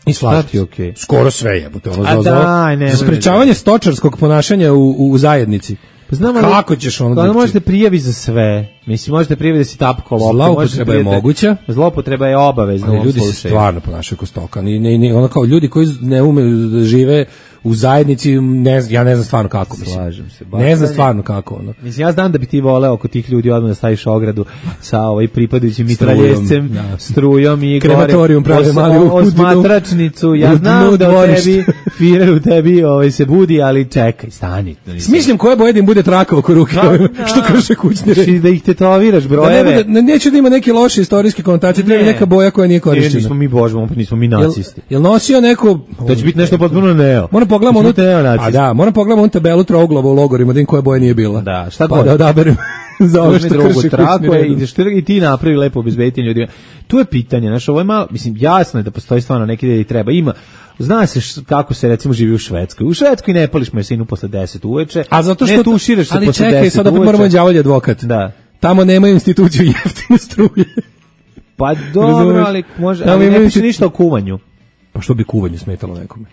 I slažiti, okay. Skoro sve je. Ono, A za, daj, ne, za sprečavanje stočarskog ponašanja u, u zajednici. Pa znam, kako ćeš ono da možete prijavi za sve. Mislim, možete prijavi da si tapko loptu. Zloupotreba je moguća. Zloupotreba je obavezna. Ali ljudi se stvarno ponašaju kao stoka. Ni, ni, ni, ono kao ljudi koji ne umeju da žive u zajednici, ne, ja ne znam stvarno kako. Mislim. Slažem se. Ne znam stvarno kako. Ono. Mislim, ja znam da bi ti voleo oko tih ljudi odmah da staviš ogradu sa ovaj pripadajućim mitraljescem, ja. strujom i krematorijum pravi mali u osmatračnicu. Ja znam da u tebi, Firer u tebi ovaj, se budi, ali čekaj, stani. Smišljam koje boje da im bude traka oko ruke, da, što krše kućni red. Da ih tetoviraš, brojeve. Da ne bude, neće da ima neke loše istorijske konotacije, treba neka boja koja nije korišćena. Nismo mi božbom, nismo mi nacisti. Jel, jel nosio neko... To će biti nešto potpuno neo. Moram pogledamo onu, a da, moram pogledamo onu tabelu trouglovo u logorima, da im koje boje nije bila. Da, šta pa god. Da odaberem za ovo što krši kućni red. I ti napravi lepo obezbediti ljudima. Tu je pitanje, znaš, ovo je malo, mislim, jasno je da postoji stvarno neki da i treba. Ima, zna se š, kako se recimo živi u Švedskoj. U Švedskoj ne pališ masinu posle deset uveče. A zato što ne tuširaš se posle deset uveče. Ali čekaj, sad opet moramo đavolji advokat. Da. Tamo nemaju instituciju jeftine struje. Pa dobro, ali može, ali ne piše ništa o kuvanju. Pa što bi kuvanje smetalo nekome?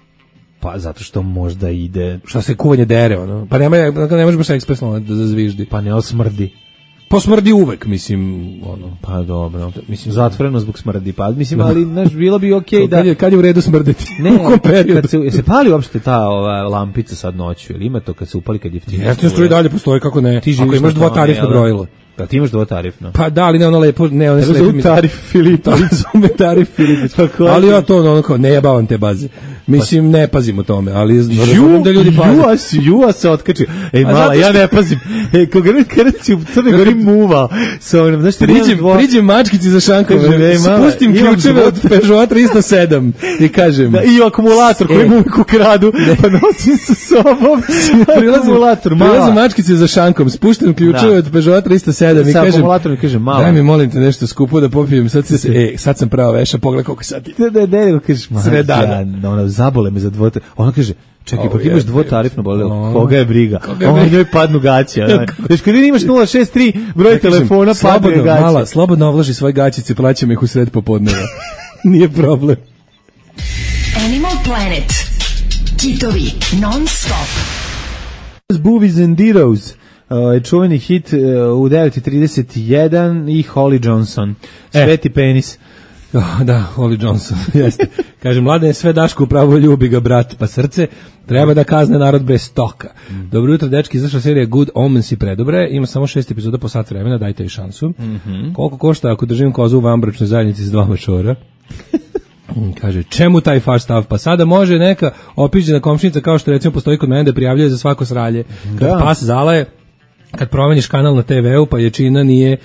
Pa zato što možda ide... Šta se kuvanje dere, ono? Pa nema, ne može baš ekspresno da zazviždi. Pa ne osmrdi. Pa smrdi uvek, mislim, ono. Pa dobro, mislim, zatvoreno zbog smrdi, pa mislim, ali, znaš, bilo bi okej okay da... Kad je, kad je u redu smrditi? Ne, u kom periodu? Kad se, se pali uopšte ta ova, lampica sad noću, ili ima to kad se upali kad je jeftinije? Jeftino struje dalje postoji, kako ne? Ti ako imaš dvotarifno brojilo. Da, ti imaš dvotarifno. Pa da, ali ne ono lepo, ne ono slepo. Zove tarif Filipović. Zove tarif Filipović. Ali ja to ono kao, ne jebavam te baze. Mislim, ne pazim o tome, ali razumijem da ljudi paze. Jua si, jua se otkači. Ej, mala, ja ne pazim. Ej, kada si u Crnoj Gori muva, sa onom, znaš, priđem, priđem mačkici za šankom, spustim ključeve od Peugeot tristo sedam i kažem. Da, i akumulator koji mu uvijek ukradu, pa nosim sa sobom. Prilazim, prilazim mačkici za šankom, spuštam ključeve od Peugeot tristo sedam sedam i kažem, kažem malo. Daj mi molim te nešto skupo da popijem, sad, se, e, sad sam prava veša, pogledaj koliko sati. Da, da, da, kažeš, sve dana. Ja, ona zabole me za dvote. Ona kaže, čekaj, oh, pa imaš dvotarifno bolelo. Koga je briga? Ona njoj padnu gaće. Znači, kad imaš nula šest tri broj ja telefona, padnu je gaće. Mala, slobodno ovlaži svoje gaćice, plaćam ih u sred popodneva. Nije problem. Animal Planet. Kitovi non stop. Boobies and Dittos. Uh, čuveni hit uh, u devet i trideset jedan i Holly Johnson. Sveti e. penis. Oh, da, Holly Johnson, jeste. Kaže, mlade je sve Daško upravo ljubi ga brat, pa srce, treba da kazne narod bez stoka. Mm. Dobro jutro, dečki, izašla serija Good Omens i predobre, ima samo šest epizoda po sat vremena, dajte joj šansu. Mm-hmm. Koliko košta ako držim kozu u vanbračnoj zajednici s dva mačora? Kaže, čemu taj faš stav? Pa sada može neka opiđena komšinica, kao što recimo postoji kod mene da prijavljuje za svako sralje. Kad da. Pas zalaje, kad promeniš kanal na te veu, pa jačina nije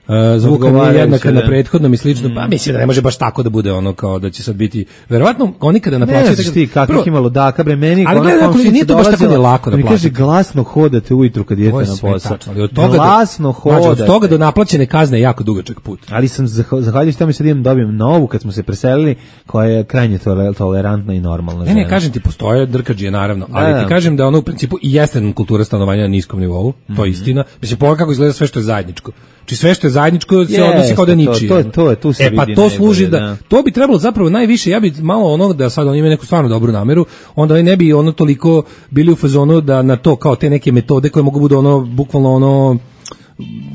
Uh, zvuka nije jednaka na prethodnom i slično, mm. pa mislim da ne može baš tako da bude ono kao da će sad biti, verovatno oni kada naplaćaju... Ne znaš ti kakvih ima ludaka, bre, meni ali gledaj, ako nije to baš tako da lako naplaćati. Mi kaže, glasno hodate ujutru kad idete na posao. Od toga glasno do, hodate. Od toga do naplaćene kazne je jako dugačak put. Ali sam zahvaljujući tamo sad idem dobijem novu kad smo se preselili, koja je krajnje tolerantna i normalna. Ne, ne, kažem ti, postoje drkađije naravno, ali da, ti kažem da ono u principu i jeste kultura stanovanja na niskom nivou, to je istina. Mislim, pogledaj kako izgleda sve što je zajedničko. Či sve što je zajedničko se odnosi kao da niči. To, to, to je tu se e, pa to najbolje, služi da, da to bi trebalo zapravo najviše, ja bi malo ono da sad oni imaju neku stvarno dobru nameru, onda oni ne bi ono toliko bili u fazonu da na to kao te neke metode koje mogu bude ono bukvalno ono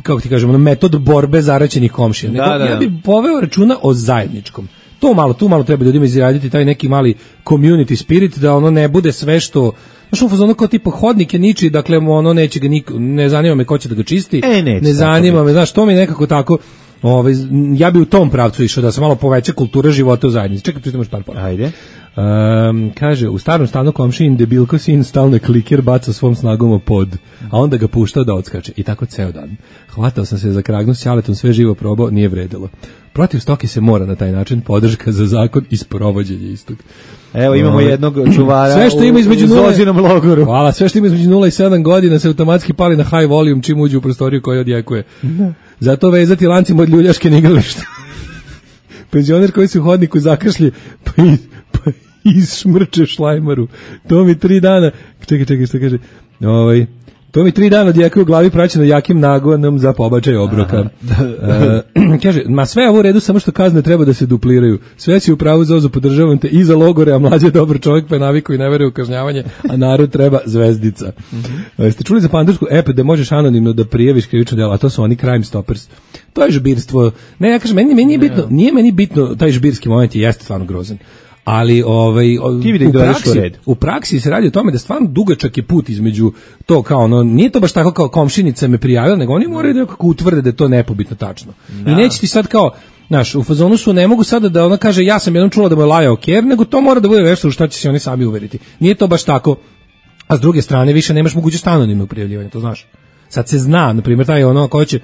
kako ti kažemo, ono metod borbe zaraćenih komšija. Da, Nego, da, ja bih poveo računa o zajedničkom. To malo, tu malo treba ljudima izraditi taj neki mali community spirit da ono ne bude sve što znaš u fazonu kao tipa hodnik je niči, dakle ono neće ga niko, ne zanima me ko će da ga čisti, e, neće, ne zanima me, znaš, to mi nekako tako, ovaj, ja bi u tom pravcu išao da se malo poveća kultura života u zajednici. Čekaj, pritom još par par. Ajde. Um, kaže, u starom stanu komšin debilko sin stalno kliker baca svom snagom o pod, a onda ga puštao da odskače. I tako ceo dan. Hvatao sam se za kragnu s ćaletom, sve živo probao, nije vredilo. Protiv stoke se mora na taj način, podrška za zakon i sprovođenje istog. Evo imamo uh, jednog čuvara sve što ima između u Zozinom logoru. Hvala, sve što ima između nula i sedam godina se automatski pali na high volume čim uđe u prostoriju koju odjekuje. Zato vezati lancima od ljuljaške na igrališta. Penzioner koji se u hodniku zakašlje pa, pa izšmrče šlajmaru. To mi tri dana, čekaj, čekaj, što kaže, ovaj, to mi tri dana odjekuje u glavi praćeno jakim nagonom za pobačaj obroka. uh, kaže, ma sve ovo u redu, samo što kazne treba da se dupliraju. Sve si u pravu, Zozo, podržavam te i za logore, a mlađe je dobar čovjek, pa je navikao i ne veruje u kažnjavanje, a narod treba zvezdica. Uh, ste čuli za pandursku app da možeš anonimno da prijaviš krivično delo, a to su oni Crime Stoppers. To je žbirstvo. Ne, ja kažem, meni, meni nije bitno, nije meni bitno, taj žbirski moment jeste stvarno grozan. Ali ovaj u praksi, u praksi se radi o tome da stvarno dugačak je put između to kao ono, nije to baš tako kao komšinica me prijavila, nego oni moraju da kako utvrde da je to nepobitno tačno. Da. I neće ti sad kao, znaš, u fazonu su ne mogu sada da ona kaže ja sam jednom čula da mu je lajao ker, nego to mora da bude nešto u šta će se oni sami uveriti. Nije to baš tako. A s druge strane više nemaš mogućnost anonimnog prijavljivanja, to znaš. Sad se zna, na primjer, taj ono ko će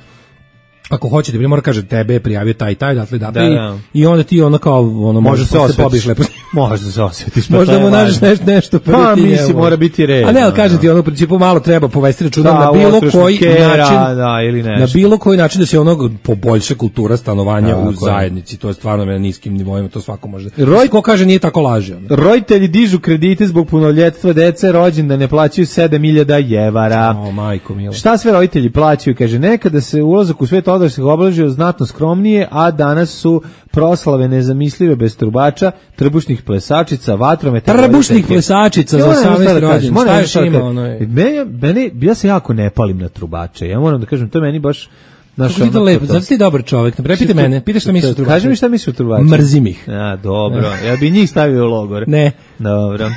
ako hoćete, bi mora kaže tebe je prijavio taj taj, dakle da, da, da. I onda ti ono kao ono može se osjetiš lepo. Može se osjetiš. Možda mu nađeš nešto nešto pa misli mora biti red. A ne, al kažem ti ono u principu malo treba povesti računa na bilo koji način, da, ili nešto. Na bilo koji način da se ono poboljša kultura stanovanja u zajednici. To je stvarno na niskim nivoima, to svako može. Ko kaže nije tako laže. Roditelji dižu kredite zbog punoljetstva dece, rođendane plaćaju sedam hiljada evra. O majko mila. Šta sve roditelji plaćaju? Kaže nekada se ulazak u svet odraslih obeležio znatno skromnije, a danas su proslave nezamislive bez trubača, trbušnih plesačica, vatrometa. Trbušnih plesačica za osamnaesti rođendan. Šta još ima ono je? Meni, meni, ja se jako ne palim na trubače. Ja moram da kažem, to meni baš naš ono. Kako lepo, zato si dobar čovjek. Ne prepite mene, pitaš šta misliš o trubače. Kaži mi šta misliš o trubače. Mrzim ih. A, dobro. Ja bi njih stavio u logor. Ne. Dobro.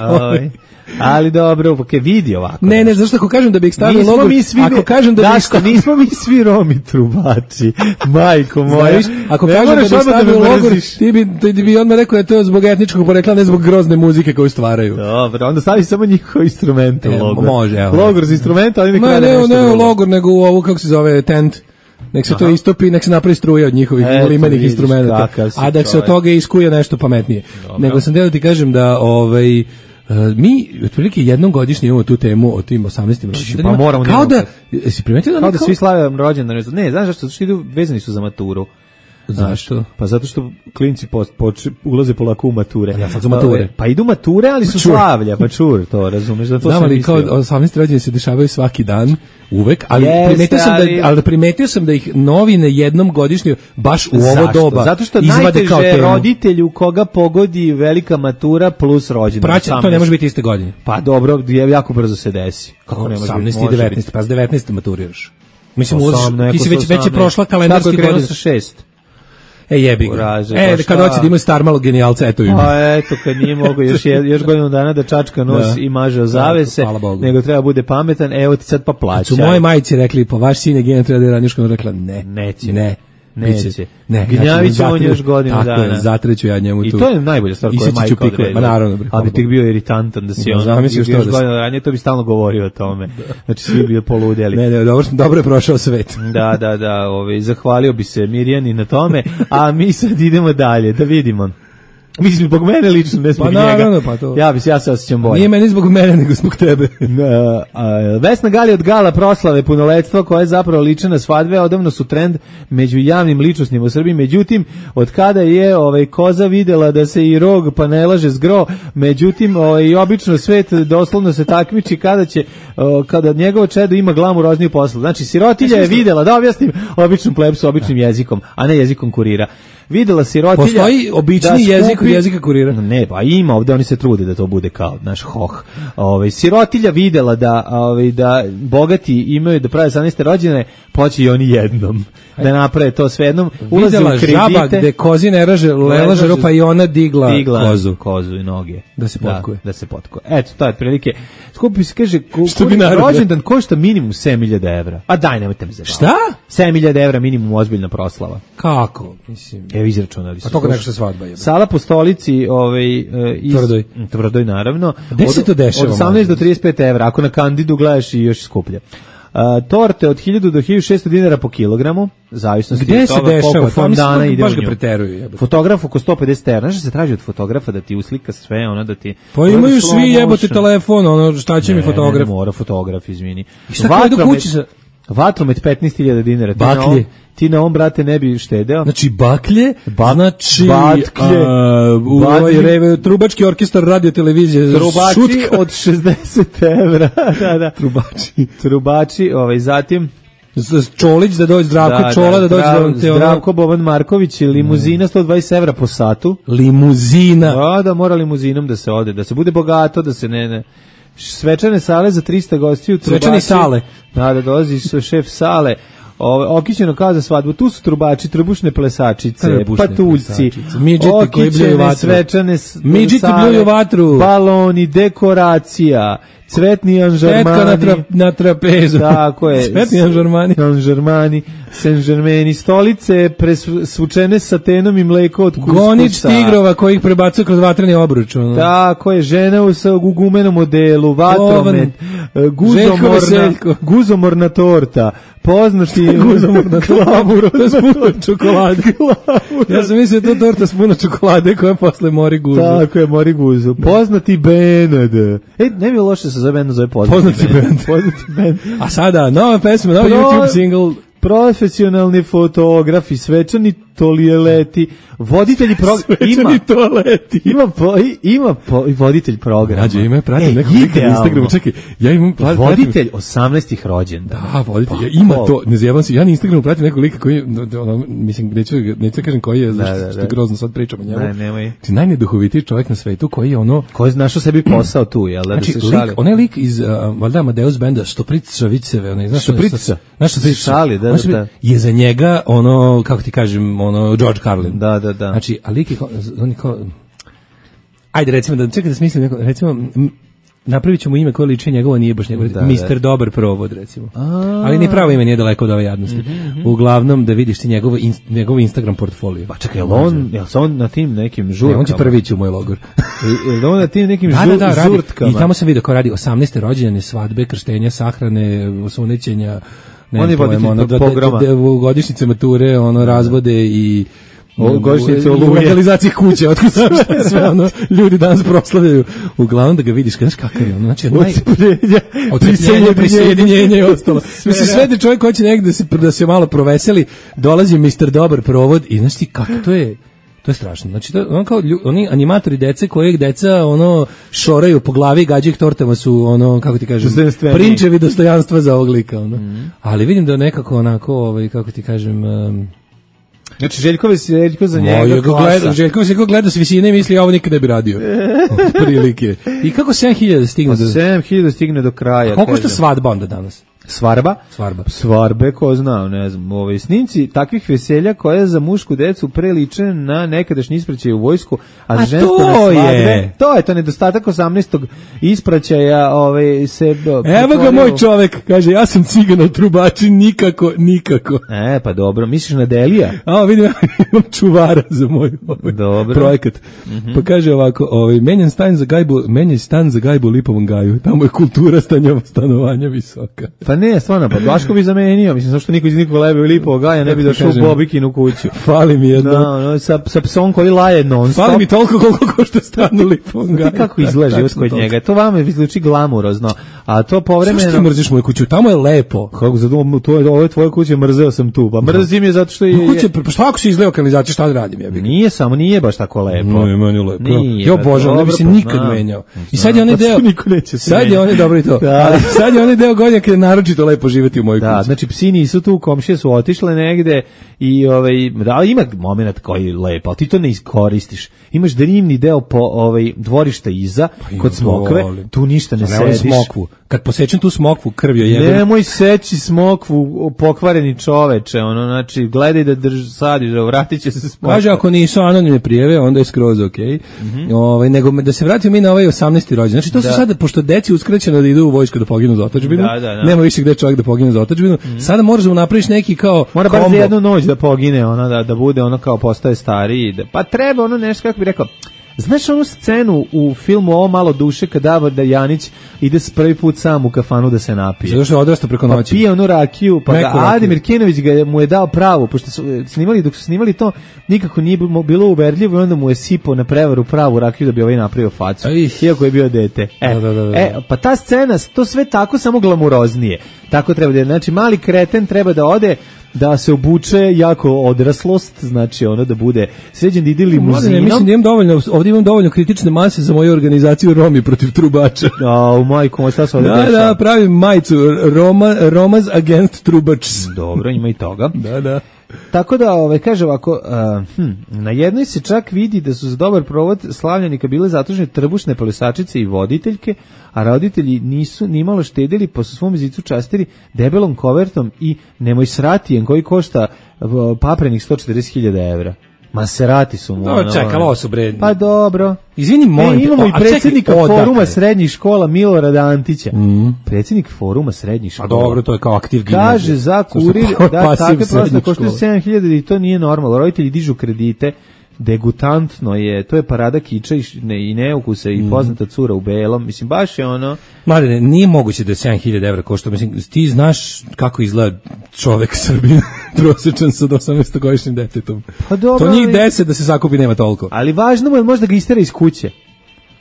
Ali Ali dobro, ok, vidi ovako. Ne, ne, zašto ako kažem da bih stavio logo, ako kažem da bih stavio, nismo mi svi Romi trubači. Majko moja. Ako kažem da bih stavio logo, ti bi ti bi odmah rekao da to je zbog etničkog porekla, ne zbog grozne muzike koju stvaraju. Dobro, onda stavi samo njihov instrument u logo. Može, evo. Logor za instrumente, ali ne ne, ne, ne, logor nego u ovu kako se zove tent. Nek se Aha. to istopi, nek se napravi struja od njihovih limenih instrumenta. A da se od toga iskuje nešto pametnije. Nego sam da ti kažem da ovaj Uh, mi otprilike jednom godišnje imamo tu temu o tim osamnaestim rođendanima. Pa moramo kao da Jesi primetio da kao da svi slave rođendan? Ne, znaš zašto? Zato što idu, vezani su za maturu. Zašto? Pa zato što klinci post, poč, ulaze polako u mature. Ja sad su mature. Pa idu mature, ali su čur. Slavlja, pa čur, to razumeš. Da to znam, ali kao osamnaesti rođendan se dešavaju svaki dan, uvek, ali Jeste, primetio sam ali... da ali primetio sam da ih novine jednom godišnje baš u ovo Zašto? doba zato što izvade kao temu. Roditelju koga pogodi velika matura plus rođendan. Praća, to ne može biti iste godine. Pa dobro, jako brzo se desi. Kako ne može osamnaesti i devetnaesti, pa s devetnaeste maturiraš. Mislim, ti si već, već je prošla kalendarski godina sa šest. E jebi ga. Uraže, e, kad hoće da ima star malo genijalca, eto im. A eto, kad nije mogo još, još godinu dana da čačka nos da. I maže o zavese, nego treba bude pametan, evo ti sad pa plaća. Su moje majice rekli, pa vaš sin je genijalno, treba da je radnjuška, rekla ne, neće, ne. Neće. Ne, gnjavit će on još godinu tako dana. Tako je, zatreću ja njemu tu. I to je najbolja stvar koja je majka odredila. Ma naravno. Bre, ali bi ti bio iritantan da si on još, još godinu dana, to bi stalno govorio o tome. Da. Znači svi bi poludjeli. Ne, ne, dobro, dobro je prošao svet. Da, da, da, ovaj, zahvalio bi se Mirjani na tome, a mi sad idemo dalje, da vidimo. Mislim, zbog mene lično, ne zbog pa, njega. Naravno, pa to. Ja, bi, ja se osjećam bolje. Nije meni zbog mene, nego zbog tebe. Vesna Gali od gala proslave punoletstva, koja je zapravo liče na svadbe, odavno su trend među javnim ličnostima u Srbiji. Međutim, od kada je ovaj, koza videla da se i rog pa ne laže zgro, međutim, ovaj, obično svet doslovno se takmiči kada će, o, kada njegovo čedo ima glamurozniju poslu. Znači, sirotilja je videla, da objasnim, običnom plebsu, običnim jezikom, a ne jezikom kurira. Videla sirotilja. Postoji obični jezik skupi, jezika kurira. Ne, pa ima ovde, oni se trude da to bude kao naš hoh. Ovaj sirotilja videla da ovaj da bogati imaju da prave osamnaeste rođendane, poći i oni jednom. Da naprave to sve jednom. Ulaze u kredite. Žaba gde kozi ne raže, lelaže ropa i ona digla, digla kozu, kozu i noge. Da se potkuje. Da, da se potkuje. Eto, to je otprilike. Skupi se kaže rođendan košta minimum sedam hiljada evra. A daj, nemojte me zabaviti. Šta? sedam hiljada evra minimum ozbiljna proslava. Kako? Mislim. Evo izračunali su. A toga nešto se svadba je. Sala po stolici, ovaj iz Tvrdoj. Tvrdoj naravno. Gde se to dešava? Od osamnaest do trideset pet evra, ako na Kandidu gledaš i još skuplje. Uh, torte od hiljadu do hiljadu šesto dinara po kilogramu, zavisnosti Gde od toga se dešava? koliko fondana ide u baš ga nju. Preteruju. Fotograf oko sto pedeset evra. Znaš da se traži od fotografa da ti uslika sve, ono da ti... Pa imaju svi jebote telefon, ono šta će ne, mi fotograf? Ne, mora fotograf, izvini. I šta kada idu kući sa... Vatromet petnaest hiljada dinara. Baklje. Ti na ovom, brate, ne bi štedeo. Znači, baklje, ba znači, baklje, a, u ovaj reve, trubački orkestar radio televizije. Trubači šutka. od šezdeset evra. da, da. Trubači. Trubači, ovaj, zatim... Čolić da dođe, Zdravko da, Čola da, da dođe. Zdrav, da te Zdravko Boban Marković, limuzina sto dvadeset evra po satu. Limuzina. Da, da, mora limuzinom da se ode, da se bude bogato, da se ne... ne svečane sale za trista gostiju. Svečane sale. Da, da dolazi šef sale. Ove, okićeno kao za svadbu, tu su trubači, trbušne plesačice, trbušne patuljci, midžeti koji bljuju vatru, svečane midžeti bljuju vatru, baloni, dekoracija, cvetni anžarmani, petka na, tra, na trapezu, tako je, cvetni anžarmani, anžarmani, senžermeni, stolice presvučene satenom i mleko od kuskusa, gonič tigrova koji ih prebacuje kroz vatreni obruč, ono. Tako je, žena u, u gumenom modelu, vatromet, guzomorna, guzomorna torta, poznati guzomorna klamuro, to je s puno čokolade. Ja sam mislio to torta s puno čokolade koja posle mori guzu. Tako je, mori guzu. Poznati band. E, ne bi loše se zove band, zove poznati, poznati band. Poznati band. A sada, nova pesma, nova Pro... YouTube single. Profesionalni fotografi, svečani tolijeleti, voditelji programa, ima toaleti. Ima po, ima po, voditelj programa. Mađo, ima pratim nekog lika na Instagramu. Čekaj, ja imam pratim, voditelj osamnaestih rođendana. Da, voditelj. Ja ima to, ne zjebam se, ja na Instagramu pratim nekog lika koji ono, mislim neću neću kažem koji je, zašto da, da, da. grozno sad pričamo o njemu. Ne, nemoj. Ti najneduhovitiji čovjek na svetu koji je ono koji je našao sebi posao tu, jel da, znači, da se šali. Onaj lik iz uh, valjda Amadeus benda Štoprica Viceve, onaj, znaš, Štoprica. Znaš što šali, da, da. Je za njega ono, kako ti kažem, ono George Carlin. Da, da, da. Znači, a lik je kao, on je kao, ajde recimo, da čekaj da smislim neko, recimo, napravit ćemo ime koje liči njegovo, nije baš njegovo, da, mister Da. Dobar provod, recimo. A... Ali ni pravo ime nije daleko od ove jadnosti. Mm-hmm. Uglavnom, da vidiš ti njegovo, in, njegov Instagram portfolio. Pa čekaj, jel on, jel se on na tim nekim žurkama? Ne, on će prvi ići u moj logor. Jel on na tim nekim da, žur, da, da, žurtkama? I tamo sam vidio kao radi osamnaeste rođendane, svadbe, krštenja, sahrane, osunećenja, ne on je pojem, ono, pograma. godišnjice mature, ono, razvode i O, godišnjice Oluje. U legalizaciji kuće, otkud sve ono, ljudi danas proslavljaju. Uglavnom da ga vidiš, znaš kakav je ono, znači, Odsjepljenja, prisjedinjenja i ostalo. Mislim, sve da čovjek hoće negde da se, da se malo proveseli, dolazi mister Dobar provod i znaš ti kako to je, to je strašno. Znači, to, on kao, oni animatori dece kojeg deca ono šoraju po glavi, gađaju ih tortama su ono, kako ti kažem, prinčevi dostojanstva za ovog lika. Ono. Mm. Ali vidim da nekako onako, ovaj, kako ti kažem... Um, Znači, Željko Veseljko za njega Moj, gleda, Željko Veseljko gleda s visine i misli, ovo nikad ne bi radio. Od prilike. I kako sedam hiljada stigne do... sedam hiljada stigne do kraja. A koliko što svadba onda danas? Svarba? Svarba. Svarbe, ko zna, ne znam. Ove snimci takvih veselja koje za mušku decu preliče na nekadašnji ispraćaj u vojsku, a, a žensko na svadbe. Je. To je to nedostatak osamnaestog ispraćaja, ovaj se Evo ga moj čovek, kaže ja sam cigan od trubači, nikako, nikako. E, pa dobro, misliš na Delija? A, vidim, imam čuvara za moj ovaj dobro. Projekat. Mm-hmm. Pa kaže ovako, ovaj menjan stan za gajbu, menjan stan za gajbu u Lipovom gaju. Tamo je kultura stanjova stanovanja visoka. Pa ne, stvarno, pa Daško bi zamenio, mislim, zašto niko iz Nikova Lebe u Lipovog gaja ne bi došao u Bobikinu kuću. Fali mi jedno. No, no, sa, sa psom koji laje non stop. Fali mi toliko koliko košta stan u Lipovom gaju. Kako izgleda život kod njega, to vama izluči glamurozno, a to povremeno... Zašto ti mrziš moju kuću, tamo je lepo. Kako za to je, ovo je tvoja kuća, mrzeo sam tu, pa mrzim je zato što je... Kuće, pa šta ako si izleo kanalizaciju, šta da radim, jebi? Nije samo, nije baš tako lepo. No, je meni lepo. Ja obožavam, ne bi se nikad menjao. I sad je onaj deo... Sad je onaj, dobro i to. Sad je onaj deo godina kada je naročito lepo živeti u mojoj kući. Da, znači psi nisu tu, komšije su otišle negde i ovaj da ima momenat koji je lep, al ti to ne iskoristiš. Imaš drivni deo po ovaj dvorišta iza pa kod Smokve, tu ništa ne sediš. Smokvu. Kad posečem tu Smokvu krvio jebe. Nemoj seći Smokvu, pokvareni čoveče, ono znači gledaj da drž sadiš, da vratiće se Smokva. Kaže ako nisu anonimne prijave, onda je skroz okej. Okay. Mm-hmm. Ovaj nego da se vratimo mi na ovaj osamnaesti rođendan. Znači to da. Su sada pošto deci uskraćeno da idu u vojsku da poginu za otadžbinu. Da, da, da. Nema više gde čovjek da pogine za otadžbinu. Mm-hmm. Sada možeš da napraviš neki kao mora bar za jednu noć da pogine, ona da da bude ono kao postaje stariji, da, pa treba ono nešto kako bi rekao. Znaš onu scenu u filmu Ovo malo duše kad Davor Dajanić ide s prvi put sam u kafanu da se napije. Zato što je odrastao preko noći. Pa pije onu rakiju, pa ga Ademir Kenović ga mu je dao pravu, pošto su snimali, dok su snimali to, nikako nije bilo uverljivo i onda mu je sipao na prevaru pravu rakiju da bi ovaj napravio facu. Iako je bio dete. E, da, da, da, da. E, pa ta scena, to sve tako samo glamuroznije. Tako treba da je, znači mali kreten treba da ode da se obuče jako odraslost, znači ono da bude sređen da ide limuzinom. Mislim da imam dovoljno, ovdje imam dovoljno kritične mase za moju organizaciju Romi protiv trubača. A, u majku, šta se ovdje da, dešava? Da, pravim majicu Roma, Romas against trubačs. Dobro, ima i toga. Da, da. Tako da, ovaj, kaže ovako, uh, hm, na jednoj se čak vidi da su za dobar provod slavljenika bile zatužene trbušne plesačice i voditeljke, a roditelji nisu nimalo štedili, pa su svom zicu častili debelom kovertom i nemoj sratijem koji košta uh, paprenih sto četrdeset hiljada evra. Maserati su mu. No, čekalo ovo su bre. Pa dobro. Izvini, molim. E, imamo i predsjednika foruma srednjih škola Milorada Antića. Mm. Predsjednik foruma srednjih škola. A dobro, to je kao aktiv gimnazija. Kaže za kurir da takve prosto koštaju sedam hiljada i to nije normalno. Roditelji dižu kredite. Degutantno je, to je parada kiča i, ne, i neukusa i poznata cura u belom, mislim, baš je ono... Mladene, nije moguće da je sedam hiljada evra košta, mislim, ti znaš kako izgleda čovek Srbin, prosječan sa osamnaestogodišnjim detetom. Pa dobro, to njih deset da se sakupi nema toliko. Ali važno mu je možda ga istera iz kuće.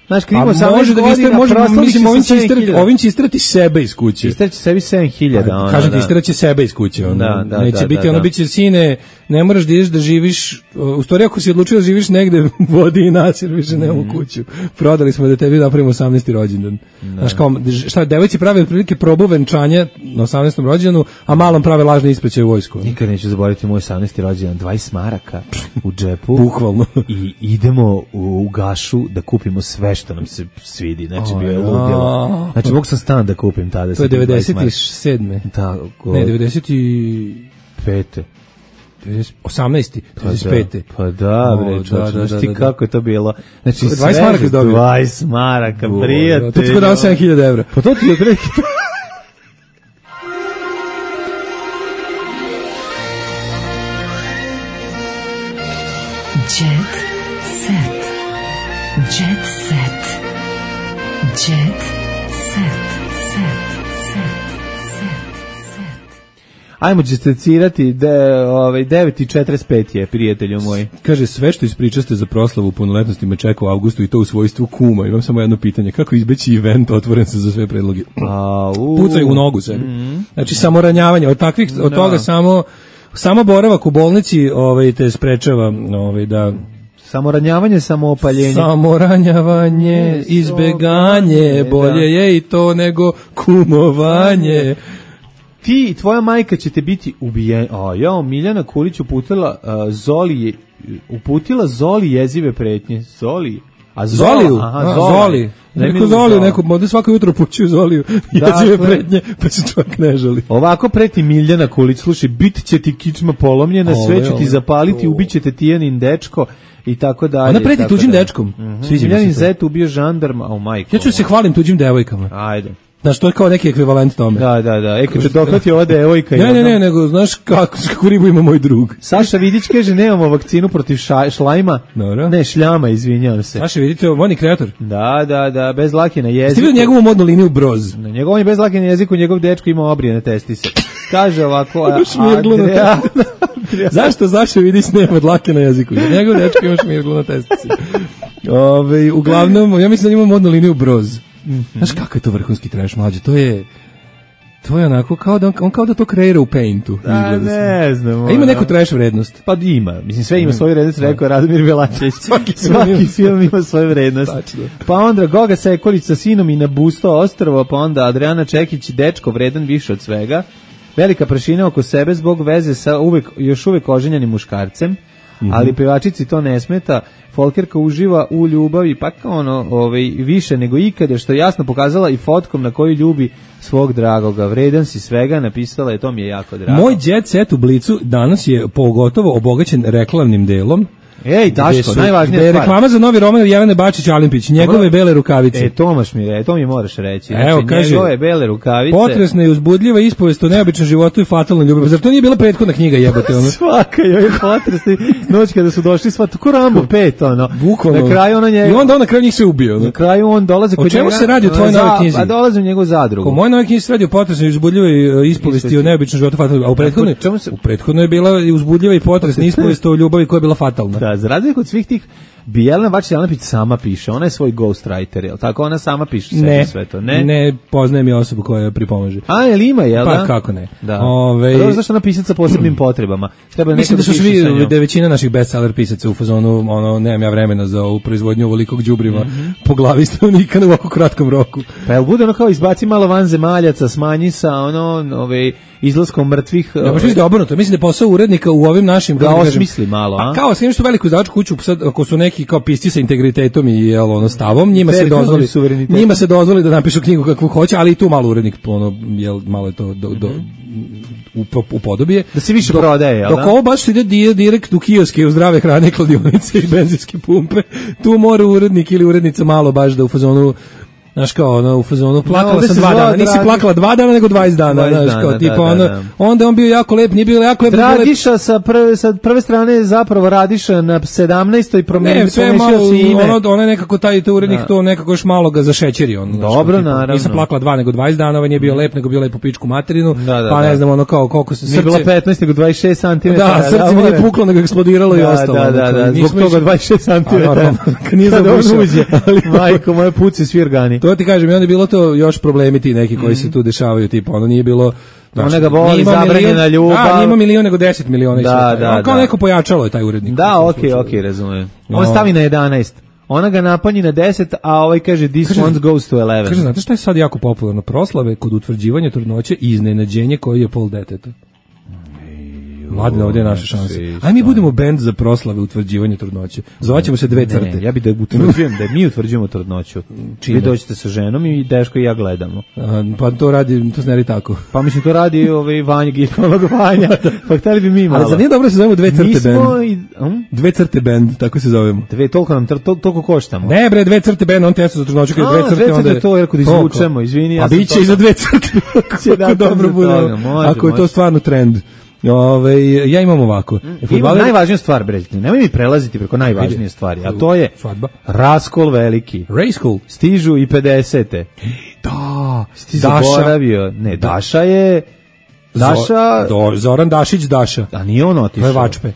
Znaš, kad imamo može da godina, može, mislim, ovim će, istrati, ovim će istrati sebe iz kuće. Istrati sebi sedam hiljada. Kažem ti, istiraće sebe iz kuće. Ono. Da, da, neće da, biti, da, ono, da. Biće, sine, ne moraš da ideš da živiš, u stvari ako si odlučio da živiš negde, vodi i nas, jer više nemamo mm. kuću. Prodali smo da tebi napravimo osamnaesti rođendan. Da. Znaš, kao, šta, devojci prave otprilike probu venčanja na osamnaestom rođendanu, a malom prave lažne ispraćaje u vojsku. Nikad neću zaboraviti moj osamnaesti rođendan, dvadeset maraka u džepu. Bukvalno. I idemo u, u gašu da kupimo sve što nam se svidi, znači bio je ludilo. Znači mogu sam stan da kupim tada. To je devedeset sedme. Da, go... Ne, devedeset pete. osamnaesti, devedeset pete. Pa da, bre, čoč, da, da, ti kako je to bilo. Znači, dvadeset maraka je dobio. dvadeset maraka, prijatelj. To ti ko dao sedam hiljada evra. Pa to ti je odreki. Jet set. Jet set. Jet set. Set. Set. Set. Set. Ajmo distacirati, de, ovaj, devet i četrdeset pet je, prijatelju moj. Kaže, sve što ispričaste za proslavu punoletnosti me čeka u avgustu i to u svojstvu kuma. Imam samo jedno pitanje, kako izbeći event otvoren se za sve predloge? A, u, Pucaju u nogu sebi. Mm, znači, samo ranjavanje, od takvih, od no. toga samo, samo boravak u bolnici ovaj, te sprečava ovaj, da... Samoranjavanje, samoopaljenje. Samoranjavanje, izbeganje, bolje je i to nego kumovanje. Ti i tvoja majka ćete biti ubijeni. A ja, Miljana Kulić uputila uh, Zoli, uputila Zoli jezive pretnje. Zoli? A Zoliju? Aha, a, Zoli. Neko Zoliju, neko, ovdje svako jutro pućuju Zoliju jezive dakle, pretnje, pa se čovjek ne žali. Ovako preti Miljana Kulić, slušaj, bit će ti kičma polomljena, ove, sve ću ti zapaliti, ubit će te Tijanin dečko, i tako dalje. Ona preti tuđim dečkom. Mm-hmm. Miljanin zet ubio žandarma, o majko. Ja ću se hvalim tuđim devojkama. Ajde. Znaš, to je kao neki ekvivalent tome. Da, da, da. E, kad te dohvati ova devojka. Ne, ne, ne, nego, znaš, kako, kako ribu ima moj drug. Saša Vidić kaže, nemamo vakcinu protiv ša, šlajma. Dobro. Ne, šljama, izvinjavam se. Saša Vidić je modni kreator. Da, da, da, bez lake na jeziku. Ste vidio njegovu modnu liniju Broz? Na njegovom je bez lake na jeziku, njegov dečko ima obrijene testise. Kaže ovako, a, Adria... Zašto Saša Vidić nema dlake na jeziku? Njegov dečko ima šmirglu na testise. Ove, uglavnom, ja mislim da ima modnu liniju Broz. Mm-hmm. Znaš kako je to vrhunski trash, mlađe, to je to je onako kao da on, on kao da to kreira u Paintu. A ne znam. A ima neku trash vrednost? Pa ima, mislim sve ima svoju vrednost, rekao Radomir Belačević. Svaki, Svaki film ima svoju vrednost. Tačno. Pa onda Goga Sekolić sa sinom i na Busto ostrvo, pa onda Adriana Čekić, dečko vredan više od svega. Velika prašina oko sebe zbog veze sa uvek, još uvek oženjenim muškarcem. Mm-hmm. Ali pevačici to ne smeta. Folkerka uživa u ljubavi pa ono, ovaj, više nego ikada, što je jasno pokazala i fotkom na koju ljubi svog dragoga. Vredan si svega, napisala je, to mi je jako drago. Moj jet set u Blicu danas je pogotovo obogaćen reklamnim delom. Ej, Daško, najvažnija stvar. Reklama za novi roman Jelene Bačić-Alimpić, njegove Dobro. bele rukavice. E, Tomaš mi re, to mi moraš reći. Znači, Evo, kaže, njegove bele rukavice. Potresna i uzbudljiva ispovest o neobičnom životu i fatalnoj ljubavi. Zar to nije bila prethodna knjiga, jebote? Ono? Svaka je potresna. Noć kada su došli sva, tako Rambo pet, ono. Bukvalno. Na kraju ona njega... I onda on na kraju njih se ubio. Ono. Na kraju on dolaze kod njega... O čemu se radi u tvojoj novoj knjizi? A dolaze u njegovu zadrugu. U mojoj novoj knjizi se radi o potresnoj i uzbudljivoj ispovesti o neobičnom životu i fatalnoj. A u prethodnoj, u prethodnoj je bila uzbudljiva i potresna ispovest o ljubavi koja je bila fatalna. Da, za razliku od svih tih bi Jelena Bačić-Alimpić sama piše, ona je svoj ghostwriter, jel tako? Ona sama piše ne, sve to, ne? Ne, poznajem je osobu koja pripomaže. A, jel ima, jel da? Pa kako ne? Da. Ove... Prvo zašto ona pisac sa posebnim potrebama? Treba Mislim da su svi, da je većina naših bestseller pisaca u fazonu, ono, nemam ja vremena za ovu proizvodnju ovolikog đubriva mm-hmm. po glavi stanovnika na ovako kratkom roku. Pa jel bude ono kao izbaci malo van zemaljaca, smanji sa ono, ove, izlaskom mrtvih... Ja, baš mislim da obrnuto, mislim da je posao urednika u ovim našim... Da osmisli malo, a? A kao, s što veliku izdavačku kuću, sad, ako su neki kao pisci sa integritetom i jel, ono, stavom, njima se dozvoli, njima se dozvoli da napišu knjigu kakvu hoće, ali i tu malo urednik, ono, jel, malo je to do, do, u, u podobije. Da se više prodaje, jel da? Dok ovo baš ide direkt u kioske, u zdrave hrane, kladionice i benzinske pumpe, tu mora urednik ili urednica malo baš da u fazonu... Znaš kao, ono, u fazonu, plakala no, sam dva dana, nisi plakala dva dana, nego dvadeset dana, znaš kao, tipa, da, ono, da, da. Onda on bio jako lep, nije bio jako lep. Radiša sa prve, sa prve strane zapravo Radiša na sedamnaestoj promenio si ime. Ono, ono je nekako, taj, taj urednik, da. To nekako još malo ga zašećeri, on. Dobro, tipa, naravno. Nisam plakala dva, nego dvadeset dana, ovaj nije bio lep, nego bio lep u pičku materinu, da, da, pa ne da. znam, ono, kao, koliko se srce... Nije bilo petnaest, nego dvadeset šest centimetara. Da, srce mi nije puklo, nego eksplodiralo i ostalo. Da, da, da, zbog toga dvadeset šest centimetara. Nije zabušao. Majko, moje puci svi organi. To ti kažem, i onda je bilo to još problemi ti neki koji mm. se tu dešavaju, tipa ono nije bilo ona ga voli, zabranjena ljubav. Da, nije ima milion nego deset miliona. Da, da, on kao da. Neko pojačalo je taj urednik. Da, okej, okay, okej, okay, razumijem. On no. stavi na jedanaest. Ona ga napanji na deset, a ovaj kaže this kaže, one goes to eleven. Kaže, znate šta je sad jako popularno? Proslave kod utvrđivanja trudnoće i iznenađenje koji je pol deteta. Mladine, ovdje je naša šansa. Aj mi budemo bend za proslave utvrđivanja trudnoće. Zvaćemo se dve crte. Ne, ja bih da utvrđujem, da mi utvrđujemo trudnoću. Čime? Vi dođete sa ženom i Deško i ja gledamo. A, pa to radi, to se ne radi tako. Pa mislim, to radi ovaj Vanja, ginekolog Vanja. Pa hteli bi mi malo. Ali za nije dobro se zovemo dve crte mi bend. I, um? Dve crte bend, tako se zovemo. Dve, toliko nam, to, toliko koštamo. Ne bre, dve crte bend, on testo za trudnoću, kada dve crte, dve onda je to, jer kod izvučemo, izvini. Ja a biće i za dve crte, kako dobro bude, ako je to stvarno trend. Ove, ja imam ovako. Imam najvažnija stvar, bre, nemoj mi prelaziti preko najvažnije stvari, a to je svadba. Raskol veliki. Raskol. Stižu i pedesete. Da. Ti zaboravio. Ne, Daša je Daša... Do, Zoran Dašić Daša. A nije on otišao. To je Vačpe.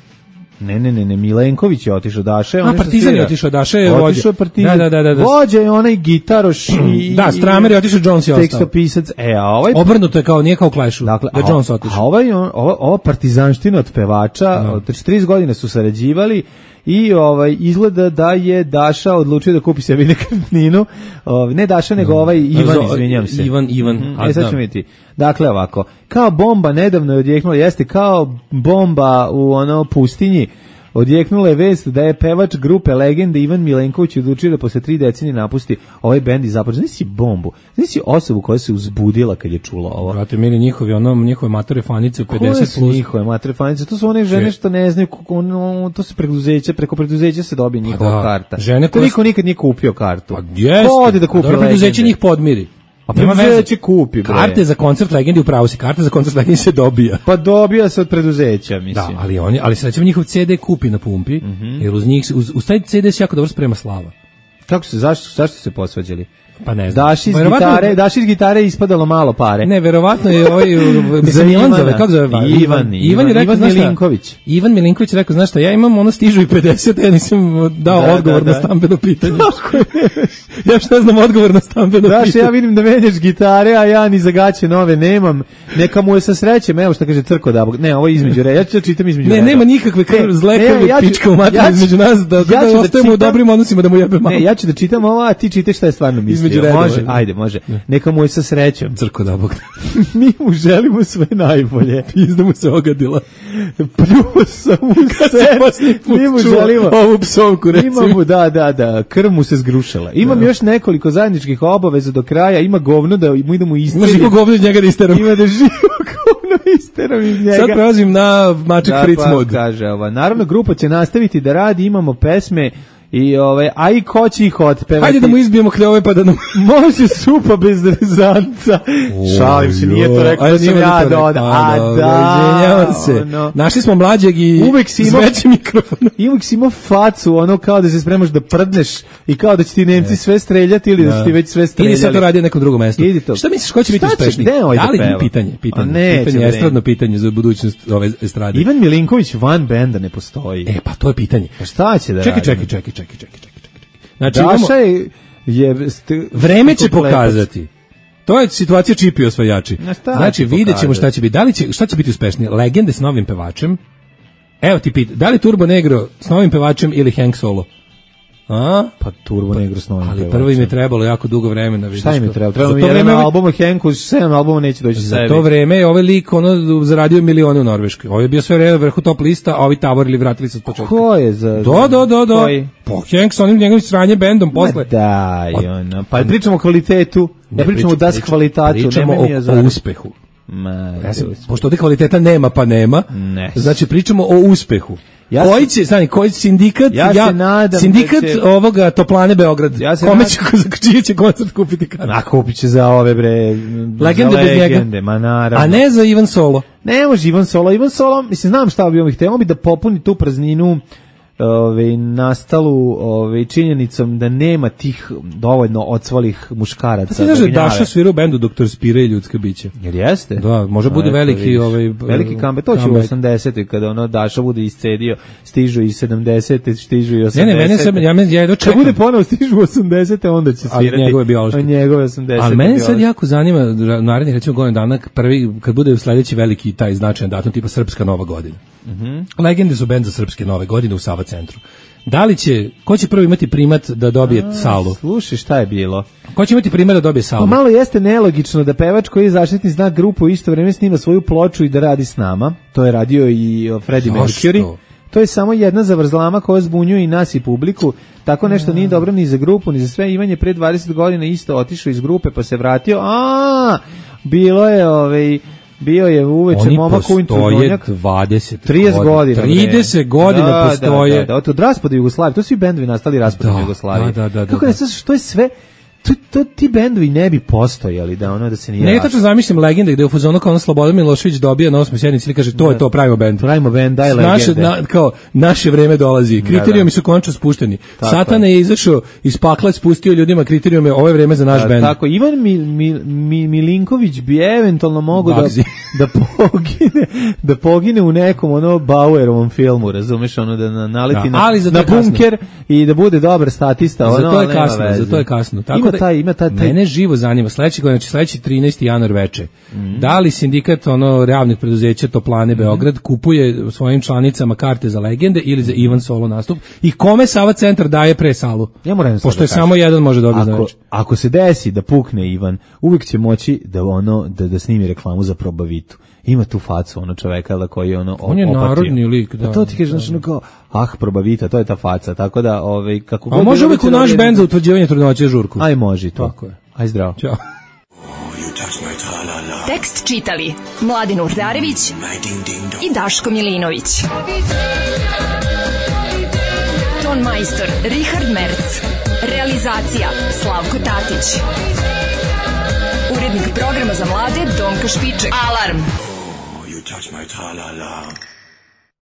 Ne, ne, ne, ne, Milenković je otišao, Daša je... A, Partizan je otišao, Daša je vođa. Otišao je Partizan. Da, da, da, da. Vođa je onaj gitaroš i... Da, Stramer je otišao, Jones je ostao. Tekstopisac, e, a ovaj... Obrnuto je kao, nije kao Clash-u, dakle, da Jones otišao. A ovaj, ova, ova partizanština od pevača, no. od trideset godine su sarađivali i ovaj izgleda da je Daša odlučio da kupi sebi nekretninu. Ovaj ne Daša nego ovaj Ivan, izvinjavam se. Ivan, Ivan. Mm, a sad ćemo vidjeti. Dakle ovako, kao bomba nedavno je odjeknula, jeste kao bomba u ono pustinji. Odjeknula je vest da je pevač grupe Legende Ivan Milenković odlučio da posle tri decenije napusti ovaj bend i započne. Znaš si bombu, znaš si osobu koja se uzbudila kad je čula ovo. Brate, mili njihovi, ono, njihove matore fanice u pedeset plus. Koje su njihove matore fanice? To su one žene što ne znaju, ono, to se preduzeće, preko preduzeća se dobije njihova da, karta. Žene koje... Niko nikad nije kupio kartu. Pa jeste. Ko ode da kupi Legende? Preduzeće njih podmiri. A preduzeće kupi, bre. Karte za koncert Legendi, upravo si, karte za koncert Legendi se dobija. Pa dobija se od preduzeća, mislim. Da, ali oni, ali se recimo njihov ce de kupi na pumpi, mm -hmm. jer uz njih, uz, uz taj ce de se jako dobro sprema slava. Kako se, zašto, zašto se posvađali? Pa ne znam. Daš iz gitare, daš iz gitare ispadalo malo pare. Ne, verovatno je ovaj mislim Ivan zove, kako zove? Ivan, Ivan, Ivan, je rekao, Ivan Milinković. Ivan Milinković je rekao, znaš šta, ja imam ono stižu i pedeset, ja nisam dao da, odgovor da, da. na stambeno pitanje. Ja što ne znam odgovor na stambeno daš, pitanje. Ja vidim da menjaš gitare, a ja ni zagaće nove nemam. Neka mu je sa srećem, evo što kaže Crko da. Ne, ovo je između reda. Ja ću čitam između ne, reda. Ne, nema nikakve krv, zle krvi, ja pička u materiju između nas, da, da, da ostajemo u dobrim odnosima, da mu jebe malo. Ne, ja ću da čitam ovo, a ti čitaj šta je stvarno mislio. Može, ajde, može. Neka mu je sa srećom. Crko da bog. Mi mu želimo sve najbolje. Pizda mu se ogadila. Pljuo sam mu se. Mi mu želimo ovu psovku, recimo. Imamo, da, da, da. Krv mu se zgrušila. Imam da. još nekoliko zajedničkih obaveza do kraja. Ima govno da mu idemo isterim. Ima živo govno iz njega da isteram. Ima da živo govno isteram iz njega. Sad prelazim na Maček da, Fritz pa, mod. Kaže ova. Naravno, grupa će nastaviti da radi. Imamo pesme. I ovaj, a i ko će ih otpevati? Hajde da mu izbijemo kljove pa da nam... Može supa bez rezanca. Šalim se, nije to rekao da sam ja dodao. A da, izvinjavam se. No. Našli smo mlađeg i zveći mikrofon. I uvijek si imao facu, ono kao da se spremaš da prdneš i kao da će ti Nemci sve streljati ili da, da će ti već sve streljali. Ili sad to radi na nekom drugom mestu. Šta misliš, ko će biti uspešniji? Da li je pitanje? Pitanje, ne, pitanje, estradno pitanje za budućnost ove estrade. Ivan Milinković van benda ne postoji. E, pa to je pitanje. Pa šta će da čekaj, čekaj, čekaj, čekaj. Čekaj, čekaj, čekaj. Znači, Daša je, je st, vreme će pokazati. To je situacija čipi osvajači. Znači, vidjet ćemo šta će biti. Da li će, šta će biti uspešnije? Legende s novim pevačem? Evo ti pita, da li Turbo Negro s novim pevačem ili Hank Solo? A? Pa Turbo Negro s novim ali pevačem. prvo im je trebalo jako dugo vremena. Šta im je trebalo? Trebalo mi je jedan album o Hanku, sedam albuma neće doći za sebi. To vreme je ovaj lik ono, zaradio milione u Norveškoj. Ovo je bio sve vreme vrhu top lista, a ovi tavorili vratili se od početka. Ko je za... Do, do, do, do. Po Hank s onim njegovim sranjem bendom posle. Da, ono. Pa pričamo o kvalitetu, ne pričamo o das kvalitatu. Pričamo o, o uspehu. Ma, ja sam, pošto ovdje kvaliteta nema pa nema, ne. Znači pričamo o uspehu. Ja koji će, znači, koji sindikat, ja, ja se nadam sindikat da će, ovoga Toplane Beograd, ja se kome će, za čiji će koncert kupiti kartu? A kupit će za ove, bre, legende bez legende, ma naravno. A ne za Ivan Solo? Ne može Ivan Solo, Ivan Solo, mislim, znam šta bi on htio, bi da popuni tu prazninu, ove, nastalu ove, činjenicom da nema tih dovoljno odsvalih muškaraca. Pa ti znaš da Daša svira u bendu Doktor Spira i ljudska bića? Jer jeste? Da, može bude veliki... Ovaj, veliki comeback, to će u osamdesetih kada ono Daša bude iscedio, stižu i sedamdesete, stižu i osamdesete. Ne, ne, mene sad, ja, men, ja jedno čekam. Kad bude ponovo stižu u osamdesete, onda će svirati. Ali njegove biološke. Njegove osamdesete. Ali mene sad jako zanima, narednih recimo godinu dana, prvi, kad bude sledeći veliki taj značajan datum, tipa Srpska Nova godina. Mm-hmm. Legende su bend za Srpske Nove godine u Sava centru. Da li će, ko će prvo imati primat da dobije A, salu? Slušaj, šta je bilo? Ko će imati primat da dobije salu? Pa malo jeste nelogično da pevač koji je zaštitni znak grupu u isto vrijeme snima svoju ploču i da radi s nama. To je radio i Freddie Mercury. To je samo jedna zavrzlama koja zbunjuje i nas i publiku. Tako nešto nije dobro ni za grupu, ni za sve. Ivan je pre dvadeset godina isto otišao iz grupe pa se vratio. A, bilo je ovaj... Bio je uveče momak u Introdunjak. dvadeset trideset godina. trideset godina da, postoje. Da, da, da. Od raspada Jugoslavije. To su i bendovi nastali raspadom Jugoslavije. Da, da, da. Kako da, je, što je sve... to, to ti bendovi ne bi postojali da ono da se nije. Ne, tačno zamišljam legende gde u fazonu kao ono Slobodan Milošević dobija na osmoj sednici i kaže to je to, pravimo bend. Pravimo bend, daj legende. Naše, na, kao, naše vreme dolazi. Kriterijumi su konačno spušteni. Satan je izašao iz pakla, spustio ljudima kriterijume, ovo je vreme za naš bend. Tako, Ivan Mi, Mi, Mi, Milinković bi eventualno mogao da, da pogine da pogine u nekom ono Bauerovom filmu, razumeš, ono da naleti da, na, na bunker i da bude dobar statista. Ono, za to je kasno, za to je kasno. Tako ima da, taj, ima taj, taj... Mene živo zanima, sledeći godin, znači sledeći trinaesti januar veče, mm. da li sindikat ono javnih preduzeća Toplane mm. Beograd kupuje svojim članicama karte za legende ili za Ivan solo nastup i kome Sava centar daje pre salu? Ja moram pošto da je samo jedan može dobiti ako, ako se desi da pukne Ivan, uvijek će moći da ono da, da snimi reklamu za Probavitu. Ima tu facu ono čoveka da koji ono on je opatio. Narodni lik, da. A to ti kažeš znači ono kao ah Probavita, to je ta faca, tako da ovaj kako god. A može uvijek u naš bend za utvrđivanje trudnoće žurku. Aj može to. Tako je. Aj zdravo. Ćao. Tekst čitali Mladin Urdarević i Daško Milinović. Ton majstor Richard Merc. Realizacija Slavko Tatić. Urednik programa za mlade Donka Špiček. Alarm! Oh, you touch my tra-la-la.